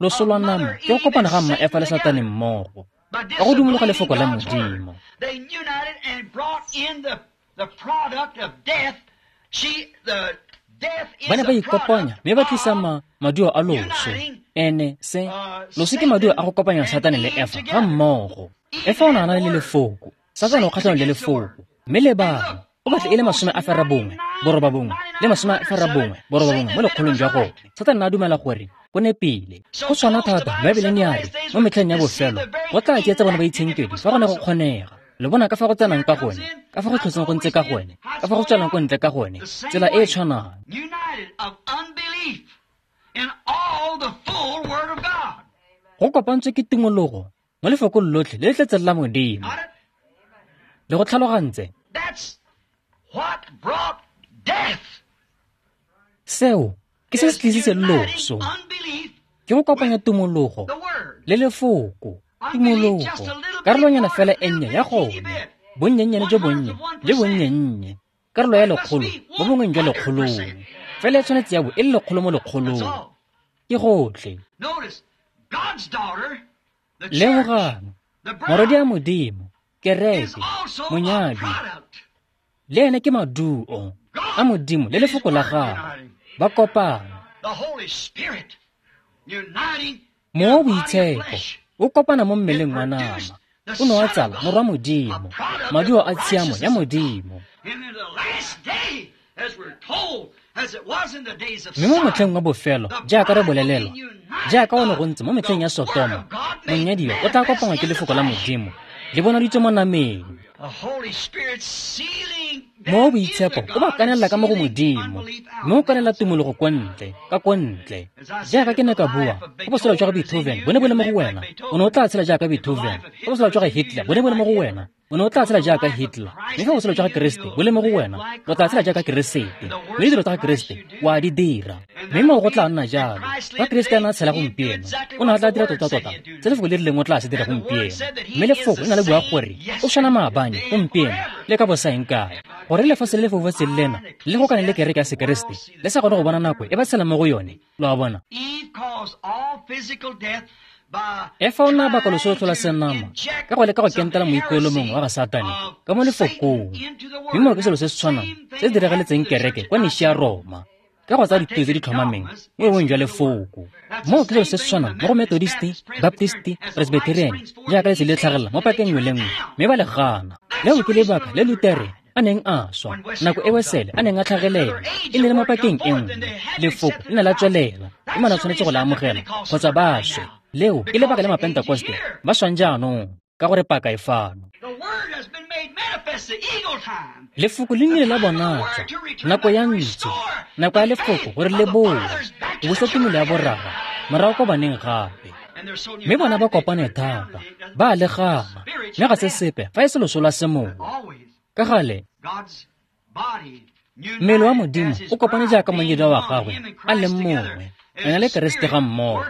loso lwa nama ke go kopana ga mma Efa le Satane mmogo. Ka go dumologa lefoko la Modimo. Ba ne ba ikopanya mme ba tlisa ma maduo a loso. Ene se loso ke maduo a go kopanya Satane le Efa ga mmogo. Efa o ne a na le lefoko, Satane o kgatlhanong le lefoko. Mme lebang, o batla e le masome a ferabongwe, borobabongwe, le masome a ferabongwe, borobabongwe mo lekgolong jwa gone. Satane a dumela gore go nepile. Go tshwana thata, Baebele ne ya re mo metlheng ya bofelo go tla tsietsa bone ba itshenkedi fa go ne go kgonega. Le bona ka fa go tsenang ka gone, ka fa go tlhotseng go ntse ka gone, ka fa go tswelang ko ntle ka gone, tsela e e tshwanang. Go kopantswe ke tumologo mo lefokong lotlhe le le tletseng la Modimo. Le go tlhalogantse. Seo ke se se tlisitseng loso. Ke go kopanya tumologo le lefoko. Tumologo, karolonyana fela e nnye ya gone, bonnyennyane jo bonnye le bonnyennye, karolo ya lekgolo mo bongweng jwa lekgolong, fela e tshwanetse ya bo e le lekgolo mo lekgolong. Ke gotlhe. Lemogang, morwadi a Modimo, kereke, monyadwi, le ene ke maduo a Modimo le lefoko la gagwe, ba kopana. Mowa o Boitshepo o kopana mo mmeleng wa nama, o ne wa tsala morwa Modimo, maduo a tshiamo ya Modimo. Mme mo motlheng wa bofelo, jaaka re bolelelwa, jaaka o ne go ntse mo metlheng ya Sotoma, monyadiwa o tla kopangwa ke lefoko la Modimo, le bonaditswe mo nameng. Mowa o Boitshepo o ba kanelela ka mo go Modimo, mme o kanela tumologo ko ntle, ka ko ntle. Jaaka ke ne ka bua, fa botshelo jwa ga Beethoven bo ne bo le mo go wena, o ne o tla tshela jaaka Beethoven. Fa botshelo jwa ga Hitler bo ne bo le mo go wena, o ne o tla tshela jaaka Hitler. Mme fa botshelo jwa ga Keresete bo le mo go wena, o tla tshela jaaka Keresete. Mme ditiro tsa ga Keresete o a di dira. Mme moo go tla nna jalo. Fa Keresete a ne a tshela gompieno, o ne a tla dira tota-tota se lefoko le rileng o tla se dira gompieno. Mme lefoko le na le bua gore o tshwana maabane, gompieno, le ka bosaeng kae. Gore lefatshe le le foufetseng lena le go kane le kereke ya Sekeresete le sa kgone go bona nako e ba tshelang mo go yone, lo a bona. Efa o ne a baka loso lo tlhola senama ka go leka go kentela moikuelo mongwe wa ga Satane ka mo lefokong. Mme moo ke selo se se tshwanang se se diragaletseng kereke kwa Nishia Roma, ka go tsaya dithuto tse di tlhomameng mo boemong jwa lefoko. Moo ke selo se se tshwanang mo go Methodist, Baptist, Presbyterian, jaaka letsatsi le tlhagelela mo pakeng nngwe le nngwe, mme ba le gana. Leo ke lebaka le Lutere a neng a swa, nako e Wesele a neng a tlhagelela, e ne le mo pakeng e nngwe. Lefoko le ne la tswelela, mme ba tshwanetse go le amogela kgotsa ba swe. Leo ke lebaka le Mapentekoste ba swang jaanong, ka gore paka e fano. Lefoko le nnile la bonatswa, nako ya ntso, nako ya lefoko gore le boe, go busa tumelo ya borara morago ko baneng gape. Mme bona ba kopane thata, ba a le gana, mme ga se sepe fa e se loso lwa semowa. Ka gale, mmele wa Modimo o kopane jaaka monyadiwa wa gagwe a le mongwe, ena le Keresete ga mmogo.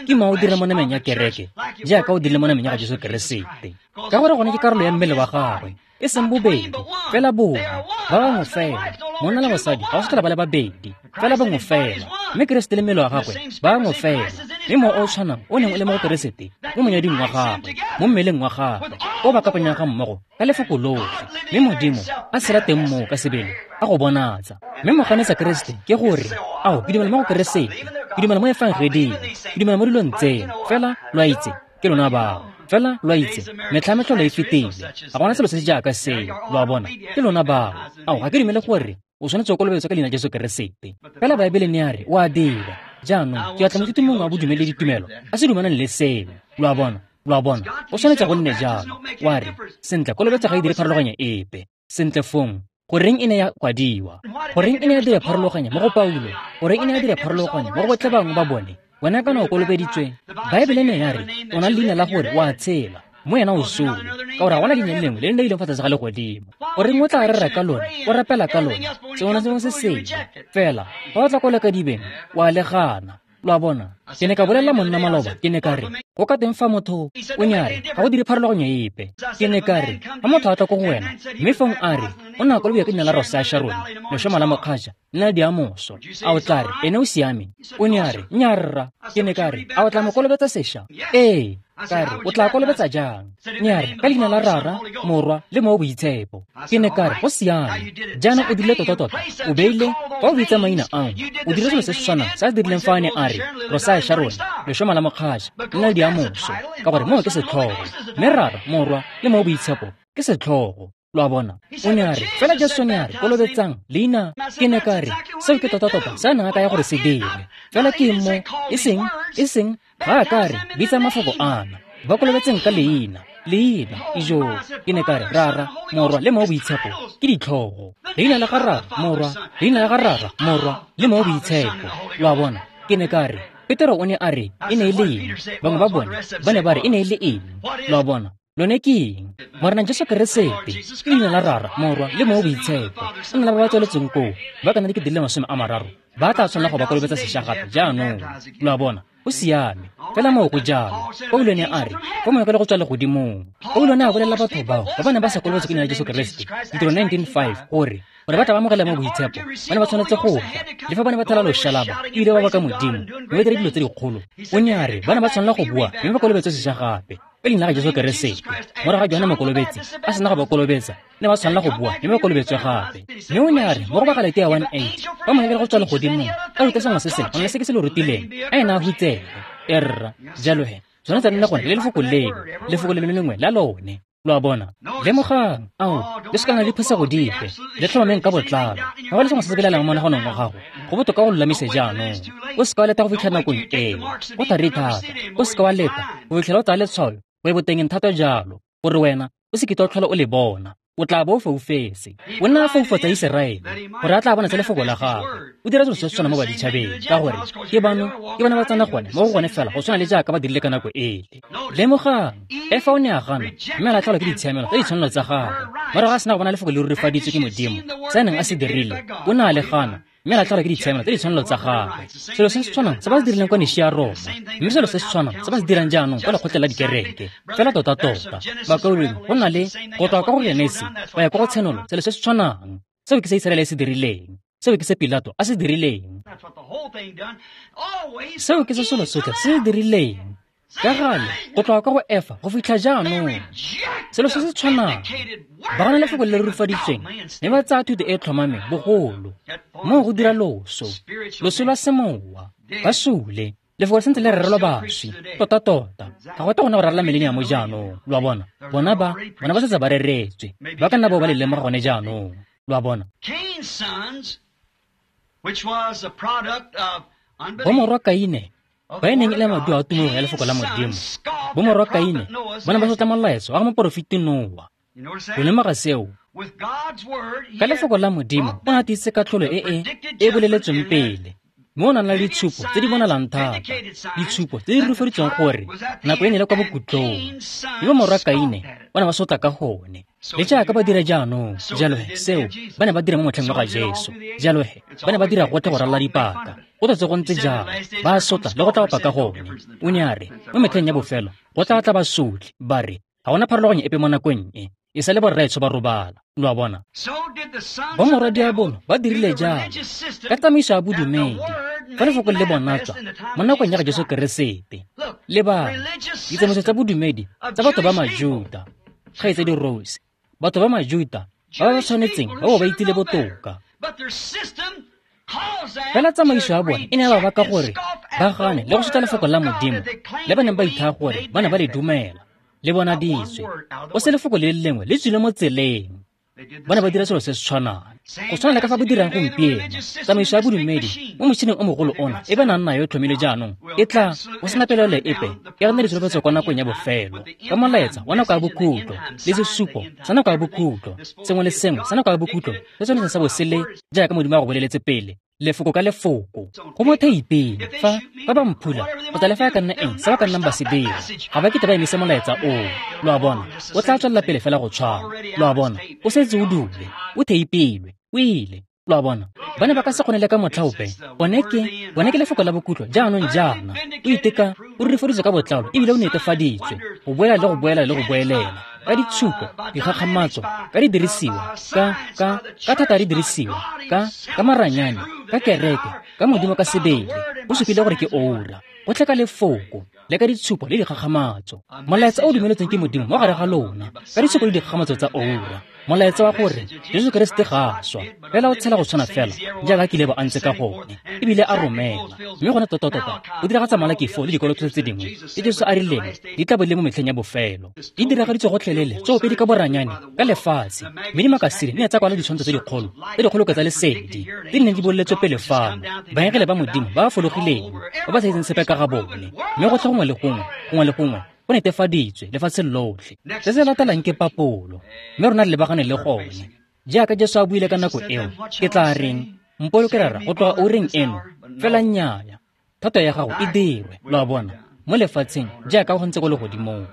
Ke mowa o dira mo nameng ya kereke jaaka o dirile mo nameng ya ga Jesu Keresete, ka gore gone ke karolo ya mmele wa gagwe, e seng bobedi, fela bongwe, ba bangwe fela. Monna le mosadi ga o se tlhola ba le babedi, fela bangwe fela. Mme Keresete le mmele wa gagwe ba bangwe fela. Mme mowa o o tshwanang o neng o le mo go Keresete mo monyading wa gagwe, mo mmeleng wa gagwe, o ba kopanyang ga mmogo ka lefoko lotlhe. Mme Modimo a tshela teng moo ka sebele a go bonatsa. Mme moganetsa Keresete ke gore, ao, ke dumela mo go Keresete, ke dumela mo efangeding, ke dumela mo dilong tseno, fela lo a itse, ke lona bao. Fela lo a itse, metlha metlholo e fetile, ga gona selo se se jaaka seo, lo a bona, ke lona bao. Ao, ga ke dumele gore o tshwanetse o kolobetswa ka leina Jesu Keresete. Fela Baebele ne ya re o a dira. Jaanong ke batla moithuti mongwe wa bodumedi le ditumelo a se dumanang le seo, lo a bona, lo a bona, o tshwanetse go nne jalo. Wa re, sentle, kolobetso ga e dire pharologanyo epe. Sentle fong, goreng e ne ya kwadiwa? Goreng e ne ya dira pharologanyo mo go Paulo? Goreng e ne ya dira pharologanyo mo go botlhe bangwe ba bone? Wena kana o kolobeditswe, Baebele ne ya re o na le leina la gore o a tshela, mo ena o sole, ka gore ga gona leina le lengwe le le ileng fa tlase ga legodimo. Goreng o tla rera ka lone, o rapela ka lone, sengwe le sengwe se sele. Fela fa o tla ko lekadibeng, o a le gana. Lo a bona? Ke ne ka bolelela monna maloba, ke ne ka re, go ka teng fa motho o ne a re ga go dire pharologanyo epe. Ke ne ka re, fa motho a tla ko go wena, mme fong a re o ne a kolobediwa ka leina la Rosa Sharon, lešoma la mokgatša, le la diamoso, a o tla re ene o siame? O ne a re, nnyaa rra. Ke ne ka re, a o tla mo kolobetsa sešwa? Ee. Ka re, o tla kolobetsa jang? Ne a re, ka leina la Rara, Morwa le Mowa o Boitshepo. Ke ne ka re, go siame. Jaanong o dirile tota-tota. O beile, fa o bitsa maina ao, o dirile selo se se tshwanang se a se dirileng fa a ne a re, Rosaya Sharon, lešoma la mokgatšha, le naledi ya moso, ka gore moo ke setlhogo. Mme Rara, Morwa le Mowa o Boitshepo ke setlhogo. Lo a bona? O ne a re, fela Jesu ne a re, kolobetsang leina. Ke ne ka re, seo ke tota-tota se a neng a kaya gore se dire. Fela ke eng mo, e seng, e seng, ga a ka re, bitsa mafoko ana, ba kolobetseng ka leina, leina, ijo. Ke ne ka re, Rara, Morwa le Mowa o Boitshepo ke ditlhogo. Leina la ga Rara, Morwa, leina la ga Rara, Morwa le Mowa o Boitshepo. Lo a bona? Ke ne ka re, Petero o ne a re, e ne e le eng? Bangwe ba bone ba ne ba re e ne e le eng? Lo a bona? Lone ke eng? Morena Jesu Keresete, ke leina la Rara, Morwa le Mowa o Boitshepo. Go na le ba ba tsweletseng koo, ba ka nna dikete di le masome a mararo, ba tla tshwanela go ba kolobetsa sešwa gape jaanong. Lo a bona? Go siame. Fela moo go jalo. Paulo ne a re, fa moya le go tswa legodimong. Paulo ne a bolelela batho bao ba ba neng ba sa kolobetswa ke leina la Jesu Keresete, Ditiro nineteen five, gore gore ba tla ba amogela mo boitshepo, ba ne ba tshwanetse go tla. Le fa ba ne ba thela loshalaba, ebile ba baka Modimo, mme ba dira dilo tse dikgolo. O ne a re, ba ne ba tshwanela go bua, mme ba kolobetswe sešwa gape. Ka leina la Jesu Keresete. Morago ga Johane Mokolobetsi a sena go ba kolobetsa, ne ba tshwanela go bua mme ba kolobetswe gape. Mme o ne a re, mo go ba Galatia one eight, fa moya le go tswa legodimong, a ruta sengwe se sengwe, go na le se ke se lo rutileng, a ena a hutsege. Erra, jalo he, tshwanetse nne gone le lefoko leo, lefoko le lengwe la lone. Lo a bona? Lemogang, ao, le se ka nna le diphosego dipe, le tlhomameng ka botlalo. Ga go le sengwe se se belaelang mo monaganong wa gago, go botoka go lolamise jaanong. O se ka wa leta go fitlha nakong eo, go thari thata. O se ka wa leta go fitlhela o tsaya letshwao go e botengeng thata jalo, gore wena o se kitla o tlhola o le bona. O tla bo o foufetse. O nna a foufatsa Iseraele, gore a tla bona tse lefoko la gagwe. O dira selo se se tshwanang mo baditšhabeng, ka gore ke bano, ke bana ba tsena gone mo go gone fela go tshwana le jaaka ba dirile ka nako ele. Lemogang, Efa o ne a gana, mme a latlhelwa ke ditshiamelo tsa ditshwanelo tsa gagwe. Morago a sena go bona lefoko le rurifaditswe ke Modimo, se a neng a se dirile, o ne a le gana, mme a latlhelwa ke ditshiamelo tsa ditshwanelo tsa gagwe. Selo se se tshwanang se ba se dirileng kwa Nishia Roma, mme selo se se tshwanang se ba se dirang jaanong kwa lekgotleng la dikereke. Fela tota-tota, bakaulengwe, go na le go tloga kwa go Genesi go ya kwa go Tshenolo, selo se se tshwanang. Seo ke se Iseraele se dirileng. Seo ke se Pilato a se dirileng. Seo ke se selo sotlhe se se dirileng. Ka gale, go tloga kwa go Efa go fitlha jaanong, selo se se tshwanang. Ba gana lefoko le le rurifaditsweng, mme ba tsaya thuto e e tlhomameng bogolo. Moo go dira loso, loso lwa semowa. Ba sule, lefoko le santse le rerelwa baswi. Tota-tota, ga go tle go nna go rarela mileniamo jaanong. Lo a bona? Bona ba, bona ba setse ba reretswe. Ba ka nna bao ba le lemoga gone jaanong. Lo a bona? Bomorwa Kaine, ba e neng e le maduo a tumelo ya lefoko la Modimo. Bomorwa Kaine ba ne ba sotla molaetso wa ga moporofeti Noa. Lo lemoga seo? Ka lefoko la Modimo o ne a tiisitse katlholo e e e boleletsweng pele, mme o ne a na le ditshupo tse di bonalang thata, ditshupo tse di rurifaditsweng gore nako e ne e le kwa bokhutlong. Mme bomorwa Kaine ba ne ba sotla ka gone. Le jaaka ba dira jaanong, jalo he, seo ba ne ba dira mo motlheng wa ga Jesu. Jalo he, ba ne ba dira gotlhe go ralala dipaka. Go tletse go ntse jalo, ba sotla le go tla bapa ka gone. O ne a re, mo metlheng ya bofelo, go tla tla basotli, ba re, ga gona pharologanyo epe mo nakong e, e sa le borraetsho ba robala. Lo a bona? Bomorwa diabolo ba dirile jalo ka tsamaiso ya bodumedi, fa lefoko le bonatswa mo nakong ya ga Jesu Keresete. Lebang, ditsamaiso tsa bodumedi tsa batho ba Majuta, kgaitsedi Rose, batho ba Majuta ba ba tshwanetseng ba bo ba itsile botoka. Fela tsamaiso ya bone e ne ya ba baka gore ba gane le go sotla lefoko la Modimo le ba neng ba ithaya gore ba ne ba le dumela, le bonaditswe. Go se lefoko le le lengwe le tswile mo tseleng. Ba ne ba dira selo se se tshwanang, go tshwana le ka fa ba dirang gompieno. Tsamaiso ya bodumedi mo motšhineng o mogolo ona e ba nang nayo e tlhomile jaanong e tla go sena pelaelo epe e re nne ditsholofetso kwa nakong ya bofelo, ka molaetsa wa nako ya bokhutlo le sesupo sa nako ya bokhutlo. Sengwe le sengwe sa nako ya bokhutlo se tshwanetse sa bo se le jaaka Modimo a go boleletse pele, lefoko ka lefoko. Go mo theipeng, fa ba ba mphula kgotsa le fa e ka nna eng se ba ka nnang ba se dira, ga ba kete ba emise molaetsa oo. Lo a bona? O tla tswelela pele fela go tshwana. Lo a bona? O setse o dule, o theipilwe, o ile. Lo a bona? Ba ne ba ka se kgone le ka motlha ope. Bone ke, bone ke lefoko la bokhutlo jaanong jaana. O iteka, o rurifaditswe ka botlalo ebile o netefaditswe, go boela le go boela le go boelela. Ka ditshupo, dikgakgamatso, ka didirisiwa, ka ka ka thata ya didirisiwa, ka ka maranyane, ka kereke, ka Modimo ka sebele. O supile gore ke oura. Go tlhe ka lefoko. le ka ditshupo le dikgakgamatso. Molaetsa o dumeletsweng ke Modimo mo gare ga lona ka ditshupo le dikgakgamatso tsa oura. Molaetsa wa gore Jesu Keresete ga a swa, fela o tshela go tshwana fela jaaka a kile ba a ntse ka gone, ebile a romela. Mme gone tota-tota o diragatsa malakifo le dikolo tsotlhe tse dingwe tse Jesu a rileng di tla bo le mo metlheng ya bofelo. Di diragaditswe gotlhelele tsoopedi ka boranyane ka lefatshe, mme dimakasine di ne tsa kwala ditshwantsho tse dikgolo tse dikgolo ka tsa lesedi tse di neng di boleletswe pele fano. Baengele ba Modimo ba ba fologileng ba ba sa itseng sepe ka ga bone, mme gotlhe gongwe le gongwe gongwe le gongwe go netefaditswe lefatshe lotlhe. Se se latelang ke papolo, mme rona re lebagane le gone. Jaaka Jesu a buile ka nako eo, ke tla reng mpoloke Rara go tloga oureng eno, fela nnyaya, thato ya gago e dirwe, lo a bona, mo lefatsheng jaaka go ntse ko legodimong.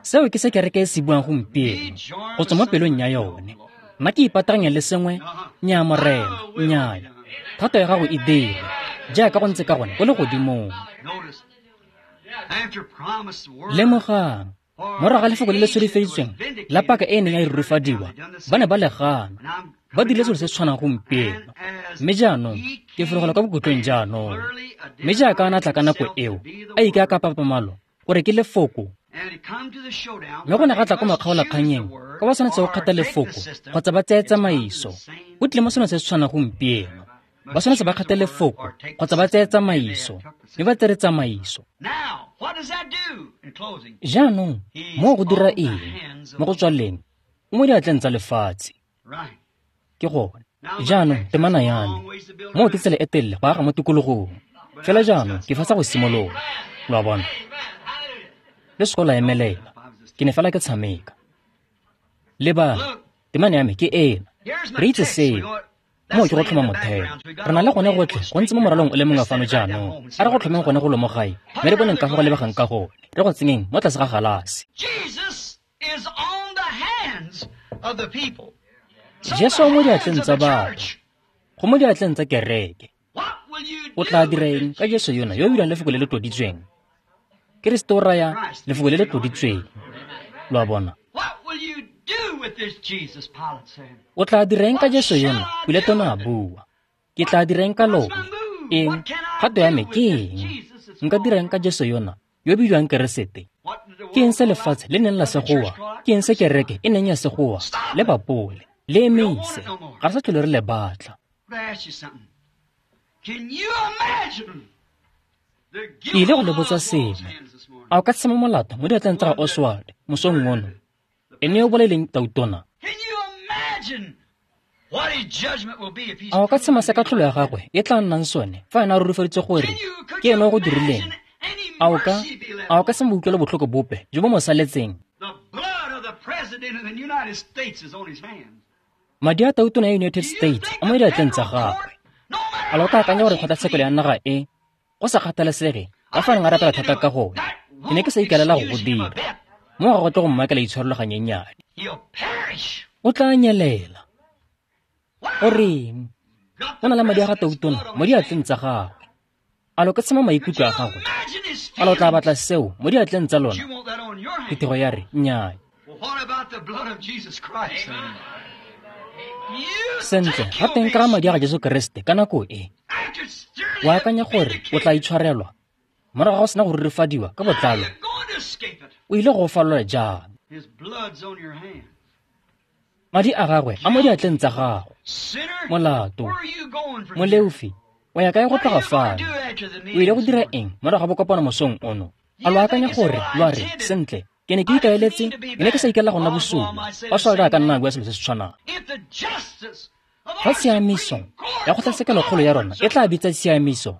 Seo ke se kereke e se buang gompieno go tswa mo pelong ya yone. Nna ke ipataganya le sengwe, nnyaa Morena, nnyaya, thato ya gago e dirwe jaaka go ntse ka gone ko legodimong. Lemogang, morago ga lefoko le le solofeditsweng la paka e e neng ya e rurifadiwa, ba ne ba le gana. Ba dirile selo se se tshwanang gompieno. Mme jaanong ke fologela kwa bokhutlong jaanong. Mme jaaka a ne a tla ka nako eo, a ikaya ka papamalo gore ke lefoko. Mme go ne ga tla ko makgaolakganyeng ka ba tshwanetse go kgetha lefoko kgotsa ba tseye tsamaiso. Go tlile mo selong se se tshwanang gompieno. Ba tshwanetse ba kgethe lefoko kgotsa ba tseye tsamaiso, mme ba tsere tsamaiso. Jaanong moo go dira eng? Mo go tswaleng, o mo diatleng tsa lefatshe. Ke gone. Jaanong temana ya me, moo ke tsela e telele go aga mo tikologong. Fela jaanong ke fetsa go simolola, lo a bona. Le seka la emelela, ke ne fela ke tshameka. Lebang, temana ya me ke ena. Re itse seo. Moo ke go tlhoma motheo. Re na le gone gotlhe go ntse mo moralong o le mongwe fano jaanong. A re go tlhomeng gone go lo mo gae, mme re boneng ka fa go lebegang ka gone. Re go tsenyeng mo tlase ga galase. Jesu o mo diatleng tsa batho, go mo diatleng tsa kereke. O tla dira eng ka Jesu yona yo o dirang lefoko le le tloditsweng? Keresete o raya lefoko le le tloditsweng. Lo a bona? O tla dira eng ka Jesu yona? Pilato ne a bua. Ke tla dira eng ka lone? Eng? Kgato ya me ke eng? Nka dira eng ka Jesu yona yo o bidiwang Keresete? Ke eng se lefatshe le neng la se goa? Ke eng se kereke e neng ya se goa? Le bapole, le emise, ga re sa tlhole re le batla. Ke ile go le botsa sengwe. A o ka tshema molato mo diatleng tsa ga Oswald mosong ono? Ene yo o bolaileng tautona? A o ka tshema se katlholo ya gagwe e tla nnang sone fa ena a rurifaditse gore ke ene o go dirileng? A o ka a o ka se mo utlwele botlhoko bope jo bo mo saletseng? Madi a tautona ya United States a mo diatleng tsa gagwe. A lo ka akanya gore kgotlatshekelo ya naga e, go sa kgathalesege ka fa neng a rapela thata ka gone, ke ne ke sa ikaelela go go dira. Mo ga go tle go mmakela itshwarelo ganyenyane. O tla nyelela. O reng? O na le madi a ga tautona mo diatleng tsa gagwe. A lo ka tshema maikutlo a gagwe? A lo tla batla seo mo diatleng tsa lona? Phuthego ya re, nnyaa. Sentle, ga teng ka madi a ga Jesu Keresete ka nako e. O akanya gore o tla itshwarelwa morago ga go sena go rurifadiwa ka botlalo? O ile go falola jang? Madi a gagwe a mo diatleng tsa gago. Molato, moleofi, o ya kae go tloga fano? O ile go dira eng morago ga bokopano mosong ono? A lo akanya gore lo a re, sentle, ke ne ke ikaeletse, ke ne ke sa ikaelela go nna bosula. Oswald a ka nna a bua selo se se tshwanang. Fa tshiamiso ya kgotlatshekelokgolo ya rona e tla bitsa tshiamiso,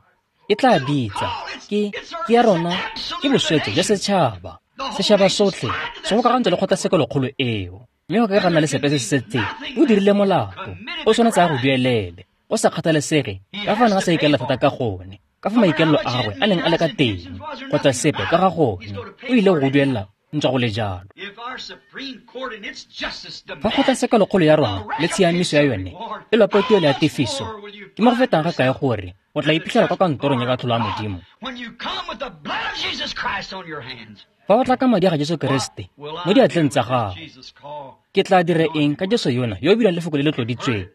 e tla bitsa ke ke ya rona, ke boswetso jwa setšhaba. Setšhaba sotlhe se gokagantswe le kgotlatshekelokgolo eo, mme go ka ga nna le sepe se se setseng. O dirile molato, o tshwanetse a go duelele, go sa kgathalesege ka fa neng a sa ikaelela thata ka gone, ka fa maikaelelo a gagwe a neng a le ka teng, kgotsa sepe ka ga gone, o ile go go duelela ntswa go le jalo. Fa kgotlatshekelokgolo ya rona le tshiamiso ya yone e lopa tuelo ya tefiso, ke mo go fetang ga kae gore o tla iphitlhela kwa kantorong ya katlholo ya Modimo? Fa o tla ka madi a ga Jesu Keresete mo diatleng tsa gago, ke tla dira eng ka Jesu yona yo o bidiwang lefoko le le tloditsweng?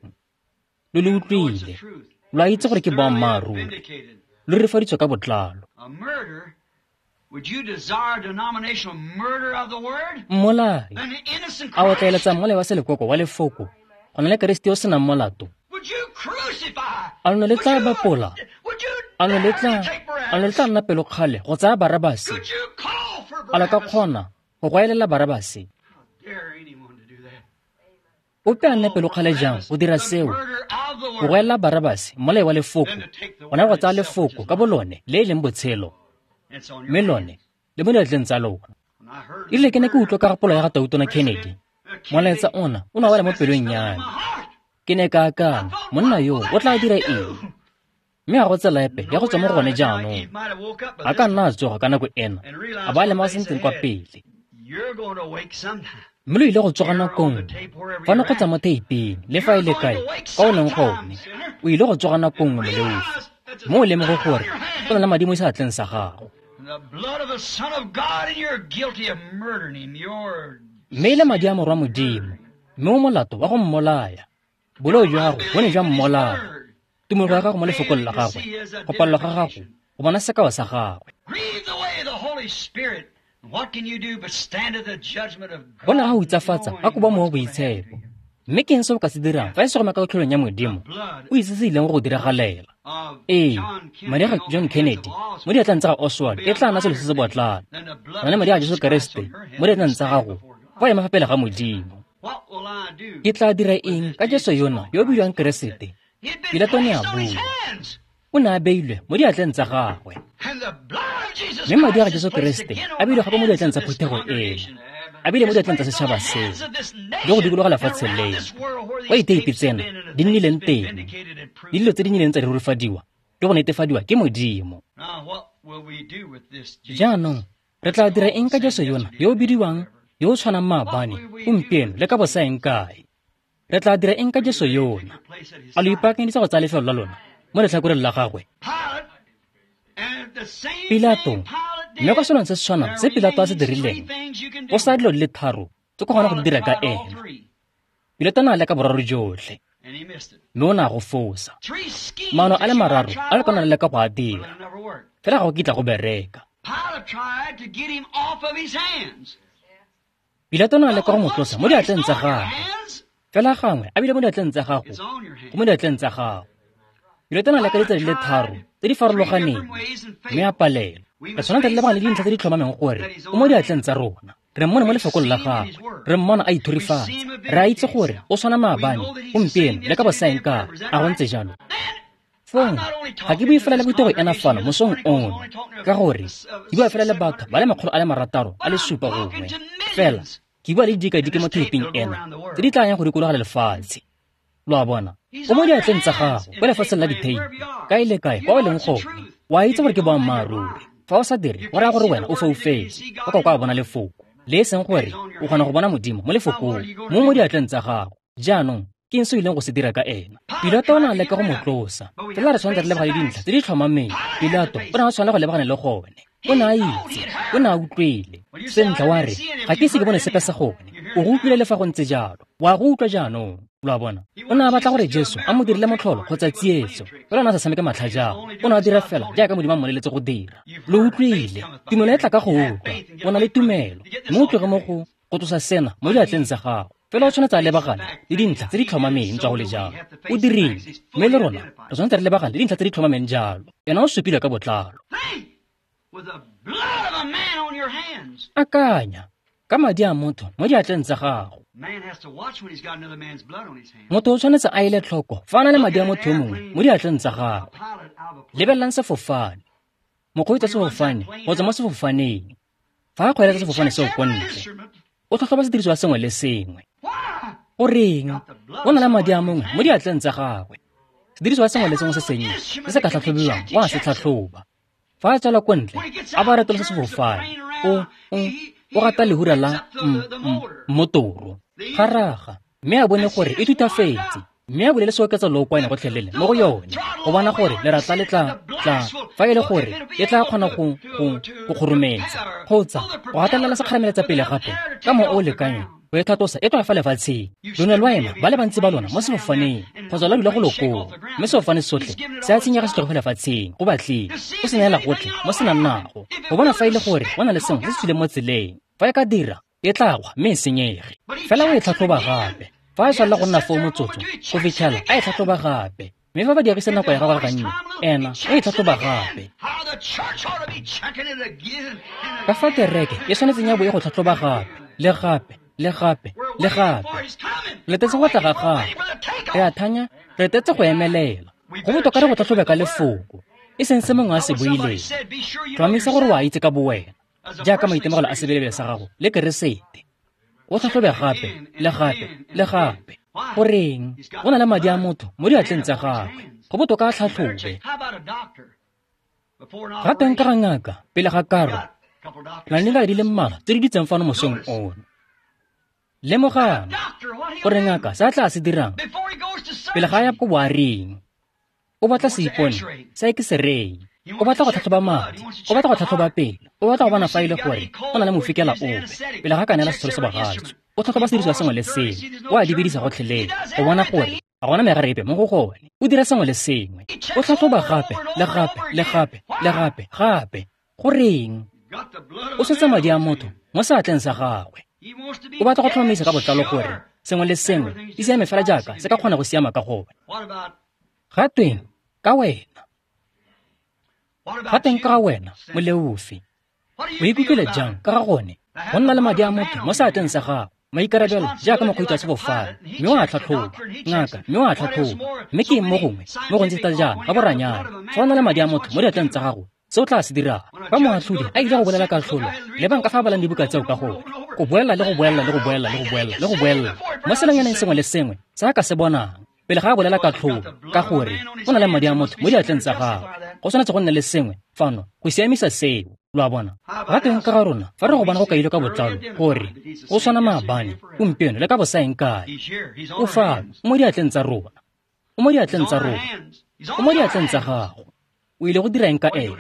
Lo le utlwile, lo a itse gore ke boammaaruri, lo rurifaditswe ka botlalo. Mmolai a o tla eletsa mmolai wa selekoko wa lefoko go na le Keresete yo o senang molato? A lo ne le tla bapola? A lo ne tla a lo tla nna pelokgale go tsaya Barabase? A lo ka kgona go goelela Barabase? Ope a nne pelokgale jang go dira seo, go goelela Barabase mmolai wa lefoko, go na le go tsaya lefoko ka bolone le e leng botshelo, mme lone le mo diatleng tsa lona. E rile ke ne ke utlwa ka gapolo ya ga Tautona Kennedy, molaetsa ona o ne wa wela mo pelong ya me. Ke ne ka akanya, monna yo o tla dira eng? Mme ga go tsela epe ya go tswa mo go gone jaanong. A ka nna a tsoga ka nako ena, a ba a lemoga sentle kwa pele. Mme lo ile go tsoga nako nngwe, fano kgotsa mo theiping, le fa e le kae, kwa o leng gone, o ile go tsoga nako nngwe, moleofi, mme o lemoge gore go na le madi mo seatleng sa gago. Mme e le madi a Morwa Modimo, mme o molato wa go mmolaya. Boleo jwa gago bo ne jwa mmolaya. Tumelo ya gago mo lefokong la gagwe, go palelwa ga gago go bona sekao sa gagwe. Go ne ga hutsafatsa ga koba Mowa o Boitshepo. Mme ke eng se o ka se dirang fa e se go maka tlholong ya Modimo o itse se ileng go go diragalela? Ee, madi a ga John Kennedy mo diatleng tsa ga Oswald e tla nna selo se se botlana go na le madi a Jesu Keresete mo diatleng tsa gago fa o ema fa pele ga Modimo. Ke tla dira eng ka Jesu yona yo o bidiwang Keresete? Pilato ne a bua. O ne a beilwe mo diatleng tsa gagwe. Mme madi a ga Jesu Keresete a beilwe gape mo diatleng tsa phuthego eno, a beilwe mo diatleng tsa setšhaba seo, le go dikologa lefatshe leno, kwa ditheipi tsena di nnileng teng, le dilo tse di nnileng tsa di rurifadiwa le go netefadiwa ke Modimo. Jaanong re tla dira eng ka Jesu yona yo o bidiwang, yo o tshwanang maabane, gompieno le ka bosaeng kae? Re tla dira eng ka Jesu yona? A lo ipaakanyeditse go tsaya lefelo la lona mo letlhakoreng la gagwe? Pilato, mme kwa selong se se tshwanang se Pilato a se dirileng, o sa dilo di le tharo tse ko gona go di dira ka ena. Pilato ne a leka boraro jotlhe, mme o ne a go fosa. Maano a le mararo a le kona le leka go a dira, fela ga go kitla go bereka. Pilato ne a leka go mo tlosa mo diatleng tsa gagwe, fela gangwe a bile mo diatleng tsa gago, go mo diatleng tsa gago. Pilato ne a leka ditsela di le tharo tse di farologaneng, mme a palelwa. Re tshwanetse re lebagane le dintlha tse di tlhomameng gore o mo diatleng tsa rona. Re mmone mo lefokong la gagwe, re mmona a ithurifatsa. Re a itse gore o tshwana maabane, gompieno le ka bosaeng kae. A go ntse jalo? Fong, ga ke bue fela le phuthego ena fano mosong ono, ka gore ke bua fela le batho ba le makgolo a le marataro a le supa gongwe. Fela ke bua le didikadike mo theiping ena tse di tla yang go dikologa lefatshe. Lo a bona, o mo diatleng tsa gago kwa lefatsheng la ditheipi, kae le kae kwa o leng gone. O a itse gore ke boammaaruri. Fa o sa dire, go raya gore wena o foufetse, o ka kwa bona lefoko, le e seng gore o kgona go bona Modimo mo lefokong, mo mo diatleng tsa gago. Jaanong ke eng se o ileng go se dira ka ena? Pilato o ne a leka go mo tlosa, fela re tshwanetse re lebagane le dintlha tse di tlhomameng. Pilato o ne a tshwanela go lebagane le gone. O ne a itse, o ne a utlwile. Sentle wa re, ga ke ise ke bone sepe sa gone. O go utlwile le fa go ntse jalo. Wa go utlwa jaanong. Lo a bona? O ne a batla gore Jesu a mo dirile motlholo kgotsa tsietso, fela o ne a sa tshameke matlhajana. O ne a dira fela jaaka Modimo a mmoleletse go dira. Lo utlwile. Tumelo e tla ka go utlwa. O na le tumelo, mme o tloge mo go go tlosa sena mo diatleng tsa gago. Fela o tshwanetse a lebagane le dintlha tse di tlhomameng tswa go le jalo. O dirile, mme le rona re tshwanetse re lebagane le dintlha tse di tlhomameng jalo. Ena o supilwe ka botlalo. Akanya ka madi a motho mo diatleng tsa gago. Motho o tshwanetse a ele tlhoko fa a na le madi a motho yo mongwe mo diatleng tsa gagwe. Lebelelang sefofane. Mokgweetsi wa sefofane go tswa mo sefofaneng, fa a kgweetsa sefofane seo ko ntle, o tlhatlhoba sediriswa sengwe le sengwe. O reng? O na le madi a mongwe mo diatleng tsa gagwe. Sediriswa sengwe le sengwe se sennye se se ka tlhatlhobiwang o a se tlhatlhoba. Fa a tswela ko ntle, a ba retolosa sefofane, o o o gata lehura la mmotoro, garaga, mme a bone gore e thutafetse, mme a bulele seoketsa lookwane gotlhelele mo go yone, go bona gore leratla le tla tla fa e le gore e tla kgona go go go kgorometsa kgotsa go gatelela sekgarameletsa pele gape ka mo o lekanyeng Go e tlhatlosa e tloga fa lefatsheng. Lo ne lwa ema ba le bantsi ba lona mo sefofaneng kgotsa la dula go lokong, mme sefofane sotlhe se a tshenyega se tloga fa lefatsheng go batleng. O se neela gotlhe mo se nang nago go bona fa e le gore go na le sengwe se se tswileng mo tseleng. Fa e ka dira, e tla wa mme e senyege. Fela o e tlhatlhoba gape. Fa e tshwanela go nna foo motsotso go fitlhela a e tlhatlhoba gape. Mme fa ba dirisa nako ya gagwe gannye, ena o e tlhatlhoba gape. Ka fa kereke e tshwanetseng ya bo e go tlhatlhoba gape, le gape, le gape, le gape. Re letetse go tla ga gagwe. Re a thanya, re letetse go emelela. Go botoka re go tlhatlhobe ka lefoko, e seng se mongwe a se buileng. Tlhomamisa gore o a itse ka bowena, jaaka maitemogelo a sebelebele sa gago le Keresete. O tlhatlhobe gape, le gape, le gape. Goreng? Go na le madi a motho mo diatleng tsa gagwe. Go botoka a tlhatlhobe. Ga teng ka ga ngaka pele ga karo, re na le di le mmalwa tse di dutseng fano mosong ono. Lemogang gore ngaka se a tla se dirang pele ga a ya ko boaring. O batla seipone sa X-ray. O batla go tlhatlhoba madi, o batla go tlhatlhoba pelo, o batla go bona fa e le gore go na le mofikela ope pele ga ka neela setsholo sa bogatso. O tlhatlhoba sediriswa sengwe le sengwe, o a di bedisa gotlhelele go bona gore ga gona megare epe mo go gone. O dira sengwe le sengwe, o tlhatlhoba gape le gape le gape le gape gape. Goreng? O swetsa madi a motho mo seatleng sa gagwe. O batla go tlhomamisa ka botlalo gore sengwe le sengwe di siame fela jaaka se ka kgona go siama ka gone. Ga tweng ka wena? Ga teng ka ga wena, moleofi? O ikutlwile jang ka ga gone go nna le madi a motho mo seatleng sa gago, maikarabelo jaaka mokgweetsi wa sefofane, mme o a tlhatlhoba, ngaka mme o a tlhatlhoba, mme ke eng mo gongwe mo gontsi thata jaana ga boranyane? Fa o na le madi a motho mo diatleng tsa gago, se o tla se dirang? Fa moatlhodi a ile go bolela katlholo, lebang ka fa a balang dibuka tseo ka gone, go boela le go boela le go boela le go boela le go boela mo selonyaneng sengwe le sengwe se a ka se bonang pele ga a bolela katlholo, ka gore o na le madi a motho mo diatleng tsa gagwe. Go tshwanetse go nne le sengwe fano go siamisa seo. Lo a bona? Ga teng ka ga rona, fa re go bona go kailwe ka botlalo gore o tshwana maabane, gompieno le ka bosaeng kae. O fano, o mo diatleng tsa rona. O mo diatleng tsa rona. O mo diatleng tsa gago. O ile go dira eng ka ene?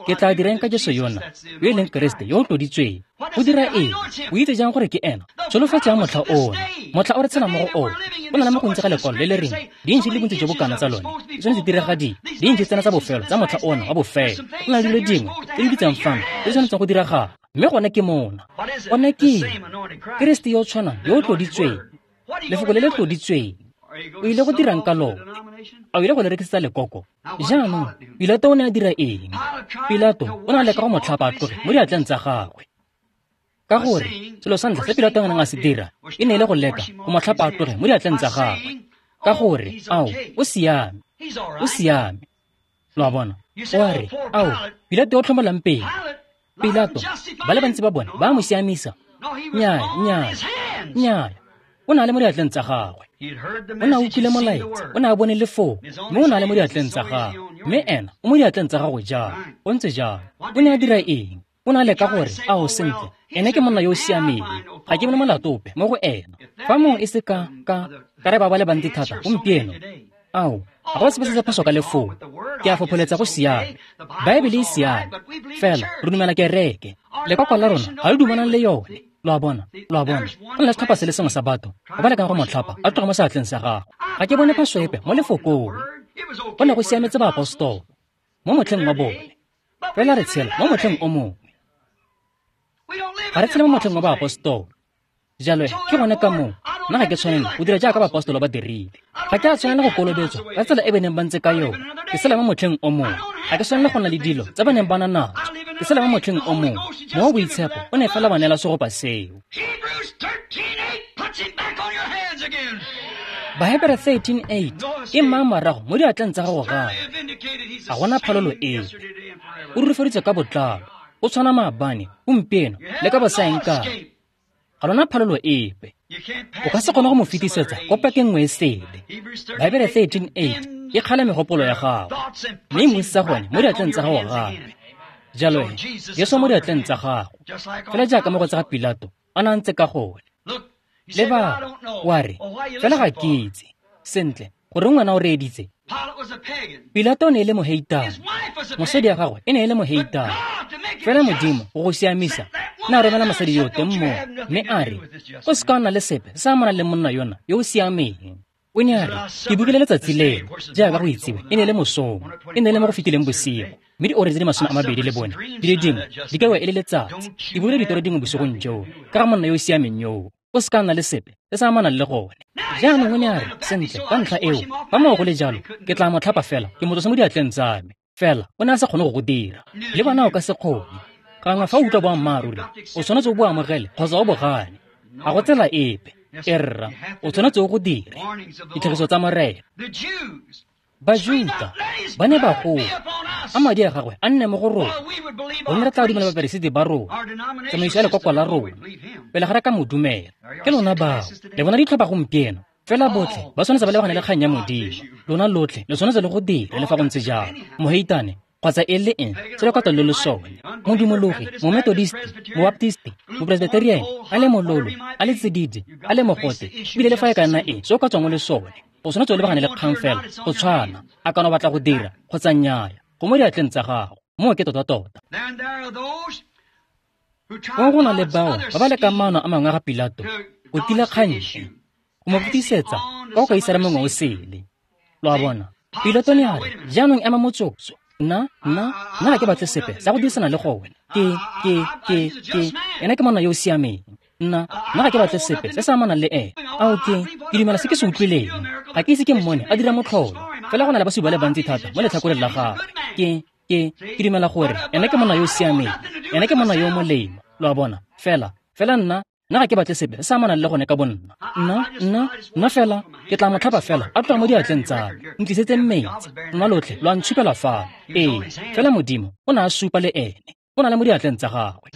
Ke tla dira eng ka Jesu yona, yo e leng Keresete yo o tloditsweng? O dira eng? O itse jang gore ke ena? Tsholofetso ya motlha ona, motlha o re tshelang mo go ona, go na le mo gontsi ga lekwalo le le reng dintsi le bontsi jo bo kana tsa lone di tshwanetse di diragadiwe, dintsi tsena tsa bofelo tsa motlha ona wa bofelo. Go na le dilo dingwe tse di dutseng fano tse di tshwanetseng go diragala, mme gone ke mona. Gone ke Keresete yo o tshwanang yo o tloditsweng, lefoko le le tloditsweng. O ile go dirang ka lone? A o ile go le rekisetsa lekoko? Jaanong Pilato o ne a dira eng? Pilato o ne a leka go mo tlhapa a tloge mo diatleng tsa gagwe. Ka gore selo sa ntlha se Pilato a neng a se dira e ne e le go leka go mo tlhapa a tloge mo diatleng tsa gagwe. Ka gore, ao, o siame, o siame. Lo a bona? O a re, ao, Pilato o tlhomolang pele. Pilato, ba le bantsi ba bone ba mo siamisa. Nnyaa, nnyaa, nnyaa. O ne a le mo diatleng tsa gagwe. O ne a utlwile molaetsa, o ne a bone lefoko, mme o ne a le mo diatleng tsa gagwe. Mme ena o mo diatleng tsa gago jang? O ntse jang? O ne a dira eng? O ne a leka gore, ao, sentle, ene ke monna yo o siameng, ga ke bone molato ope mo go ena. Fa mongwe e se ka, ka, ka re ba ba le bantsi thata gompieno, ao, ga go sepe se se phoso ka lefoko. Ke a fopholetsa go siame. Baebele e siame, fela re dumela kereke. Lekoko la rona ga le dumanang le yone. Lo a bona? Lo a bona? Go na le setlhopha se le sengwe sa batho ba ba lekang go mo tlhapa a tloga mo seatleng sa gagwe. Ga ke bone phoso epe mo lefokong. Go ne go siametse baapostolo mo motlheng wa bone, fela re tshela mo motlheng o mongwe. Ga re tshele mo motlheng wa baapostolo. Jalo ke gone ka moo nna ga ke tshwanela go dira jaaka baapostolo ba dirile. Ga ke a tshwanela go kolobetswa ka tsela e ba neng ba ntse ka yone. Ke sela mo motlheng o mongwe. Ga ke tshwanela go nna le dilo tse ba neng ba na natso. Ke sela mo motlheng o mongwe. Mo boitshepo o ne fela ba neela segopa seo. Bahebere thirteen eight e mmaya morago mo diatleng tsa gago gape. Ga gona phalolo epe. O rurifaditswe ka botlalo. O tshwana maabane, gompieno le ka bosaeng kae. Ga lona phalolo epe. O ka se kgone go mo fetisetsa ko pakeng nngwe e sele. Baebele thirteen eight e kgala megopolo ya gago, mme e mmusetsa gone mo diatleng tsa gago gape. Jalo he, Jesu mo diatleng tsa gago, fela jaaka mo go tsa ga Pilato a ne a ntse ka gone. Leba, wa re, fela ga ke itse. Sentle, goreng wena o reeditse? Pilato o ne e le moheitane. Mosadi ya gagwe e ne e le moheitane. Fela Modimo go go siamisa Ne a romela mosadi yo teng moo, mme a re, o se ka nna le sepe se amanang le monna yona yo o siameng. O ne a re, ke bukile letsatsi leno, jaaka go itsiwe, e ne e le mosong, e ne e le mo go fetileng bosigo, mme diora tse di masome a mabedi le bone di le dingwe di ka wa e le letsatsi. Ke buile ditoro dingwe bosigong joo ka ga monna yo o siameng yoo. O se ka nna le sepe se se amanang le gone. Jaanong o ne a re, sentle, ka ntlha eo, fa moo go le jalo, ke tla mo tlhapa fela, ke mo tlose mo diatleng tsa me. Fela o ne a sa kgone go go dira. Le bona o ka se kgone. Gangwe fa o utlwa boammaaruri, o tshwanetse o bo amogele kgotsa o bo gane. Ga go tsela epe. E rra, o tshwanetse o go dire. Ditlhagiso tsa Morena. Bajuta ba ne ba goa, a madi a gagwe a nne mo go rona, gonne re tla dumela baperesiti ba rona, tsamaiso ya lekoko la rona, pele ga re ka mo dumela. Ke lona bao, le bona ditlhopha gompieno, fela botlhe ba tshwanetse ba lebagane le kgang ya Modimo. Lona lotlhe le tshwanetse le go dire le fa go ntse jalo. Moheitane kgotsa e le eng se lekota lo le sone, modumologi, mometodisti, mobaptisti, mopresbyterian, a le mololo, a le tsididi, a le mogote, ebile le fa e ka nna eng se o ka tswang o le sone, o tshwanetse o lebagane le kgang fela go tshwana. A kana o batla go dira kgotsa nnyaya, go mo diatleng tsa gago. Moo ke tota-tota. Go go na le bao ba ba lekang maano a mangwe a ga Pilato go tila kgang e, go mo fetisetsa ka go kaisara mongwe o sele. Lo a bona, Pilato ne a re, jaanong ema motsotso. Nna, nna, nna ga ke batle sepe sa go dirisana le gone. Ke, ke, ke, ke, ena ke monna yo o siameng. Nna, nna ga ke batle sepe se se amanang le ene. Ao ke, ke dumela se ke se utlwileng. Ga ke ise ke mmone a dira motlholo. Fela go na le basupi ba le bantsi thata mo letlhakoreng la gagwe. Ke, ke, ke dumela gore ena ke monna yo o siameng. Ena ke monna yo o molemo. Lo a bona, fela, fela nna, nna ga ke batle sepe se se amanang le gone ka bonna. Nna, nna, nna fela, ke tla mo tlhapa fela a tloga mo diatleng tsa me. Ntlisetseng metsi, lona lotlhe lo a ntshupela fano. Ee, fela Modimo o ne a supa le ene. O na le mo diatleng tsa gagwe.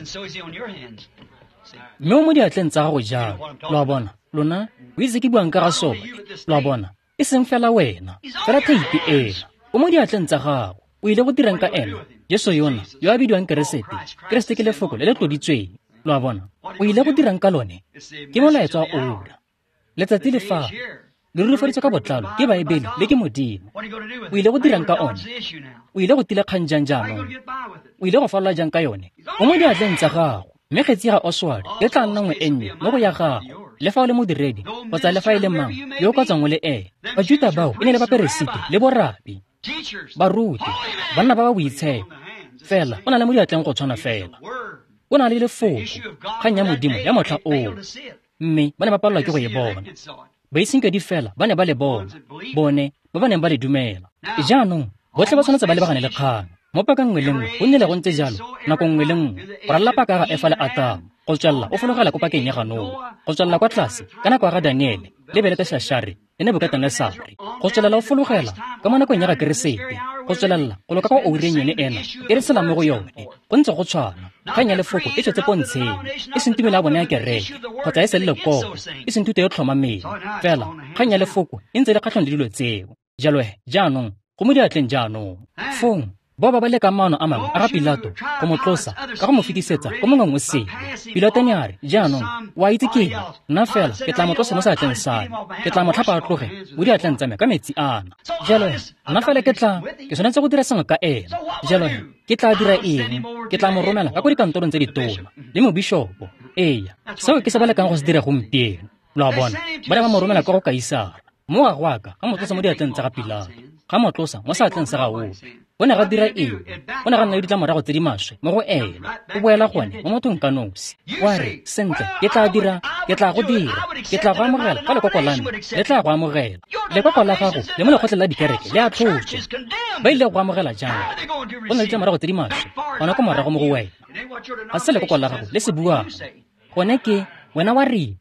Mme o mo diatleng tsa gago jalo. Lo a bona, lona, o itse ke buang ka ga sone. Lo a bona, e seng fela wena, fela theipi ena. O mo diatleng tsa gago. O ile go dirang ka ena? Jesu yona, yo a bidiwang Keresete. Keresete ke lefoko le le tloditsweng. Lo a bona, o ile go dirang ka lone? Ke molaetsa wa ora. Letsatsi le fa le rurifaditswe ka botlalo ke Baebele le ke Modimo. O ile go dirang ka one? O ile go tila kgang jang jaanong? O ile go falola jang ka yone? O mo diatleng tsa gago. Mme kgetsi ya ga Oswald e tla nna nngwe e nnye mo go ya gago, le fa o le modiredi kgotsa le fa e le mang yo o ka tswang o le ene. Bajuta bao e ne le baperesiti le borabi, baruti, banna ba ba boitshepo. Fela o na le mo diatleng go tshwana fela. O na le lefoko, kgang ya Modimo ya motlha oo, mme ba ne ba palelwa ke go e bona. Baitshenkedi fela ba ne ba le bona, bone ba ba neng ba le dumela. Jaanong botlhe ba tshwanetse ba lebagane le kgang. Mo pakeng nngwe le nngwe go nnile go ntse jalo, nako nngwe le nngwe, go ralala paka ga Efa le Atamo, go tswelela o fologela ko pakeng ya ga Noa, go tswelela kwa tlase ka nako ya ga Daniele le Beleteshashare le Nebukatenesare, go tswelela o fologela ka mo nakong ya ga Keresete, go tswelela go loka kwa oureng yone ena e re tshelang mo go yone. Go ntse go tshwana. Kgang ya lefoko e tswetse pontsheng, e seng tumelo ya bone ya kereke kgotsa e seng lekoko, e seng thuto e tlhomameng. Fela kgang ya lefoko e ntse e le kgatlhanong le dilo tseo. Jalo he, jaanong go mo diatleng jaanong. Fong bao ba ba lekang maano a mangwe a ga Pilato go mo tlosa ka go mo fetisetsa ko mongweng o sele. Pilato ne a re, jaanong o a itse ke eng? Nna fela ke tla mo tlosa mo seatleng sa me. Ke tla mo tlhapa a tloge mo diatleng tsa me ka metsi ana. Jalo he, nna fela ke tla, ke tshwanetse go dira sengwe ka ena. Jalo he, ke tla dira eng? Ke tla mo romela ka ko dikantorong tse ditona le mobishopo. Eya, seo ke se ba lekang go se dira gompieno. Lo a bona, ba ne ba mo romela kwa go Kaisara. Mo ga go a ka ga mo tlosa mo diatleng tsa ga Pilato, ga mo tlosa mo seatleng sa ga ope. O ne ga dira eng? O ne ga nna le ditlamorago tse di maswe mo go ene. O boela gone mo mothong ka nosi. Wa re, sentle, ke tla dira, ke tla go dira, ke tla go amogela ka lekoko la me, le tla go amogela. Lekoko la gago le mo lekgotleng la dikereke le a tlhotswe. Ba ile go amogela jang? Go na le ditlamorago tse di maswe gona ko morago mo go wena. Ga se lekoko la gago le se buang. Gone ke wena wa reng?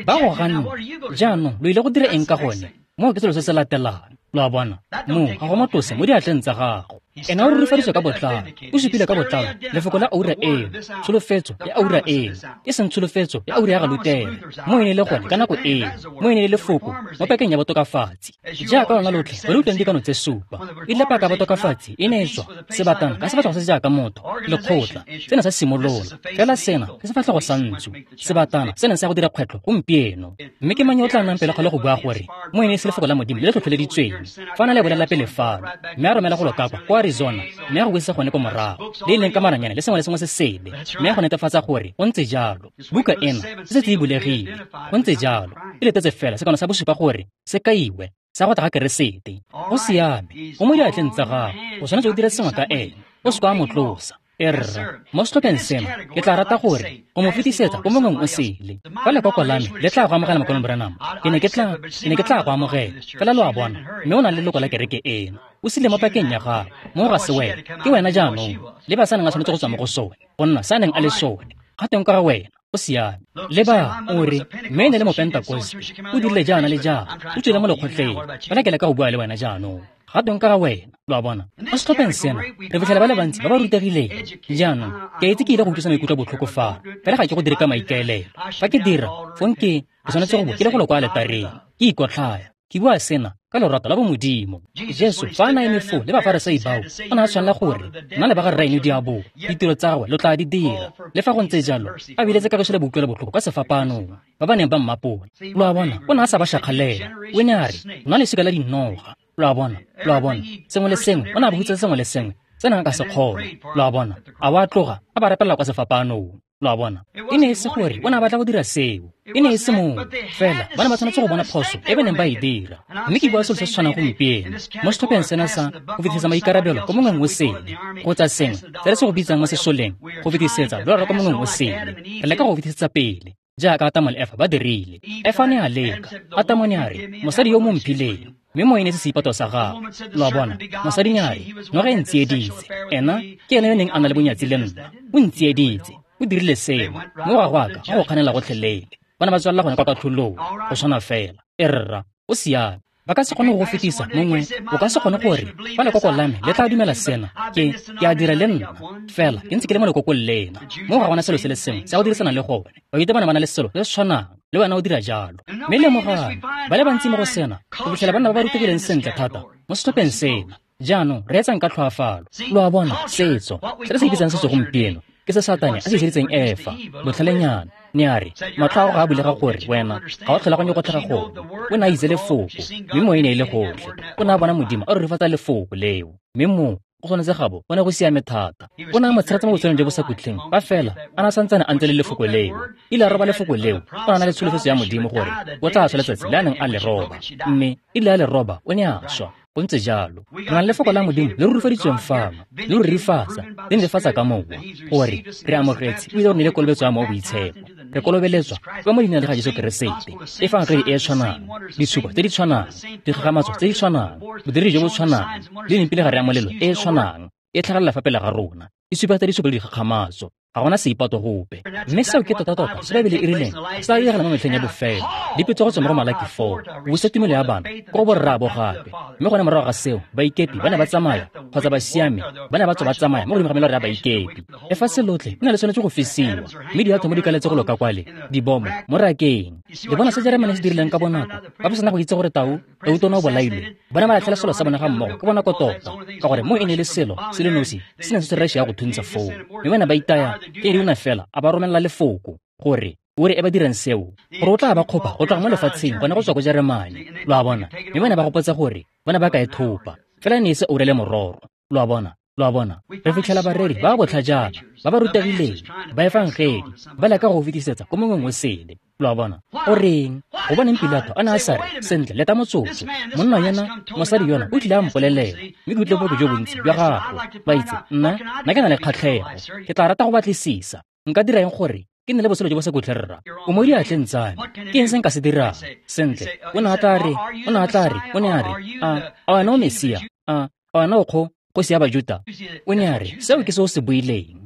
Ba go ganne. Jaanong lo ile go dira eng ka gone? Moo ke selo se se latelang. Lo a bona, moo ga go mo tlose mo diatleng tsa gago. Ena o rurifaditswe ka botlalo, o supile ka botlalo lefoko la oura eo, tsholofetso ya oura eo, e seng tsholofetso ya oura ya ga Lutere. Mo e ne le gone ka nako eo, mo e ne le lefoko mo pakeng ya botokafatsi. Jaaka lona lotlhe ba le utlwang dikano tse supa, e rile paka ya botokafatsi e ne e tswa sebatana ka sefatlhego se se jaaka motho, lekgotla, sena sa simolola. Fela sena ke sefatlhego sa ntsu, sebatana se neng sa go dira kgwetlho gompieno. Mme ke mang yo o tla nnang pele kgale go bua gore mo e ne e se lefoko la Modimo le le tlhotlheleditsweng? Fa na le bolela pele fano, mme a romela go lo kakwa kwa Arizona, mme a go buisa gone ko morago, le e leng ka maranyane le sengwe le sengwe se sele, mme a go netefatsa gore go ntse jalo. Buka ena e setse e bulegile, go ntse jalo. E letetse fela sekano sa bosupa gore se kaiwe sa go tla ga Keresete. Go siame, o mo diatleng tsa gago, o tshwanetse o dire sengwe ka ene, o se ka wa mo tlosa. Erra, mo setlhopheng seno ke tla rata gore o mo fetisetsa ko mongweng o sele. Fa lekoko la me le tla go amogela Mokaulengwe Branham, ke ne ke tla ke ne ke tla go amogela. Fela lo a bona, mme o na le leloko la kereke eno. O sile mo pakeng ya gago, mo ga se wena, ke wena jaanong. Le ba sa neng a tshwanetse go tswa mo go sone, go nna sa neng a le sone. Ga teng ka ga wena, o siame. Leba, o re, mme e ne le Mopentakoste, o dirile jaana le jaana, o tswile mo lekgotleng. Fela ke leka go bua le wena jaanong. Ga teng ka ga wena, lo a bona. Mo setlhopheng sena, re fitlhela ba le bantsi ba ba rutegileng. Jaanong, ke a itse ke ile go utlwisa maikutlo botlhoko fano, fela ga ke go dire ka maikaelelo. Fa ke dira, fong ke, ke tshwanetse go bo ke le golo kwa aletareng, ke ikotlhaya. Ke bua sena ka lorato la bomodimo. Jesu fa a na eme foo le Bafarisai bao, o ne a tshwanela gore nna le ba ga rraeno diabolo, ditiro tsa gagwe lo tla di dira. Le fa go ntse jalo, a biletse kagiso le boutlwelo botlhoko kwa sefapanong, ba ba neng ba mmapola. Lo a bona, o ne a sa ba shakgalela. O ne a re, nna lesika la dinoga. Lo a bona, lo a bona, sengwe le sengwe, o ne a ba hutsa sengwe le sengwe se neng a ka se kgona. Lo a bona, a wa tloga a ba rapelela kwa sefapanong. Lo a bona, e ne e se gore o ne a batla go dira seo, e ne e se mongwe fela, ba ne ba tshwanetse go bona phoso e ba neng ba e dira. Mme ke bua selo se se tshwanang gompieno mo setlhopheng sena sa go fetisetsa maikarabelo ko mongweng o sele, kgotsa sengwe se re se go bitsang mo sesoleng, go fetisetsa loraro ko mongweng o sele. Re leka go fetisetsa pele jaaka Atamo le Efa ba dirile. Efa ne a leka, Atamo ne a re, mosadi yo mo mphileng, mme mo e ne se seipato sa gagwe. Lo a bona, mosadi ne a re, noga e ntsieditse, ena ke ene yo neng a na le bonyatsi le nna, o ntsieditse, o dirile seo, mo ga go a ka ga go kganela gotlhelele. Ba ne ba tswelela gone kwa katlholong, go tshwana fela. E rra, o siame. Ba ka se kgone go go fetisa mongwe, o ka se kgone gore fa lekoko la me le tla dumela sena, ke ke a dira le nna, fela ke ntse ke le mo lekokong lena. Mo ga gona selo se le sengwe sa go dirisana le gone. Bajuta ba ne ba na le selo se se tshwanang, le wena o dira jalo. Mme lemogang, ba le bantsi mo go sena, go fitlhela banna ba ba rutegileng sentle thata mo setlhopheng sena. Jaanong reetsang ka tlhoafalo. Lo a bona, setso se re se bitsang setso gompieno ke se Satane a se iseditseng Efa, botlhalenyana. Ne a re, matlho a gago ga a bulega gore wena ga o tlhaloganye go tlhaga gone. O ne a itse lefoko, mme mo e ne e le gotlhe. O ne a bona Modimo a rurifatsa lefoko leo, mme mo go tshwanetse gabo go ne go siame thata. O ne a mo tshegetsa mo botshelong jo bo sa khutleng, fa fela a ne a santsane a ntse le lefoko leo. Ile a roba lefoko leo, o ne a na le tsholofetso ya Modimo gore o tla swa letsatsi le a neng a le roba, mme ile a le roba, o ne a swa. Go ntse jalo. Re na le lefoko la Modimo le rurifaditsweng fano, le rurifatsa, le netefatsa ka mowa, gore re amogetse ebile re neile kolobetso ya Mowa o Boitshepo. Re kolobeletswa ka mo leineng la ga Jesu Keresete, efangedi e e tshwanang, ditshupo tse di tshwanang, dikgakgamatso tse di tshwanang, bodiredi jo bo tshwanang, le mpilegare ya molelo e e tshwanang e tlhagelela fa pele ga rona, e supa tsa ditshupo le dikgakgamatso. Ga gona seipato gope. Mme seo ke tota-tota se Baebele e rileng se tla diragala mo metlheng ya bofelo. Dipetso go tswa mo go Malaki four, go busa tumelo ya bana ko go borraabo gape. Mme gone morago ga seo, baikepi ba ne ba tsamaya, kgotsa basiami ba ne ba tswa ba tsamaya mo godimo ga melora ya baikepi. Lefatshe lotlhe le ne le tshwanetse go fisiwa, mme diathomo di kaletse go loka kwale, dibomo mo rakeng. Le bona se Jeremane se dirileng ka bonako, ba ba sena go itse gore tau, tautona o bolailwe. Ba ne ba latlhela selo sa bone ga mmogo ka bonako tota, ka gore mo e ne e le selo se le nosi se neng se se Russia ya go thuntsha foo. Mme ba ne ba itaya ke di una fela a ba romelela lefoko gore o re e ba dirang seo, gore o tla ba kgopa go tloga mo lefatsheng gone go tswa ko Jeremane. Lo a bona, mme ba ne ba gopotsa gore ba ne ba ka e thopa, fela ne e se oure le mororo. Lo a bona, lo a bona, re fitlhela bareri ba ba botlhajana, ba ba rutegileng, ba efangedi, ba leka go fetisetsa ko mongweng o sele. Lo a bona, o reng? Gobaneng Pilato a ne a sa re, sentle, leta motsotso, monna yona, mosadi yona o tlile a mpolelela, mme ke utlwile botlhoko jo bontsi jwa gagwe. Ba itse, nna, nna ke na le kgatlhego, ke tla rata go batlisisa. Nka dira eng gore ke nne le botshelo jo bo sa khutleng, rra? O mo diatleng tsa me, ke eng se nka se dirang? Sentle, o ne a tla re, o ne a tla re, o ne a re, a, a wena o Mesia? A, a wena o kgo, kgosi ya Bajuta? O ne a re, seo ke se o se buileng.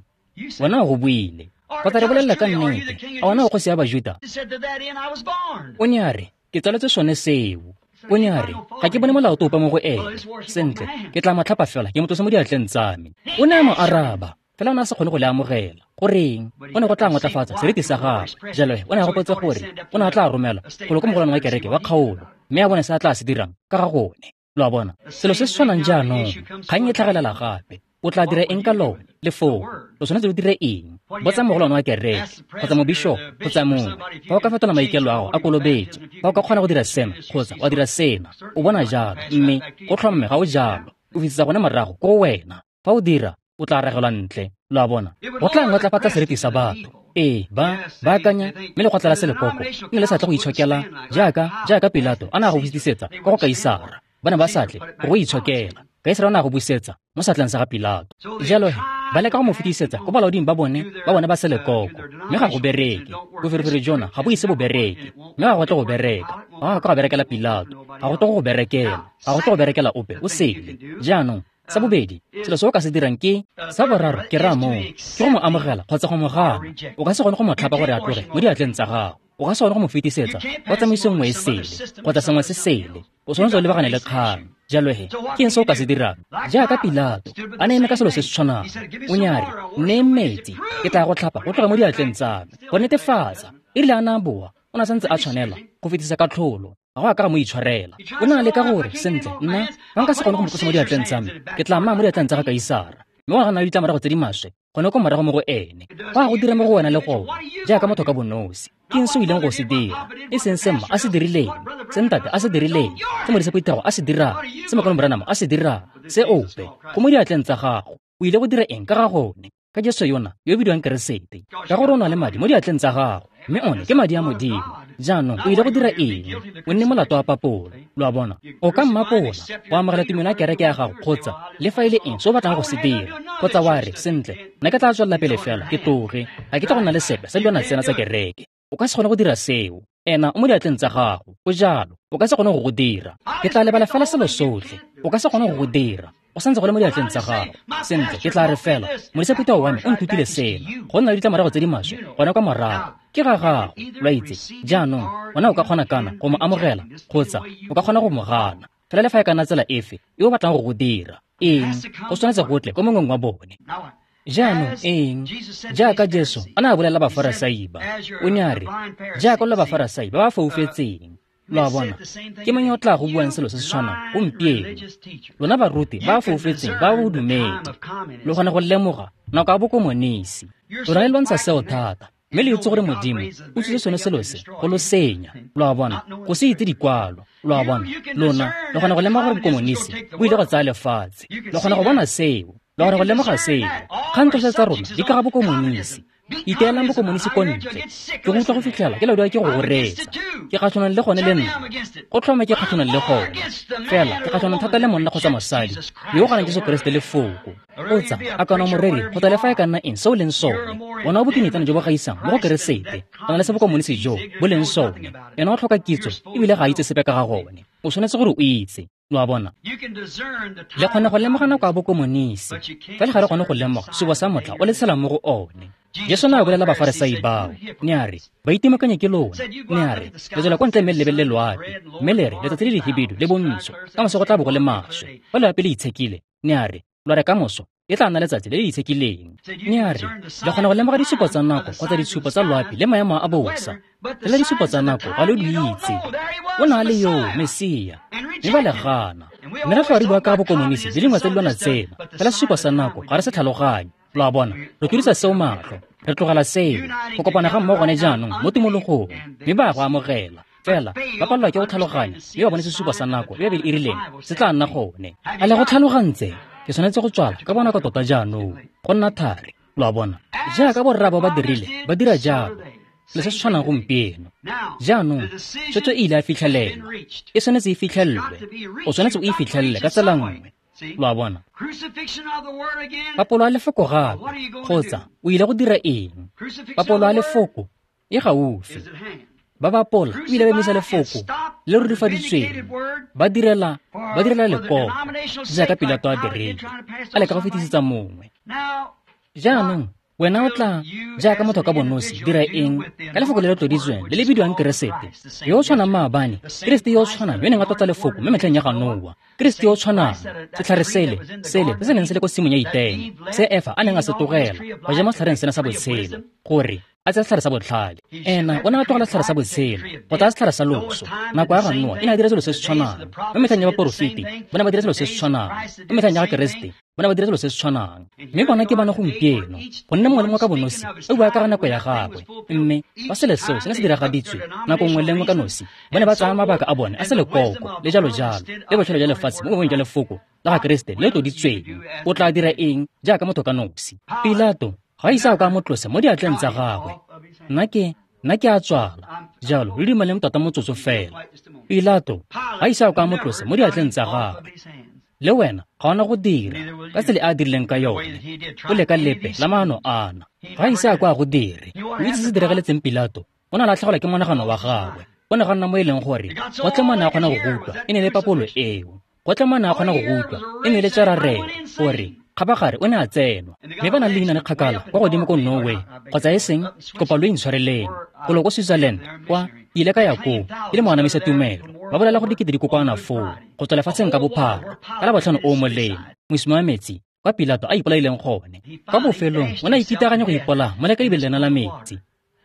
Wena o go buile. Kgotsa re bolelela ka nnete, a wena o kgosi ya Bajuta? O ne a re, ke tsaletswe sone seo. O ne a re, ga ke bone molato ope mo go ene. Sentle, ke tla mo tlhapa fela, ke mo tlose mo diatleng tsa me. O ne a mo araba, fela o ne a sa kgone go le amogela. Goreng? O ne go tla ngotlafatsa seriti sa gagwe. Jalo o ne a gopotse gore o ne a tla romela golo ko mogolwane wa kereke wa kgaolo, mme a bone se a tla se dirang ka ga gone. Lo a bona, selo se se tshwanang jaanong, kgang e tlhagelela gape. O tla dira eng ka lone? Lefoko, lo tshwanetse lo dire eng? Botsa mogolwane wa kereke, kgotsa mobishopo, kgotsa mongwe. Fa o ka fetola maikelo ao a kolobetso, fa o ka kgona go dira sena, kgotsa wa dira sena, o bona jalo, mme go tlhomme ga o jalo. O fetisetsa gone morago ko go wena. Fa o dira, o tla ragelwa ntle. Lo a bona? Go tla ngotlafatsa seriti sa batho. Ee, ba ba akanya mme lekgotla la selekoko le ne le sa tle go itshokela jaaka jaaka Pilato a ne a go fetisetsa kwa go Kaisara. Ba ne ba sa tle go itshokela. Kaisara o ne a go busetsa mo seatleng sa ga Pilato. Jalo he, ba leka go mo fetisetsa ko balaoding ba bone ba bone ba selekoko, mme ga go bereke. Boferefere jona ga bo ise bo bereke, mme ga go tle go bereka. Ga go ka go berekela Pilato, ga go tle go go berekela, ga go tle go berekela ope o sele. Jaanong, sa bobedi, selo se o ka se dirang ke sa boraro, ke raya moo, ke go mo amogela kgotsa go mo gana. O ka se kgone go mo tlhapa gore a tloge mo diatleng tsa gago. O ka se kgone go mo fetisetsa kwa tsamaisong nngwe e sele kgotsa sengwe se sele. O tshwanetse o lebagane le kgang. Jalo he, ke eng se o ka se dirang? Jaaka Pilato a ne eme ka selo se se tshwanang, o ne a re, "Nnee metsi, ke tla go tlhapa go tloga mo diatleng tsa me." Go netefatsa, e rile a ne a boa, o ne a santse a tshwanela go fetisa katlholo. Ga go a ka ga mo itshwarela. O ne a leka gore, sentle, nna fa nka se kgone go mo tlosa mo diatleng tsa me, ke tla mmaya mo diatleng tsa ga Kaisara. Mme go na le ditlamorago tse di maswe gone ko morago mo go ene. Go a go dira mo go wena le gone, jaaka motho ka bonosi. Ke eng se o ileng go se dira? E seng se mma a se dirileng, se ntate a se dirileng, se modisa phuthego a se dirang, se Mokaulengwe Branham a se dirang, se ope. Go mo diatleng tsa gago. O ile go dira eng ka ga gone? Ka Jesu yona yo o bidiwang Keresete. Ka gore o na le madi mo diatleng tsa gago, mme one ke madi a Modimo. Jaanong o ile go dira eng? O nne molato wa papolo. Lo a bona? O ka mmapola go amogela tumelo ya kereke ya gago kgotsa le fa e le eng se o batlang go se dira, kgotsa wa re, sentle, nna ke tla tswelela pele fela ke tloge, ga ke tla go nna le sepe sa dilwana tsena tsa kereke. O ka se kgone go dira seo. Ena o mo diatleng tsa gago. Go jalo. O ka se kgone go go dira. Ke tla lebala fela selo sotlhe. O ka se kgone go go dira. O santse go le mo diatleng tsa gago. Sentle, ke tla re fela, modisa phuthego wa me o nthutile sena. Go nna le ditlamorago tse di maswe gone kwa morago. Ke ga gago, lo a itse. Jaanong, wena o ka kgona kana go mo amogela kgotsa o ka kgona go mo gana. Fela le fa e ka nna tsela efe e o batlang go go dira. Eng? Go tshwanetse go tle ko mongweng wa bone. Jaanong eng? Jaaka Jesu a ne a bolelela Bafarasai ba, o ne a re, jaaka lo Bafarasai ba ba foufetseng. Lo a bona? Ke mang yo o tla go buang selo se se tshwanang gompieno? Lona baruti ba ba foufetseng ba bodumedi, lo kgona go lemoga nako ya bokomonisi. Lona le lwantsha seo thata, mme le itse gore Modimo o tsile sone selo se go lo senya. Lo a bona? Go se itse dikwalo. Lo a bona? Lona lo kgona go lemoga gore bokomonisi bo ile go tsaya lefatshe. Lo kgona go bona seo. Lo kgona go lemoga seo. Kgang tsotlhe tsa rona di ka ga bokomonisi. Iteelang bokomonisi ko ntle. Ke go utlwa go fitlhela ke laodiwa ke go go reetsa. Ke kgatlhanong le gone le nna. Go tlhoma ke kgatlhanong le gone. Fela ke kgatlhanong thata le monna kgotsa mosadi yo o ganang Jesu Keresete lefoko. Kgotsa a kana moreri kgotsa le fa e ka nna eng se o leng sone. Ona o bokinetsana jo bo gaisang mo go Keresete. Go na le se bokomonisi jo bo leng sone. Ena o tlhoka kitso ebile ga a itse sepe ka ga gone. O tshwanetse gore o itse. Lo a bona? Le kgona go lemoga nako ya bokomonisi, fela ga re kgone go lemoga sesupo sa motlha o le tshelang mo go one. Jesu ne a bolelela Bafarasai bao, ne a re, "Baitimakanyi ke lona." Ne a re, "Le tswela kwa ntle mme le lebelele loapi, mme le re letsatsi le lehibidu le bontsho, ka moso go tla bo go le maswe. Fa loapi le itshekile," ne a re, "lwa re ka moso e tla nna letsatsi le le itshekileng." Ne a re, "Le kgona go lemoga disupo tsa nako kgotsa ditshupo tsa loapi le maemo a bosa, fela disupo tsa nako ga lo di itse." O ne a le yoo Mesia, mme ba le gana. Mme re tlhola re bua ka bokomonisi le dingwe tsa dilwana tsena, fela sesupo sa nako ga re se tlhaloganye. Lo a bona? Re tlodisa seo matlho, re tlogela seo go kopana ga mmogo gone jaanong mo timologong, mme ba go amogela. Fela ba palelwa ke go tlhaloganya mme ba bone sesupo sa nako e Bibele e rileng se tla nna gone. A le go tlhalogantse? Ke tshwanetse go tswala ka bonako tota jaanong, go nna thari. Lo a bona? Jaaka borraabo ba dirile, ba dira jalo. Le se se tshwanang gompieno. Jaanong, tshwetso e ile ya fitlhelelwa. E tshwanetse e fitlhelelwe. O tshwanetse o e fitlhelele ka tsela nngwe. Lo a bona? Papolo ya lefoko gape, kgotsa o ile go dira eng? Papolo ya lefoko e gaufi. Ba bapola ebile ba emisa lefoko le rurifaditsweng, ba direla ba direla lekoko jaaka Pilato a dirile, a leka go fetisetsa mongwe. Jaanong wena o tla jaaka motho ka bonosi dira eng ka lefoko le le tloditsweng le le bidiwang Keresete, yo o tshwanang maabane, Keresete yo o tshwanang yo neng a tlotsa lefoko mo metlheng ya ga Noa, Keresete yo o tshwanang, setlhare sele sele se se neng se le ko tshimong ya Etene, se Efa a neng a se tlogela go ja mo setlhareng sena sa botshelo, gore a tsaya setlhare sa botlhale. Ena o ne a tlogela setlhare sa botshelo go tsaya setlhare sa loso. Nako ya ga Noa e ne a dira selo se se tshwanang. Mo metlheng ya baporofeti ba ne ba dira selo se se tshwanang. Mo metlheng ya ga Keresete ba ne ba dira selo se se tshwanang. Mme bona ke bana gompieno, gonne mongwe le mongwe ka bonosi o bua ka ga nako ya gagwe. Mme fa selo seo se ne se diragaditswe nako nngwe le nngwe ka nosi, ba ne ba tsaya mabaka a bone a selekoko le jalo jalo le botshelo jwa lefatshe mo boemong jwa lefoko la ga Keresete le tloditsweng. O tla dira eng jaaka motho ka nosi? Pilato ga ise a ka mo tlose mo diatleng tsa gagwe. Nna ke nna ke a tswala jalo le dumeleng tota motsotso fela. Pilato ga ise a ka mo tlose mo diatleng tsa gagwe. Le wena ga ona go dira ka tsela e a dirileng ka yone. O leka lepe la maano ana. Ga ise a kwa go dire. O itse se se diragaletseng Pilato. O ne a latlhegelwa ke monagano wa gagwe. O ne ga nna mo e leng gore gotlhe mo a ne a kgona go utlwa e ne le papolo eo. Gotlhe mo a ne a kgona go utlwa e ne le tšararelo gore kgabagare o ne a tsenwa. Mme ba na le leina le kgakala kwa godimo ko Norway kgotsa e seng kopa lo intshwareleng golo ko Switzerland kwa ke ile ka ya koo e le moanamisa tumelo. Ba bolela gore dikete di kokoana foo go tswa lefatsheng ka bophara ka Labotlhano o o molemo mosima wa metsi kwa Pilato a ipolaileng gone. Kwa bofelong o ne a ikitaganya go ipolaya mo lekaibeng lena la metsi.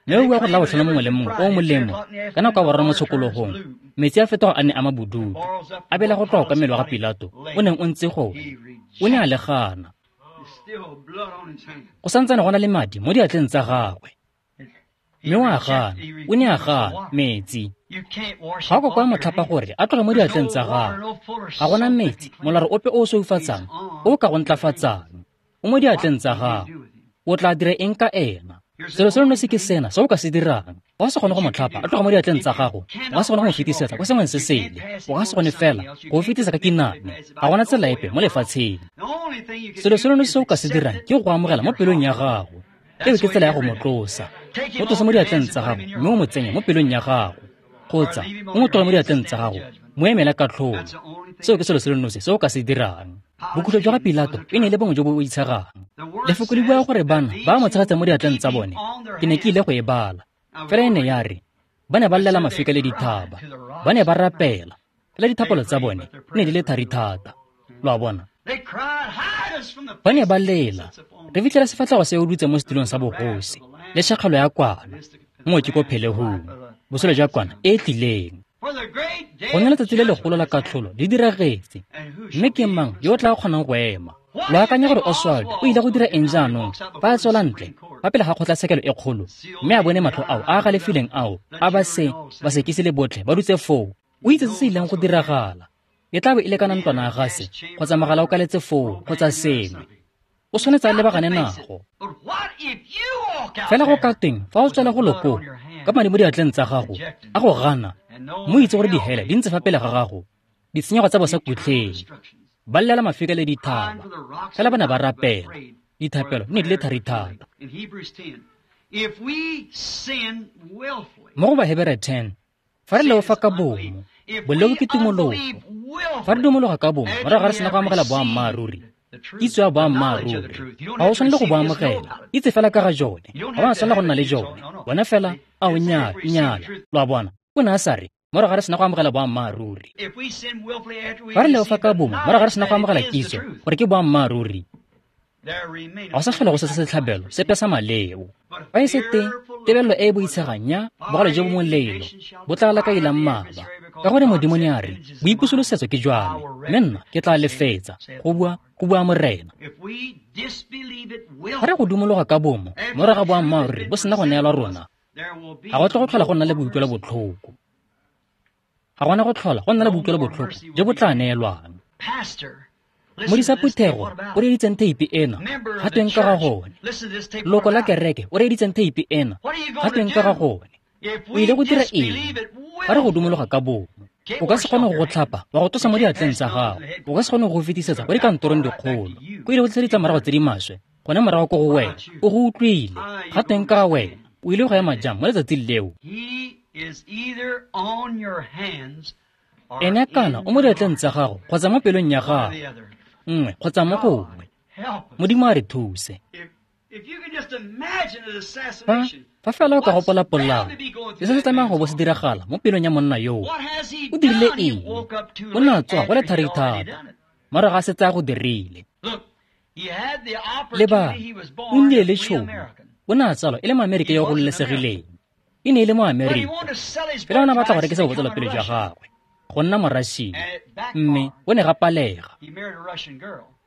Mme o bua gore Labotlhano mongwe le mongwe o o molemo ka nako ya boraro mo tshokologong metsi a fetoga a ne a mabodutu a bela go tloga kwa mmele wa ga Pilato o neng o ntse gone. O ne a le gana. Go santsane go na le madi mo diatleng tsa gagwe. Mme o a gana, o ne a gana metsi. Ga o kokoa motlhapa gore a tloge mo diatleng tsa gagwe. Ga gona metsi, molaro ope o o sweufatsang, o o ka go ntlafatsang. O mo diatleng tsa gagwe. O tla dira eng ka ena? Selo se nosi ke sena se o ka se dirang. O ka se kgone go mo tlhapa a tloga mo diatleng tsa gago. O ka se kgone go mo fetisetsa kwa sengweng se sele. O ka se kgone fela go fetisa ka kinane. Ga gona tsela epe mo lefatsheng. Selo se nosi se o ka se dirang ke go amogela mo pelong ya gago. Eo ke tsela ya go mo tlosa. Mo tlose mo diatleng tsa gago mme o mo tsenye mo pelong ya gago. Kgotsa o mo tloge mo diatleng tsa gago, mo emele katlholo. Seo ke selo se le nosi se o ka se dirang. Bokhutlo jwa ga Pilato e ne e le bongwe jo bo boitshegang. Lefoko le bua gore bana ba mo tshegetsang mo diatleng tsa bone. Ke ne ke ile go e bala. Fela e ne ya re ba ne ba llela mafika le dithaba. Ba ne ba rapela. Fela dithapelo tsa bone ne di le thari thata. Lo a bona? Ba ne ba lela. Re fitlhela sefatlhego se o dutse mo setulong sa bogosi le tšhakgalo ya kwana. Moo ke ko phelehong. Botshelo jwa kwana e e tlileng. Go nna letsatsi le legolo la katlholo le diragetse. Mme ke mang yo o tla kgonang go ema? Lo akanya gore Oswald o ile go dira eng jaanong fa a tswela ntle fa pele ga kgotlatshekelo e kgolo mme a bone matlho ao a a galefileng ao a ba se basekisi le botlhe ba dutse foo? O itse se se ileng go diragala. E tla be e le kana ntlwana ya gase kgotsa mogala o kaletse foo kgotsa sengwe. O tshwanetse a lebagane nago. Fela go ka teng fa o tswela go loko ka madi mo diatleng tsa gago a go gana mo itse gore dihele di ntse fa pele ga gago, ditshenyego tsa bosakutleng. Ba llela mafika le dithaba. Fela ba ne ba rapela. Dithapelo di ne di le thari thata. Mo go Bahebere ten, fa re leofa ka bomo, boleo ke tumologo. Fa re dumologa ka bomo morago ga re sena go amogela boammaaruri, kitso ya boammaaruri, ga o tshwanele go bo amogela. Itse fela ka ga jone. Ga o a tshwanela go nna le jone. Bona fela a o nnyala, nnyala. Lo a bona? O ne a sa re morago ga re sena go amogela boammaaruri. Fa re leofa ka bomo morago ga re sena go amogela kitso gore ke boammaaruri, ga o sa tlhola go se setlhabelo sepe sa maleo. Fa e se teng tebelelo e e boitshegang ya bogale jo bo molelo bo tla lakailang mmaba. Ka gore Modimo ne a re boipusolosetso ke jwa me, mme nna ke tla lefetsa, go bua go bua Morena. Fa re go dumologa ka bomo morago ga boammaaruri bo sena go neelwa rona, ga go tle go tlhola go nna le boikutlwelo botlhoko. Ga gona go tlhola go nna le boikutlwelo botlhoko jo bo tla neelwang. Modisa phuthego o reeditseng theipi ena, ga tweng ka ga gone? Loko la kereke o reeditseng theipi ena, ga tweng ka ga gone? O ile go dira eng fa re go dumologa ka bomo? O ka se kgone go go tlhapa wa go tlosa mo diatleng tsa gago. O ka se kgone go go fetisetsa kwa dikantorong dikgolo. Ko ile go tlisa ditlamorago tse di maswe gone morago ko go wena. O go utlwile. Ga tweng ka ga wena? O ile go ema jang mo letsatsing leo? Ene kana o mo diatleng tsa gago kgotsa mo pelong ya gago, nngwe kgotsa mo gongwe. Modimo a re thuse. Fa fa fela o ka gopola polao le se se tlamehang go bo se diragala mo pelong ya monna yoo. O dirile eng? O ne a tswa go le thari thata morago ga a setse a go dirile. Leba, o nnile le tšhono. O ne a tsalwa e le Moamerika yo o gololesegileng. E ne e le Moamerika. Fela o ne a batla go rekisa botsalopele jwa gagwe go nna Morašia, mme o ne ga palega.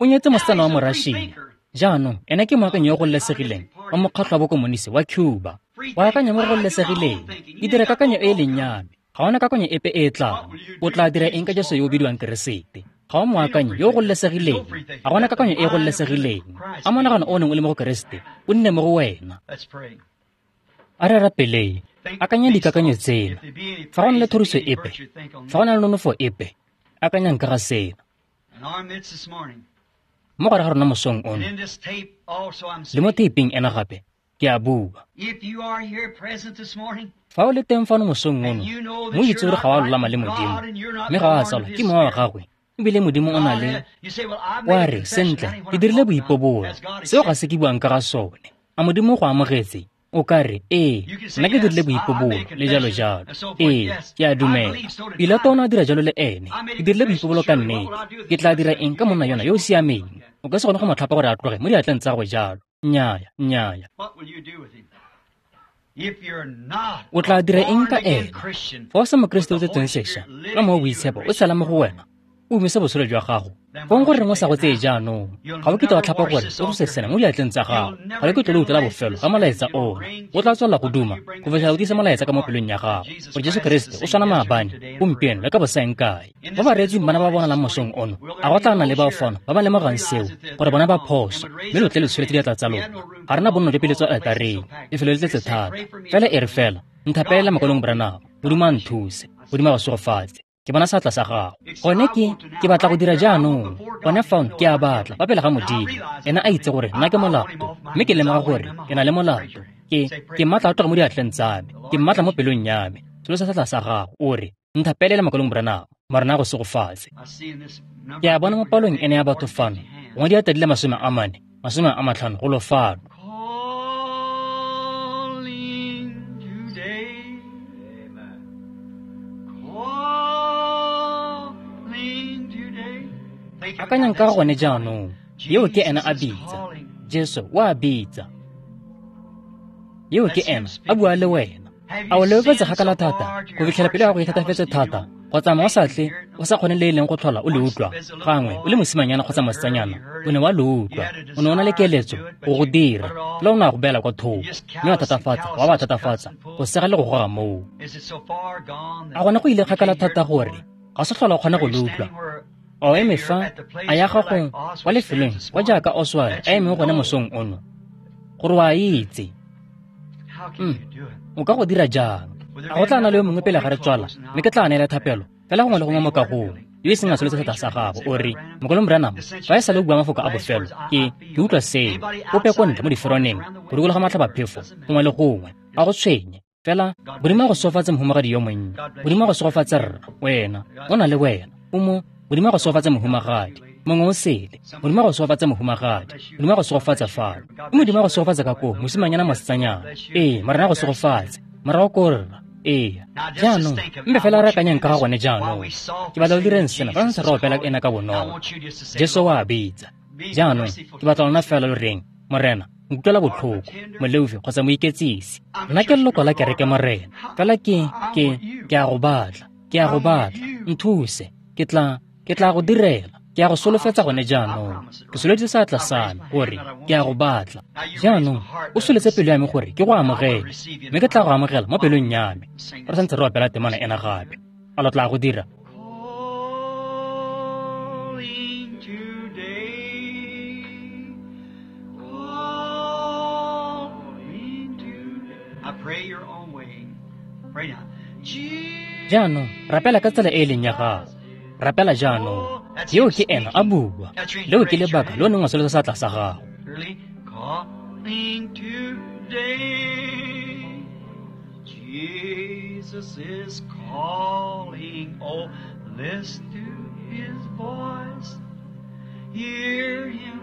O nyetse mosetsana wa Morašia. Jaanong ene ke moakanyi yo o gololesegileng wa mokgatlho wa bokomonisi wa Cuba. O akanya mo go gololesegileng. Ke dira kakanyo e e leng ya me. Ga ona kakanyo epe e e tlang. O tla dira eng ka Jesu yo o bidiwang Keresete? Ga o moakanyi yo o gololesegileng. Ga gona kakanyo e e gololesegileng. A monagano o neng o le mo go Keresete o nne mo go wena. A re rapeleng. Akanya dikakanyo tsena. Fa go na le thoriso epe, fa go na le nonofo epe, akanyang ka ga sena. Mo gare ga rona mosong ono, le mo teiping ena gape, ke a bua. Fa o le teng fano mosong ono, mo itse gore ga wa lolama le Modimo, mme ga wa tsalwa ke mowa wa gagwe, ebile Modimo o na le, wa re, sentle, ke dirile boipobolo, seo ga se ke buang ka ga sone. A Modimo go amogetse? O ka re, ee, nna ke dirile boipobolo, le jalo jalo. Ee, ke a dumela. Pilato o ne a dira jalo le ene. Ke dirile boipobolo ka nnete. Ke tla dira eng ka monna yona yo o siameng? O ka se kgone go mo tlhapa gore a tloge mo diatleng tsa gagwe jalo. Nnyaya, nnyaya. O tla dira eng ka ene? Fa o se Mokeresete o tsetsweng sešwa, ka Mowa o Boitshepo o tshela mo go wena, o umise botshelo jwa gago. Fong gore reng o sa go tseye jaanong, ga o kitla wa tlhapa gore o tlose sena mo diatleng tsa gago. Ga le kitla le utlwela bofelo ga molaetsa ona. O tla tswelela go duma go fitlhela o tiisa molaetsa ka mo pelong ya gago, gore Jesu Keresete o tshwana maabane, gompieno le ka bosaeng kae. Ba bareetsi bana ba bonalang mosong ono, a go tla nna le bao fano ba ba lemogang seo, gore bona ba phoso, mme lo tle lo tsholetse diatla tsa lona. Ga rena bonno jwa peletso aletareng, lefelo le tletse thata. Fela e re fela, nthapelela makolong Branham, Modimo a nthuse, Modimo a go segofatse. Ke bona seatla sa gago. Gone ke ke batla go dira jaanong. Gone fano ke a batla fa pele ga Modimo. Ena a itse gore nna ke molato, mme ke lemoga gore ke na le molato. Ke ke mmatla a tloga mo diatleng tsa me. Ke mmatla mo pelong ya me. Tsolosa seatla sa gago, o re, nthapelela makolong Branham, Morena a go segofatse. Ke a bona mo palong ene ya batho fano, gongwe diatla di le masome a mane, masome a matlhano go lo fano. Akanyang ka gone jaanong, yeo ke ena a bitsa. Jesu o a bitsa. Yeo ke ena a bua le wena. A o leofetse kgakala thata go fitlhela pelo ya gago e thatafetse thata, go tsamaya o sa tle o sa kgone le e leng go tlhola o le utlwa. Gangwe o le mosimanyana kgotsa mosetsanyana, o ne wa le utlwa, o ne o na le keletso go go dira, fela o ne a go beela kwa thoko, mme wa thatafatsa, wa ba thatafatsa, go sega le go goga moo. A gone go ile kgakala thata gore ga se tlhola o kgone go le utlwa? A o eme fa, a ya gago kwa lefelong kwa jaaka Oswald a emeng gone mosong ono, gore o a itse. Mm, o ka go dira jang? A go tla nna le yo mongwe pele ga re tswala, mme ke tla neela thapelo fela gongwe le gongwe mo kagong, yo e seng a tsholetse seatla sa gago, o re, Mokolong Branham, fa e sale o bua mafoko a bofelo, ke ke utlwa seo. Ope ko ntle mo diferoneng, go dikologa matlhabaphefo, gongwe le gongwe, a go tshwenye. Fela Modimo a go segofatse mohumagadi yo monnye, Modimo a go segofatse rra, wena, o na le wena, o mo Modimo a go segofatse mohumagadi, mongwe o sele, Modimo a go segofatse mohumagadi, Modimo a go segofatse fano, Modimo a go segofatse ka koo, mosimanyana mosetsanyana. Ee, Morena a go segofatse, morago ko rra. Ee, jaanong, mpe fela re akanyang ka ga gone jaanong. Ke batla lo direng sena fa ntse re opela ena ka bonolo. Jesu o a bitsa. Jaanong, ke batla lona fela lo reng, Morena, nkutlwela botlhoko, moleofi kgotsa moiketsisi. Nna ke leloko la kereke Morena, fela ke ke ke a go batla, ke a go batla, nthuse, ke tla ke tla go direla. Ke a go solofetsa gone jaanong. Ke solofetse seatla sa me gore ke a go batla. Jaanong o soletse pelo ya me gore ke go amogele, mme ke tla go amogela mo pelong ya me. Re santse re opela temana ena gape. A lo tla go dira? Jaanong rapela ka tsela e e leng ya gago. Rapela jaanong. Yeo ke ena a bua. Leo ke lebaka le o neng wa tsholetsa seatla sa gago. Jesus is calling, oh, listen to his voice, hear him.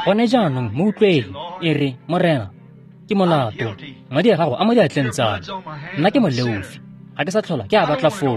Gone jaanong mo utlweng, e re, Morena, ke molato, madi a gago a mo diatleng tsa me. Nna ke moleofi, ga ke sa tlhola ke a batla foo.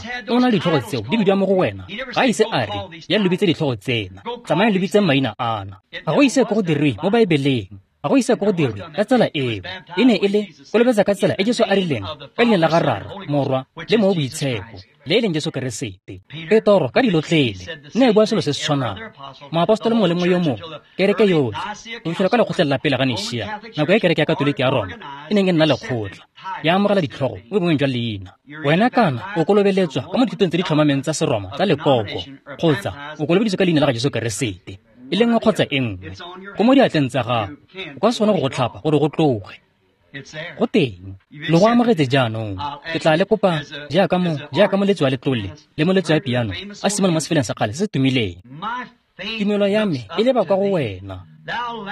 o na le ditlhogo tseo di bidiwa mo go wena, ga a ise a re, ya lo bitse ditlhogo tsena, tsamayang lo bitse maina ana. Ga go ise ko go dirwe mo Baebeleng. Ga go ise ko go dirwe ka tsela eo. E ne e le kolobetsa ka tsela e Jesu a rileng, ka leina la ga Rara, Morwa, le Mowa o Boitshepo. le e leng Jesu Keresete. Petoro ka dilotlele ne e bua selo se se tshwanang. Moapostolo mongwe le mongwe yo mongwe, kereke yotlhe, go fitlhela kwa lekgotleng la pele ga Nishia, nako e kereke ya Katoliki ya Roma e neng e nna lekgotla, ya amogela ditlhogo mo boemong jwa leina. Wena kana o kolobeletswa ka mo dithutong tse di tlhomameng tsa Seroma tsa lekoko, kgotsa o kolobeditswe ka leina la ga Jesu Keresete, e le nngwe kgotsa e nngwe, go mo diatleng tsa gago, o ka se kgone go go tlhapa gore go tloge. Go teng, lo go amogetse jaanong. Ke tla le kopa jaaka mo jaaka moletsi wa letlole le moletsi wa piano a simolola mo sefeleng sa kgale se se tumileng. Tumelo ya me e leba kwa go wena,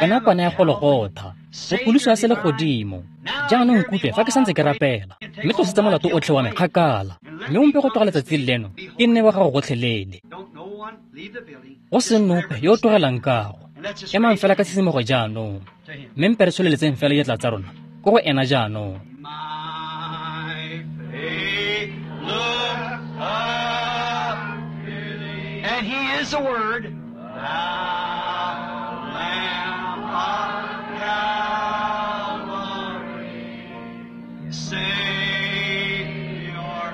wena kwana ya Golgotha, go pholoso ya selegodimo. Jaanong nkutlwe fa ke santse ke rapela, mme tlosetsa molato otlhe wa me kgakala, mme o mpe go tloga letsatsing leno ke nne wa gago gotlhelele. Go se nope yo o tlogelang kago. Emang fela ka tshisimogo jaanong, mme mpe re tsholeletseng fela diatla tsa rona ko go ena jaanong. My faith look up to thee. And he is the Word. Thou Lamb of Calvary, Savior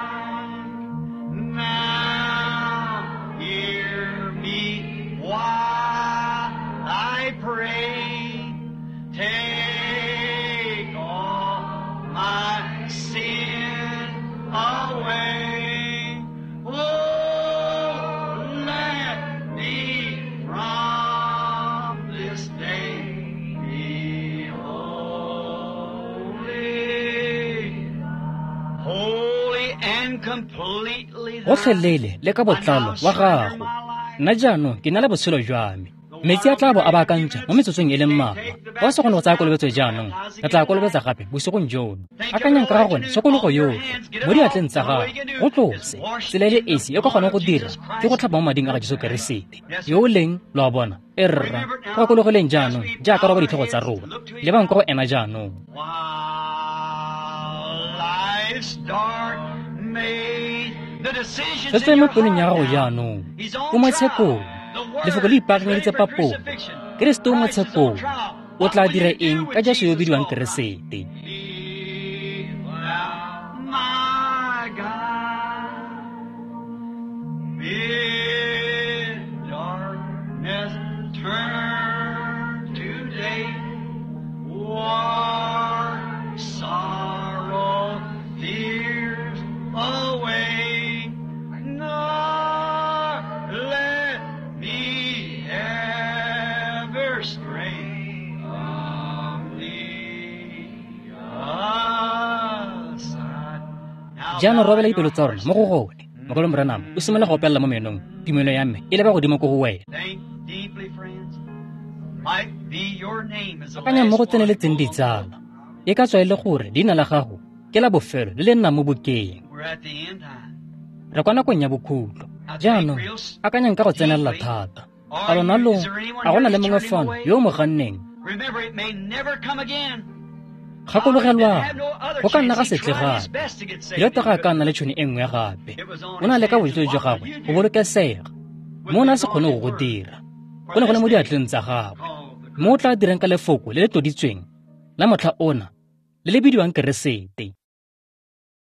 divine, now hear me while I pray. Take all my sin away. Oh, let me from this day be holy, holy and completely thine. Gotlhelele le ka botlalo wa gago. Nna jaanong ke na le botshelo jwa me. Metsi a tla bo a baakantšha mo metsotsong e le mmalwa. Fa o sa kgone go tsaya kolobetso jaanong, re tla kolobetsa gape bosigong jono. Akanyang ka ga gone tshokologo yotlhe mo diatleng tsa gago, go tlose. Tsela e le esi e ka kgonang go dira ke go tlhapa mo mading a ga Jesu Keresete yo o leng, lo a bona, e rra. Go gakologeleng jaanong jaaka roba ditlhogo tsa rona, lebang kwa go ena jaanong. While life's dark maze, the decisions Fetsa in mo your pelong ya heart gago now. jaanong. He's on O mo trial. tshekong. The Word, Lefoko le ipaakanyeditse slavery, papolo. crucifixion. Keresete o mo Christ is on tshekong. trial. O tla What will dira you do eng with ka Jesu yo Jesus bidiwang called Christ? Keresete? Be thou my guide. Bid darkness turn to day. War, sorrow, fears away. Nor let me ever stray from thee aside. Now Jaanong bow robela your dipelo tsa rona hearts. mo go gone. Mogolo Branham o simolola go opelela mo menong, tumelo ya me e leba godimo ko go wena. Think deeply, friends. Might be your name is the Akanyang mo last go one tseneletseng on the book. ditsala. E ka tswa e le gore leina la gago ke la bofelo le le nnang mo bukeng. We're at the end time. Re kwa nakong ya bokhutlo. Now think Jaanong real akanyang ka go tsenelela deeply. thata. A Are lona you, lo is there anyone a go here na le that's mongwe turned him fano away? yo o mo ganneng? Remember, it may never come again. Gakologelwang, Had no other go ka nna chance. ga He se tle tried his gape. best to get saved. Lota He ga a ka couldn't. nna le tšhono e nngwe gape. It was on O na his le ka hands. bojotlhe jwa What will gagwe you go do bolokesega, with mme o ne the a se kgone go anointed go word dira. for Go ne go le this mo day diatleng tsa gagwe. called the Mme o tla dirang ka lefoko le le tloditsweng la motlha ona le le bidiwang Keresete.